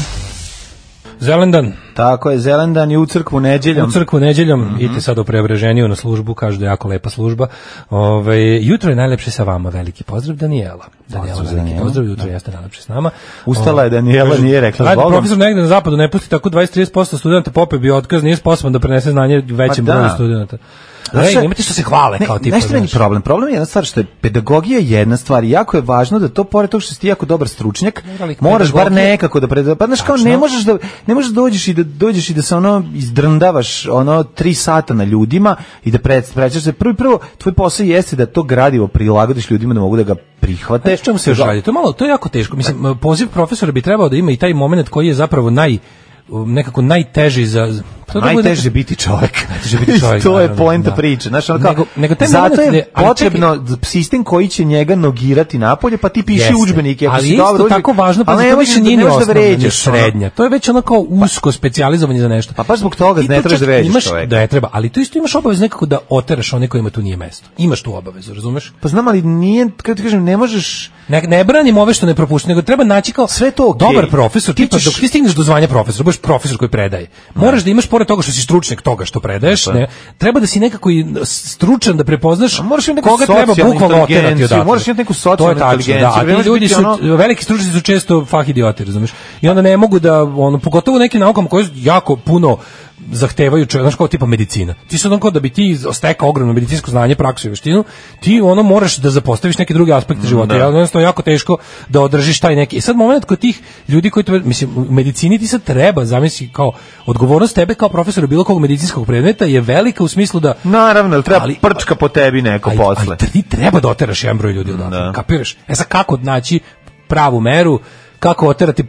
[SPEAKER 6] Zelendan.
[SPEAKER 5] Tako je, Zelendan i u crkvu neđeljom.
[SPEAKER 6] U crkvu neđeljom, mm-hmm. idite sad u Preobraženju na službu, kažu da je jako lepa služba. Ove, jutro je najlepše sa vama, veliki pozdrav Danijela. Danijela, veliki Danijela. Pozdrav, jutro da. Jeste najlepše s nama.
[SPEAKER 5] Ustala je Danijela, Ove, nije rekla
[SPEAKER 6] ajde, profesor negde na zapadu ne pusti tako dvadeset do trideset posto studenta pope bio otkaz, nije sposoban da prenese znanje većem pa broju studenta. Ej, nemate što se hvale
[SPEAKER 5] ne,
[SPEAKER 6] kao tipa.
[SPEAKER 5] Nešto meni problem. Problem je jedna stvar što je pedagogija jedna stvar i jako je važno da to pored toga što si ti jako dobar stručnjak, moraš bar nekako da predaš. Pa znaš kao ne možeš da ne možeš da dođeš i da dođeš i da se ono izdrndavaš ono tri sata na ljudima i da pređeš se prvo prvo tvoj posao jeste da to gradivo prilagodiš ljudima da mogu da ga prihvate.
[SPEAKER 6] Znači, čemu se radi? To je malo, to je jako teško. Mislim, poziv profesora bi trebao da ima i taj momenat koji je zapravo naj nekako najteži za
[SPEAKER 5] najteže biti čovjek.
[SPEAKER 6] Najteže biti čovjek.
[SPEAKER 5] To je poenta priče. Znači ono kao
[SPEAKER 6] nego, nego
[SPEAKER 5] zato je potrebno sistem koji će njega nogirati napolje, pa ti piši udžbenike, ako si dobro
[SPEAKER 6] udžbenik. Tako važno, pa to više nije ni osnovna, srednja. To je već onako usko specijalizovanje za nešto.
[SPEAKER 5] Pa baš zbog toga ne trebaš da vređaš čovjeka.
[SPEAKER 6] Da je treba, ali to isto imaš obavezu nekako da oteraš one kojima tu nije mesto. Imaš tu obavezu, razumeš?
[SPEAKER 5] Pa znam, ali nije, kako ti kažem, ne možeš
[SPEAKER 6] Ne, ne branim ove što ne propušta, nego treba naći kao
[SPEAKER 5] sve to okay.
[SPEAKER 6] Dobar profesor, ti tipa ćeš... dok ti stigneš do zvanja profesora, budeš profesor koji predaje. Moraš da imaš pored toga što si stručnjak toga što predaješ, ne, treba da si nekako i stručan da prepoznaš koga treba bukvalno oterati odatle.
[SPEAKER 5] Moraš imati neku socijalnu inteligenciju.
[SPEAKER 6] Da, a ti ljudi su, ono... veliki stručnjaci su često fah idioti, razumiješ? I onda ne mogu da, ono, pogotovo u nekim naukama koje jako puno zahtevaju, znaš, kao tipa medicina. Ti su onako da bi ti stekao ogromno medicinsko znanje, praksu i veštinu, ti ono moraš da zapostaviš neke druge aspekte života. Ja, jednostavno jako teško da održiš taj neki. I sad moment kod tih ljudi koji to, mislim, u medicini ti sad treba, zamisli, kao odgovornost tebe kao profesora bilo kog medicinskog predmeta je velika u smislu da
[SPEAKER 5] naravno, ali treba ali, prčka po tebi neko ali, posle.
[SPEAKER 6] Ali ti treba da oteraš jedan broj ljudi odatle. Kapiraš? E sad kako naći pravu meru, kako oterati,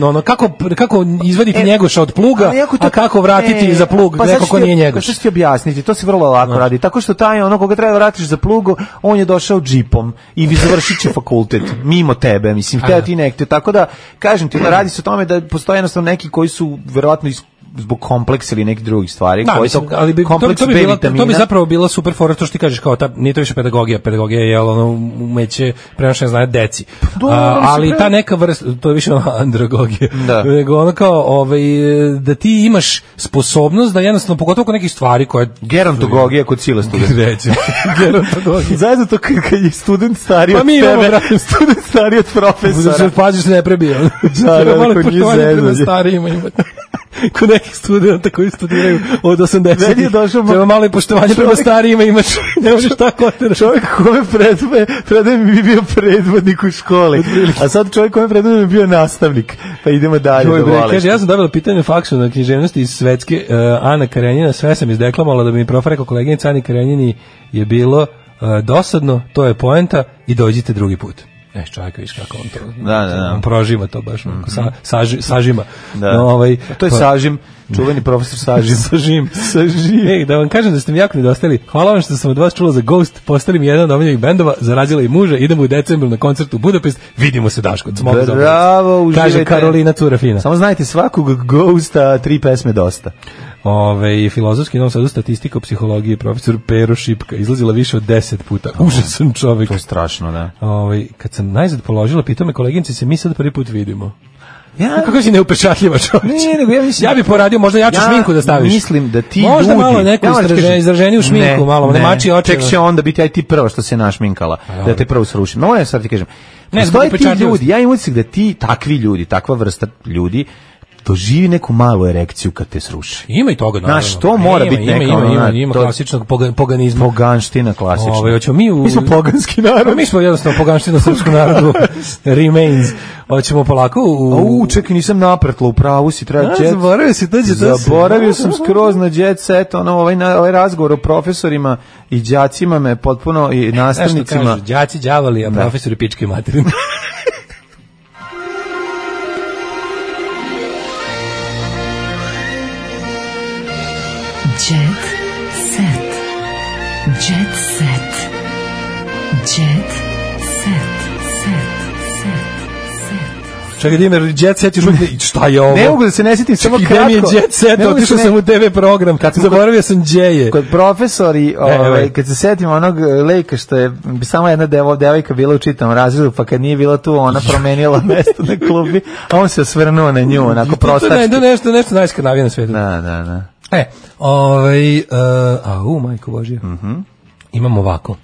[SPEAKER 6] ono, kako, kako izvaditi e, njegoša od pluga, to, a kako vratiti e, za plug pa neko ko nije njegoš.
[SPEAKER 5] Pa što ti objasniti, to se vrlo lako no. radi. Tako što taj ono koga treba vratiš za plugu, on je došao džipom i vi završit će fakultet, mimo tebe, mislim, hteo ti nekte. Tako da, kažem ti, da radi se o tome da postoje jednostavno neki koji su verovatno iz zbog kompleksa ili nekih drugih stvari,
[SPEAKER 6] da,
[SPEAKER 5] koji
[SPEAKER 6] mislim, ali bi, to, to, bi bila, to bi zapravo bila super fora, to što ti kažeš, kao ta, nije to više pedagogija, pedagogija je ono umeće prenošenja znanja deci. Do, A, ali ta neka vrsta, to je više andragogija, da. Nego ono kao, ovaj, da ti imaš sposobnost da jednostavno, pogotovo kod nekih stvari koje...
[SPEAKER 5] Gerontologija kod sila studenta.
[SPEAKER 6] Reći, gerontologija.
[SPEAKER 5] Zajedno to kad je student stariji
[SPEAKER 6] pa
[SPEAKER 5] od tebe, student stariji od profesora.
[SPEAKER 6] Da paziš se ne prebije.
[SPEAKER 5] Da, da, malo poštovanje prema
[SPEAKER 6] starijima imati. Kod nekih studenta koji studiraju od osamdesetih. Treba malo i poštovanje prema starijima imaš. Ne možeš tako oteraš.
[SPEAKER 5] Čovjek kome predme, predme mi bi bio predvodnik u školi. A sad čovjek kome predme mi bi bio nastavnik. Pa idemo dalje.
[SPEAKER 6] Joj, bre, kaže, ja sam dobila pitanje faksu na književnosti iz Svetske. Uh, Ana Karenjina, sve sam izdeklamovala da mi prof rekao koleginica Ani Karenjini je bilo uh, dosadno, to je poenta i dođite drugi put. E, čovjek, viš kako on to,
[SPEAKER 5] da, da, da.
[SPEAKER 6] On prožima to baš, mm -hmm. sa, saži, sažima.
[SPEAKER 5] Da.
[SPEAKER 6] No, ovaj,
[SPEAKER 5] to je pa, sažim, čuveni profesor Sažim.
[SPEAKER 6] sažim. Sažim. Ej, da vam kažem da ste mi jako nedostali. Hvala vam što sam od vas čula za Ghost, postali mi jedan od omiljenih bendova, zarazila i muža, idemo u decembru na koncert u Budapest, vidimo se Daško.
[SPEAKER 5] Bravo, uživajte.
[SPEAKER 6] Kaže Karolina Curafina.
[SPEAKER 5] Samo znajte, svakog Ghosta tri pesme dosta.
[SPEAKER 6] Ove, filozofski Novom Sadu, statistika o psihologiji, profesor Pero Šipka, izlazila više od deset puta. Oh, užasan čovjek.
[SPEAKER 5] To je strašno, da.
[SPEAKER 6] Ove, kad sam najzad položila, pitao me koleginici, se mi sad prvi put vidimo. Ja, kako si neupečatljiva čovječ.
[SPEAKER 5] Ne, nego ja mislim,
[SPEAKER 6] ja bih poradio možda jaču ja šminku da staviš.
[SPEAKER 5] Mislim da ti
[SPEAKER 6] možda
[SPEAKER 5] ljudi,
[SPEAKER 6] malo neko
[SPEAKER 5] ja
[SPEAKER 6] izraženje, izraženiju šminku, ne, malo ne mači oči.
[SPEAKER 5] Tek će onda biti aj ti prva što se našminkala,
[SPEAKER 6] a,
[SPEAKER 5] da te prvo srušim. No, ja sad ti kažem. Ne, postoje ti ljudi, ja imam utisak da ti takvi ljudi, takva vrsta ljudi doživi neku malu erekciju kad te sruši.
[SPEAKER 6] Ima i toga, naravno.
[SPEAKER 5] Znaš, to mora
[SPEAKER 6] ima,
[SPEAKER 5] biti neka...
[SPEAKER 6] Ima, ima, ima, ima klasičnog poganizma.
[SPEAKER 5] Poganština klasična.
[SPEAKER 6] Ove, hoćemo mi, u...
[SPEAKER 5] mi smo poganski narod.
[SPEAKER 6] Mi smo jednostavno poganština srpskom narodu. Remains. Hoćemo polako u...
[SPEAKER 5] U, čekaj, nisam napretla, u pravu si, treba jet...
[SPEAKER 6] Zaboravio si, dođe to se.
[SPEAKER 5] Zaboravio sam skroz na jet set, ono, ovaj, ovaj razgovor o profesorima i đacima me potpuno, i nastavnicima...
[SPEAKER 6] Nešto kažu, đaci đavali, a profesori pičke materin.
[SPEAKER 3] Jet set. Jet set. Jet set. Set. Set.
[SPEAKER 6] Čekaj, Dimer, Jet set još uvijek... Šta je ovo?
[SPEAKER 5] Ne mogu da se ne sjetim, samo kratko.
[SPEAKER 6] Gde mi je Jet set? Otišao sam u te ve program. Kad zaboravio sam Džeje.
[SPEAKER 5] Kod profesori, ovaj, kad se setim onog lejka što je samo jedna devo, devojka bila u čitavom razredu, pa kad nije bila tu, ona promenila mesto na klubi, a on se osvrnuo na nju, onako prostački.
[SPEAKER 6] To je nešto, nešto najskrnavije na svijetu.
[SPEAKER 5] Da, da, da.
[SPEAKER 6] E, ovaj, uh, a u, majko Božja.
[SPEAKER 5] Mhm. Mm
[SPEAKER 6] imamo ovako.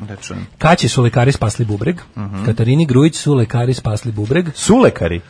[SPEAKER 6] Kaći su lekari spasli bubreg, mm -hmm. Katarini Grujić su lekari spasli bubreg.
[SPEAKER 5] Su lekari?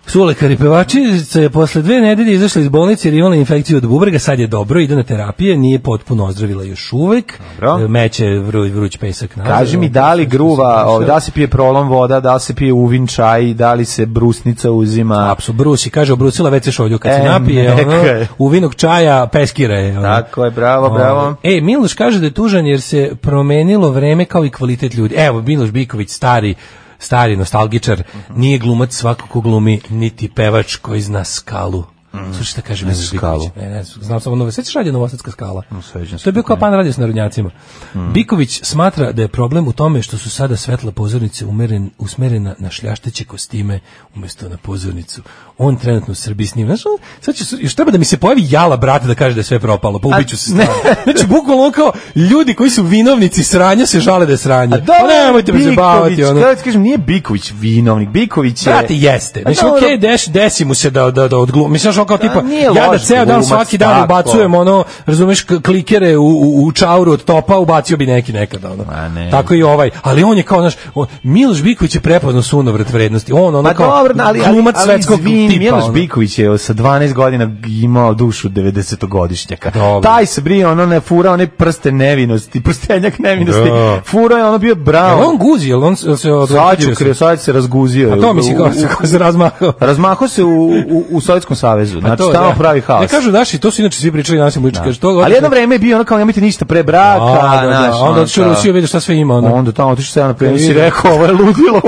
[SPEAKER 6] Su lekari pevačica je posle dve nedelje izašla iz bolnice jer je imala infekciju od bubrega, sad je dobro, ide na terapije, nije potpuno ozdravila još uvek. Dobro. Meće vruć, vruć pesak. Nazad,
[SPEAKER 5] kaži mi da li gruva, da se pije prolom voda, da se pije uvin čaj, da li se brusnica uzima?
[SPEAKER 6] Apsolutno, brusi, kaže obrusila već se šolju, kad e, se napije ono, uvinog čaja, peskira je. Ono.
[SPEAKER 5] Tako je, bravo, bravo.
[SPEAKER 6] E, Miloš kaže da je tužan jer se promenilo vreme kao i kvalitet ljudi. Evo, Miloš Biković, stari stari nostalgičar, nije glumac svako ko glumi, niti pevač koji zna Skalu. Mm. Slušaj šta kaže Miloš Biković. Ne, ne, znam samo nove. Sećaš radio Novosadska skala?
[SPEAKER 5] No,
[SPEAKER 6] to je bio kao pan radio s narodnjacima. Mm. Biković smatra da je problem u tome što su sada svetla pozornice umeren, usmerena na šljašteće kostime umjesto na pozornicu. On trenutno u Srbiji snima. Znaš, sad će, još treba da mi se pojavi jala, brate, da kaže da je sve propalo, pa ubiću se stvarno. Znači, bukvalno kao ljudi koji su vinovnici sranja se žale da je sranje. Pa nemojte me zabavati. Ono.
[SPEAKER 5] Kada ti kažem, nije Biković vinovnik, Biković je...
[SPEAKER 6] Brate, jeste. Mislim, okej, okay, deš, desi mu se da, da, da odglumi. Mislim, što kao tipa, ja da ceo dan svaki dan ubacujem, ono, razumeš, klikere u, u, u čauru od topa, ubacio bi neki nekada, ono.
[SPEAKER 5] Ne.
[SPEAKER 6] Tako i ovaj. Ali on je kao, znaš, Miloš Biković je prepoznao sunovrat vrednosti. On, ono, kao glumac svetskog tipa.
[SPEAKER 5] Miloš Biković je sa dvanaest godina imao dušu devedesetogodišnjaka. Taj se brije, ono ne fura, one prste nevinosti, prstenjak nevinosti. Da. Fura je ono bio bravo.
[SPEAKER 6] Jel on guzi, jel on se odlučio?
[SPEAKER 5] Sad se razguzio.
[SPEAKER 6] A to mi se kao se razmahao.
[SPEAKER 5] Razmahao se u, u, u Sovjetskom savezu. Znači, tamo da. Pravi haos.
[SPEAKER 6] Ne kažu naši, to su inače svi pričali naši mučići. Kaže, to
[SPEAKER 5] ali jedno vreme je bio ono kao nemojte ništa pre braka.
[SPEAKER 6] A, da, naš, da. Onda otišao u Rusiju, vidio šta sve ima. Ono.
[SPEAKER 5] Onda tamo otišao se ja na premijer si rekao, ovo je ludilo.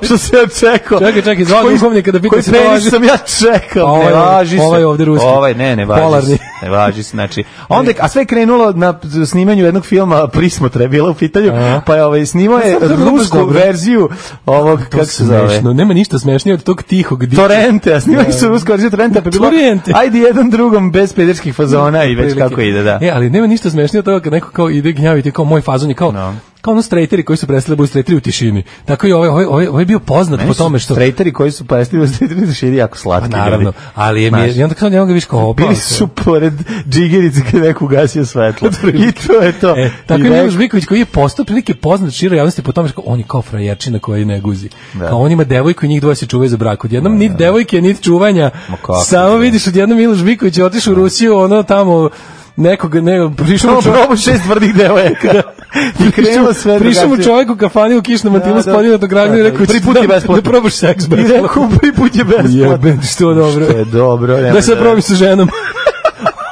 [SPEAKER 5] Što se ja čekao.
[SPEAKER 6] Čekaj, čekaj, zvao duhovnika da pita se to važi.
[SPEAKER 5] Sam ja čekao,
[SPEAKER 6] ovaj,
[SPEAKER 5] ne važi se.
[SPEAKER 6] Ovaj ovde ruski.
[SPEAKER 5] Ovaj, ne, ne važi Polarni. se. Ne važi se, znači. Onda, a sve je krenulo na snimanju jednog filma Prismotra je bila u pitanju, a? Pa je ovaj, snimao je rusku verziju ovog, kako se zove.
[SPEAKER 6] Nema ništa smešnije od tog tihog diha.
[SPEAKER 5] Torrente, a snimali su rusku verziju Torrente, pa je bilo, ajde jedan drugom bez pederskih fazona i već kako ide, da.
[SPEAKER 6] E, ali nema ništa smešnije od toga kad neko kao ide gnjaviti, kao moj fazon je kao, no. Kao ono strejteri koji su prestali budu strejteri u tišini. Tako i ovaj, ovaj, ovaj, ovaj je bio poznat Meni po tome što...
[SPEAKER 5] Strejteri koji su prestali budu strejteri u tišini jako slatki.
[SPEAKER 6] Pa naravno, ljudi. Ali je mi je, i onda kao njega viš kao opao.
[SPEAKER 5] Bili su pored džigerice kad neko ugasio svetlo. I to je to.
[SPEAKER 6] E, tako I Miloš Biković koji je postao prilike poznat široj javnosti po tome što on je kao frajerčina koji ne guzi. Da. Kao on ima devojku i njih dvoje se čuvaju za brak. Odjednom niti devojke, niti čuvanja. Samo vidiš odjednom Miloš Biković je otišao u Rusiju, ono tamo nekog ne prišao
[SPEAKER 5] čovjek šest tvrdih devojaka. I krenulo sve.
[SPEAKER 6] Prišao mu čovjek u kafani u kišnom mantilu s podijel do Gragna i rekao
[SPEAKER 5] prvi put je besplatno.
[SPEAKER 6] Da probaš seks
[SPEAKER 5] besplatno. I rekao prvi put je besplatno.
[SPEAKER 6] Jebe, što dobro.
[SPEAKER 5] Što je dobro.
[SPEAKER 6] Da se probi sa ženom.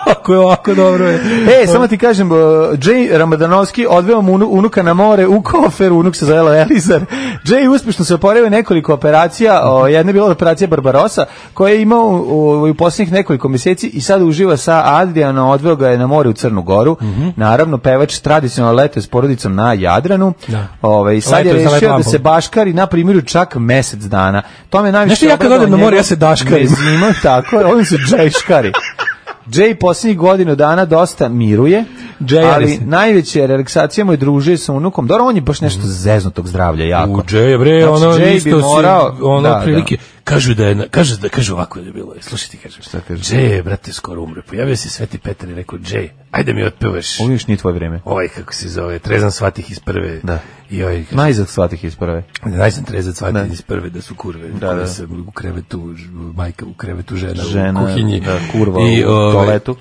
[SPEAKER 6] Ako je ovako dobro je.
[SPEAKER 5] E, samo ti kažem, uh, Jay Ramadanovski odveo mu unuka na more u kofer, unuk se zove Elizar. Jay uspešno se oporavio nekoliko operacija, o, jedna je bila operacija Barbarossa, koja je imao u, u posljednjih nekoliko mjeseci i sad uživa sa Adrianom, odveo ga je na more u Crnu Goru. Mm-hmm. Naravno, pevač tradicionalno letuje s porodicom na Jadranu. Da. Ove, sad je rešio da se baškari na primjeru čak mesec dana. To me najviše...
[SPEAKER 6] Nešto ja kad odem na more, ja se daškarim.
[SPEAKER 5] Zima, tako je, ovim se džajškari. Jay posljednjih godinu dana dosta miruje, Jay, ali najveće relaksacija mu je družije sa unukom. Dobro, on je baš nešto zeznutog zdravlja jako.
[SPEAKER 6] U Jay, bre,
[SPEAKER 5] znači,
[SPEAKER 6] ono
[SPEAKER 5] Jay
[SPEAKER 6] isto
[SPEAKER 5] morao,
[SPEAKER 6] si, ono
[SPEAKER 5] da,
[SPEAKER 6] prilike,
[SPEAKER 5] da.
[SPEAKER 6] kažu da je, kažu da, kažu ovako je bilo, slušaj ti kažem.
[SPEAKER 5] Šta kažeš?
[SPEAKER 6] Jay, brate, skoro umre. Pojavio se Sveti Petar i rekao, Jay, ajde mi otpevaš.
[SPEAKER 5] Ovo još nije tvoje vreme.
[SPEAKER 6] Ovaj, kako se zove, trezan svatih iz prve.
[SPEAKER 5] Da.
[SPEAKER 6] I ovaj,
[SPEAKER 5] najzad svatih iz prve.
[SPEAKER 6] Najzad trezan svatih iz prve, da su kurve. Da, da. Se u krevetu, majka u krevetu, žena, žena u kuhinji.
[SPEAKER 5] Da, kurva
[SPEAKER 6] i,
[SPEAKER 5] u toaletu.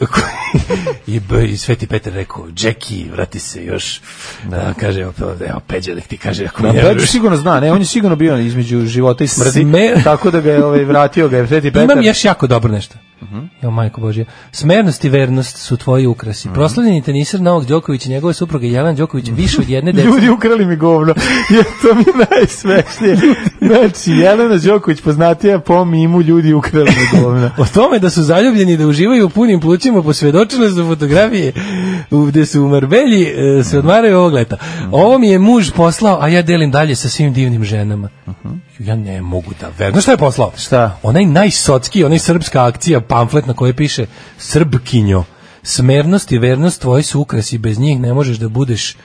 [SPEAKER 6] I, I Sveti Petar rekao, Jackie, vrati se još. Da, da kaže, evo, Peđa, nek ti kaže, ako
[SPEAKER 5] da, Peđa sigurno zna, ne, on je sigurno bio između života i smrti, Sme... tako da ga je ovaj, vratio ga je Sveti Petar.
[SPEAKER 6] Imam još jako dobro nešto. Uh-huh. Jo, majko Božja. Smernost i vernost su tvoji ukrasi. Uh-huh. Proslavljeni teniser Novak Đoković i njegove supruge Jelena Đoković više od jedne dece.
[SPEAKER 5] Ljudi ukrali mi govno. Je to mi najsmešnije. Znači, Jelena Đoković poznatija po mimu ljudi ukrali mi govno.
[SPEAKER 6] O tome da su zaljubljeni da uživaju u punim plućima posvjedočile su fotografije gde su u Marbelji e, se odmaraju ovog leta. Uh-huh. Ovo mi je muž poslao, a ja delim dalje sa svim divnim ženama. Uh-huh. Ja ne mogu da verujem. Znaš šta je poslao?
[SPEAKER 5] Šta?
[SPEAKER 6] Onaj najsocki, onaj srpska akcija, pamflet na kojoj piše Srbkinjo, smernost i vernost tvoji su ukrasi, bez njih ne možeš da budeš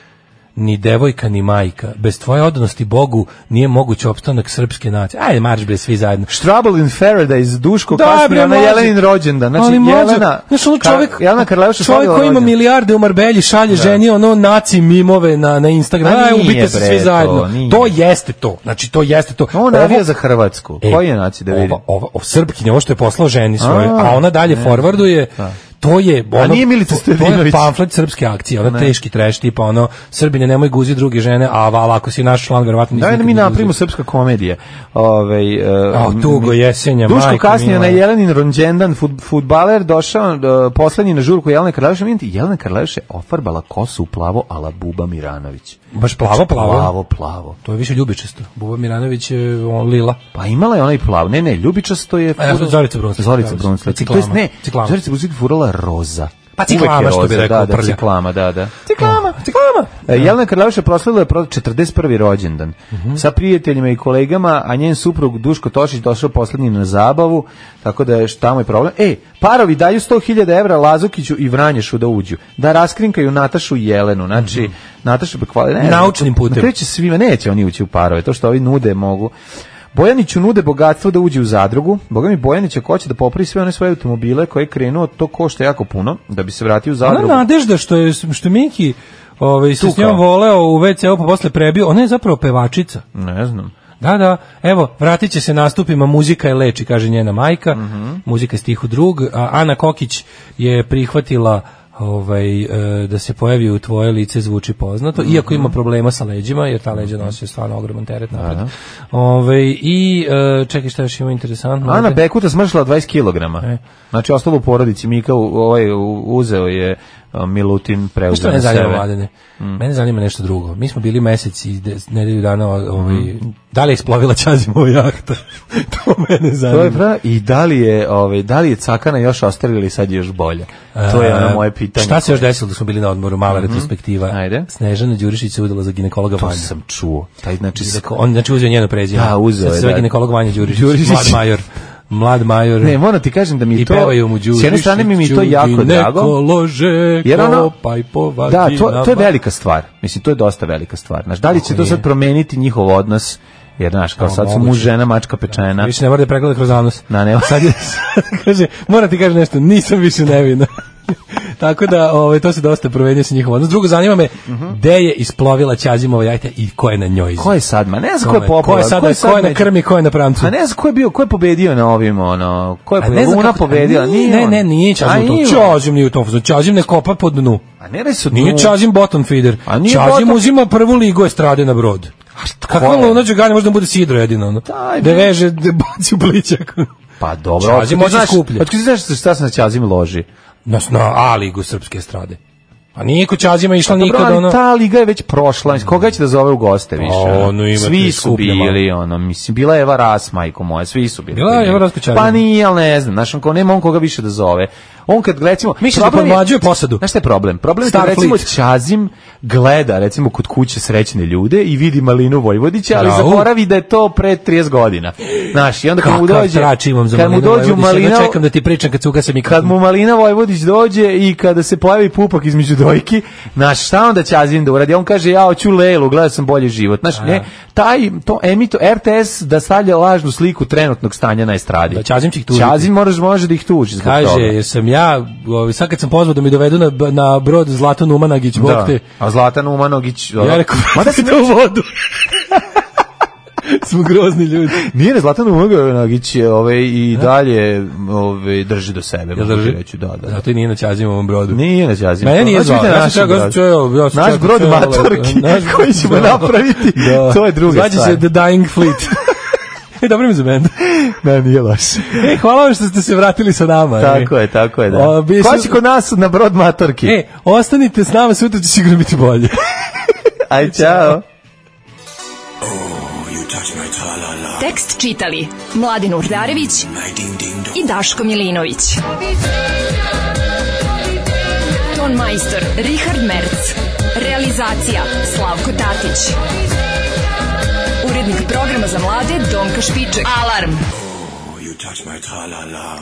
[SPEAKER 6] ni devojka ni majka. Bez tvoje odanosti Bogu nije moguć opstanak srpske nacije. Ajde, marš bre svi zajedno.
[SPEAKER 5] Trouble in Paradise, Duško kasnije na Jelenin rođendan. Znači Jelena,
[SPEAKER 6] znaš, ono čovjek,
[SPEAKER 5] Jelena Karleuša
[SPEAKER 6] čovjek koji ima milijarde u Marbelji šalje da. ženi ono naci mimove na na Instagramu. Aj, ubite se svi zajedno. To, to jeste to. Znači to jeste to.
[SPEAKER 5] On navija za Hrvatsku. E, koji je naci da vidi?
[SPEAKER 6] Ova, ova, ova Srpkinja, ovo što je poslao ženi svoje, a, a ona dalje ne, forwarduje. Da. to je ono,
[SPEAKER 5] nije Milica
[SPEAKER 6] to, to je pamflet srpske akcije, ono teški treš, tipa ono, Srbine nemoj guzi druge žene, a vala, ako si naš član, verovatno nisi.
[SPEAKER 5] Da, mi napravimo srpska komedija. Ovaj
[SPEAKER 6] uh, tugo jesenja,
[SPEAKER 5] Duško kasnije na Jelenin rođendan, fut, fudbaler došao uh, poslednji na žurku Jelene Karleuše, vidite, Jelena Karleuše ofarbala kosu u plavo ala Buba Miranović.
[SPEAKER 6] Baš plavo, plavo.
[SPEAKER 5] Plavo, plavo.
[SPEAKER 6] To je više ljubičasto. Buba Miranović je on lila.
[SPEAKER 5] Pa imala je onaj plav. Ne, ne, ljubičasto je...
[SPEAKER 6] A ja sam Zorica Brunslić.
[SPEAKER 5] Zorica Brunslić. To jest, ne, Zorica Brunslić furala roza.
[SPEAKER 6] Pa ciklama, što bi rekao,
[SPEAKER 5] da, da, ciklama, da, da.
[SPEAKER 6] Ciklama, ciklama.
[SPEAKER 5] E, Jelena Karleuša proslavila je četrdeset prvi rođendan. Uh-huh. Sa prijateljima i kolegama, a njen suprug Duško Tošić došao poslednji na zabavu, tako da je tamo je problem. E, parovi daju sto hiljada evra Lazukiću i Vranješu da uđu. Da raskrinkaju Natašu i Jelenu. Znači, uh-huh. Nataša bi hvali... Ne,
[SPEAKER 6] naučnim putem.
[SPEAKER 5] Kreće svima, neće oni ući u parove. To što ovi nude mogu... Bojaniću nude bogatstvo da uđe u zadrugu. Boga mi Bojanić ako hoće da popravi sve one svoje automobile koje je krenuo, to košta jako puno da bi se vratio u zadrugu.
[SPEAKER 6] Ona Nadežda što je što Miki ovaj se s njom voleo u ve ce u pa posle prebio, ona je zapravo pevačica.
[SPEAKER 5] Ne znam.
[SPEAKER 6] Da, da, evo, vratit će se nastupima, muzika je leči, kaže njena majka, mm-hmm. muzika je stihu drug, a Ana Kokić je prihvatila ovaj e, da se pojavi u tvoje lice zvuči poznato, mm-hmm. iako ima problema sa leđima, jer ta leđa nosi stvarno ogroman teret napred. Ovaj i e, čekaj, šta još ima interesantno.
[SPEAKER 5] Ana Bekuta smršila dvadeset kilograma. E. Znači ostalo u porodici, Mika ovaj uzeo je Milutin preuzeo na sebe.
[SPEAKER 6] Mene, mm. mene zanima nešto drugo. Mi smo bili mesec i nedelju dana ovaj, mm. da li je isplovila Ćazimova jahta? To mene zanima.
[SPEAKER 5] To je prav, i da li je, ovaj, da li je cakana još ostavila ili sad je još bolje? To je ono moje pitanje.
[SPEAKER 6] Šta se još desilo da smo bili na odmoru? Mala mm-hmm. retrospektiva.
[SPEAKER 5] Ajde.
[SPEAKER 6] Snežana Đurišić se udala za ginekologa Vanja.
[SPEAKER 5] To sam čuo. Taj, znači,
[SPEAKER 6] on znači uzeo njeno prezime.
[SPEAKER 5] Da, uzeo je.
[SPEAKER 6] Sve da. Ginekolog Vanja Đurišić. Đurišić. Mlad major. Mlad major.
[SPEAKER 5] Ne, moram ti kažem da mi
[SPEAKER 6] i
[SPEAKER 5] to...
[SPEAKER 6] S
[SPEAKER 5] jedne strane mi mi to jako drago.
[SPEAKER 6] Lože, jer ono... Kopaj po
[SPEAKER 5] da, to, to je velika stvar. Mislim, to je dosta velika stvar. Znaš, da li će to sad promeniti njihov odnos? Jer, znaš, kao sad su muž, žena, mačka, pečena.
[SPEAKER 6] Više ne mora da pregleda kroz anus.
[SPEAKER 5] Da, ne.
[SPEAKER 6] Sad je, sad kaže, mora ti kaže nešto, nisam više nevina. Tako da, ovaj, to se dosta promenio sa njihov odnos. Drugo, zanima me, uh-huh. gde je isplovila Ćazimova jahta i ko je na njoj?
[SPEAKER 5] Ko je sad? Ma ne znam ko je popala.
[SPEAKER 6] Ko je sad, ko je, sad ko je na krmi, ko je na pramcu?
[SPEAKER 5] A ne znam ko je bio, ko je pobedio na ovim, ono, ko je pobedila? Luna pobedila?
[SPEAKER 6] Nije, ne, ne, nije Ćazim u tom. Ćazim nije u tom. Ćazim ne kopa po dnu.
[SPEAKER 5] A ne reći su dnu.
[SPEAKER 6] Nije Ćazim bottom feeder. Ćazim uzima prvu ligu estrade na brod. Kako Luna Đugani možda bude sidro jedino, ono? Da veže, da baci u plićak.
[SPEAKER 5] Pa dobro.
[SPEAKER 6] Ćazim može skuplje.
[SPEAKER 5] Otkud znaš šta se na Ćazim loži?
[SPEAKER 6] Na, na A ligu srpske estrade. Pa nije kod Ćazima išla
[SPEAKER 5] pa,
[SPEAKER 6] nikada, ono...
[SPEAKER 5] Ta liga je već prošla, koga će da zove u goste više?
[SPEAKER 6] O, no,
[SPEAKER 5] svi su bili, ono, mislim, bila je Eva Ras, majko moja, svi su bili.
[SPEAKER 6] Bila je Eva Ras kod Ćazima.
[SPEAKER 5] Pa nije, ali ne znam, znaš, on, nema on koga više da zove. On kad, recimo...
[SPEAKER 6] Misli da podmlađuje posadu.
[SPEAKER 5] Znaš šta je problem? Problem je kad, recimo, Ćazim gleda, recimo, kod kuće srećne ljude i vidi Malinu Vojvodića, ali zaboravi da je to pre trideset godina. Znaš, i onda kad mu dođe...
[SPEAKER 6] Kad mu dođe Malina... Čekam da ti pričam kad se ugase mikrofon.
[SPEAKER 5] Kad mu Malina Vojvodić dođe i kada se pojavi pupak između dojki, znaš, šta onda Ćazim da uradi? On kaže, ja hoću Lelu, gledao sam bolji život. Znaš, ne, taj, to emito, er te es da stavlja lažnu sliku trenutnog stanja na estradi.
[SPEAKER 6] Da, Ćazim će ih tužiti.
[SPEAKER 5] Ćazim može, može da ih tuži.
[SPEAKER 6] Kaže, jer sam ja, sad kad sam pozvao da mi dovedu na, na brod Zlatan Umanagić, bog te.
[SPEAKER 5] A Zlatan Umanagić...
[SPEAKER 6] Ja rekao, mada se to u vodu. Smo grozni ljudi.
[SPEAKER 5] Nije ne, Zlatan Umanagić ovaj, i dalje ovaj, drži do sebe.
[SPEAKER 6] Ja drži?
[SPEAKER 5] Reći, da, da.
[SPEAKER 6] Zato i nije na Ćazimovom brodu.
[SPEAKER 5] Nije na Ćazimovom.
[SPEAKER 6] Mene nije zvao.
[SPEAKER 5] Naš, brod. naš brod matorki koji ćemo napraviti, to je druga stvar.
[SPEAKER 6] Zvađe se The Dying Fleet. E, dobro mi za benda.
[SPEAKER 5] Ne, nije loše.
[SPEAKER 6] E, hvala vam što ste se vratili sa nama.
[SPEAKER 5] Tako
[SPEAKER 6] e.
[SPEAKER 5] je, tako je, da. O, Ko će kod nas na brod matorki?
[SPEAKER 6] E, ostanite s nama, sutra će sigurno biti bolje.
[SPEAKER 5] Aj, čao.
[SPEAKER 7] Tekst čitali Mladin Urdarević i Daško Milinović. Ton majstor Richard Merc. Realizacija Slavko Tatić. Urednik programa za mlade Donka Špiček. Alarm! Oh, you touch my tra-la-la.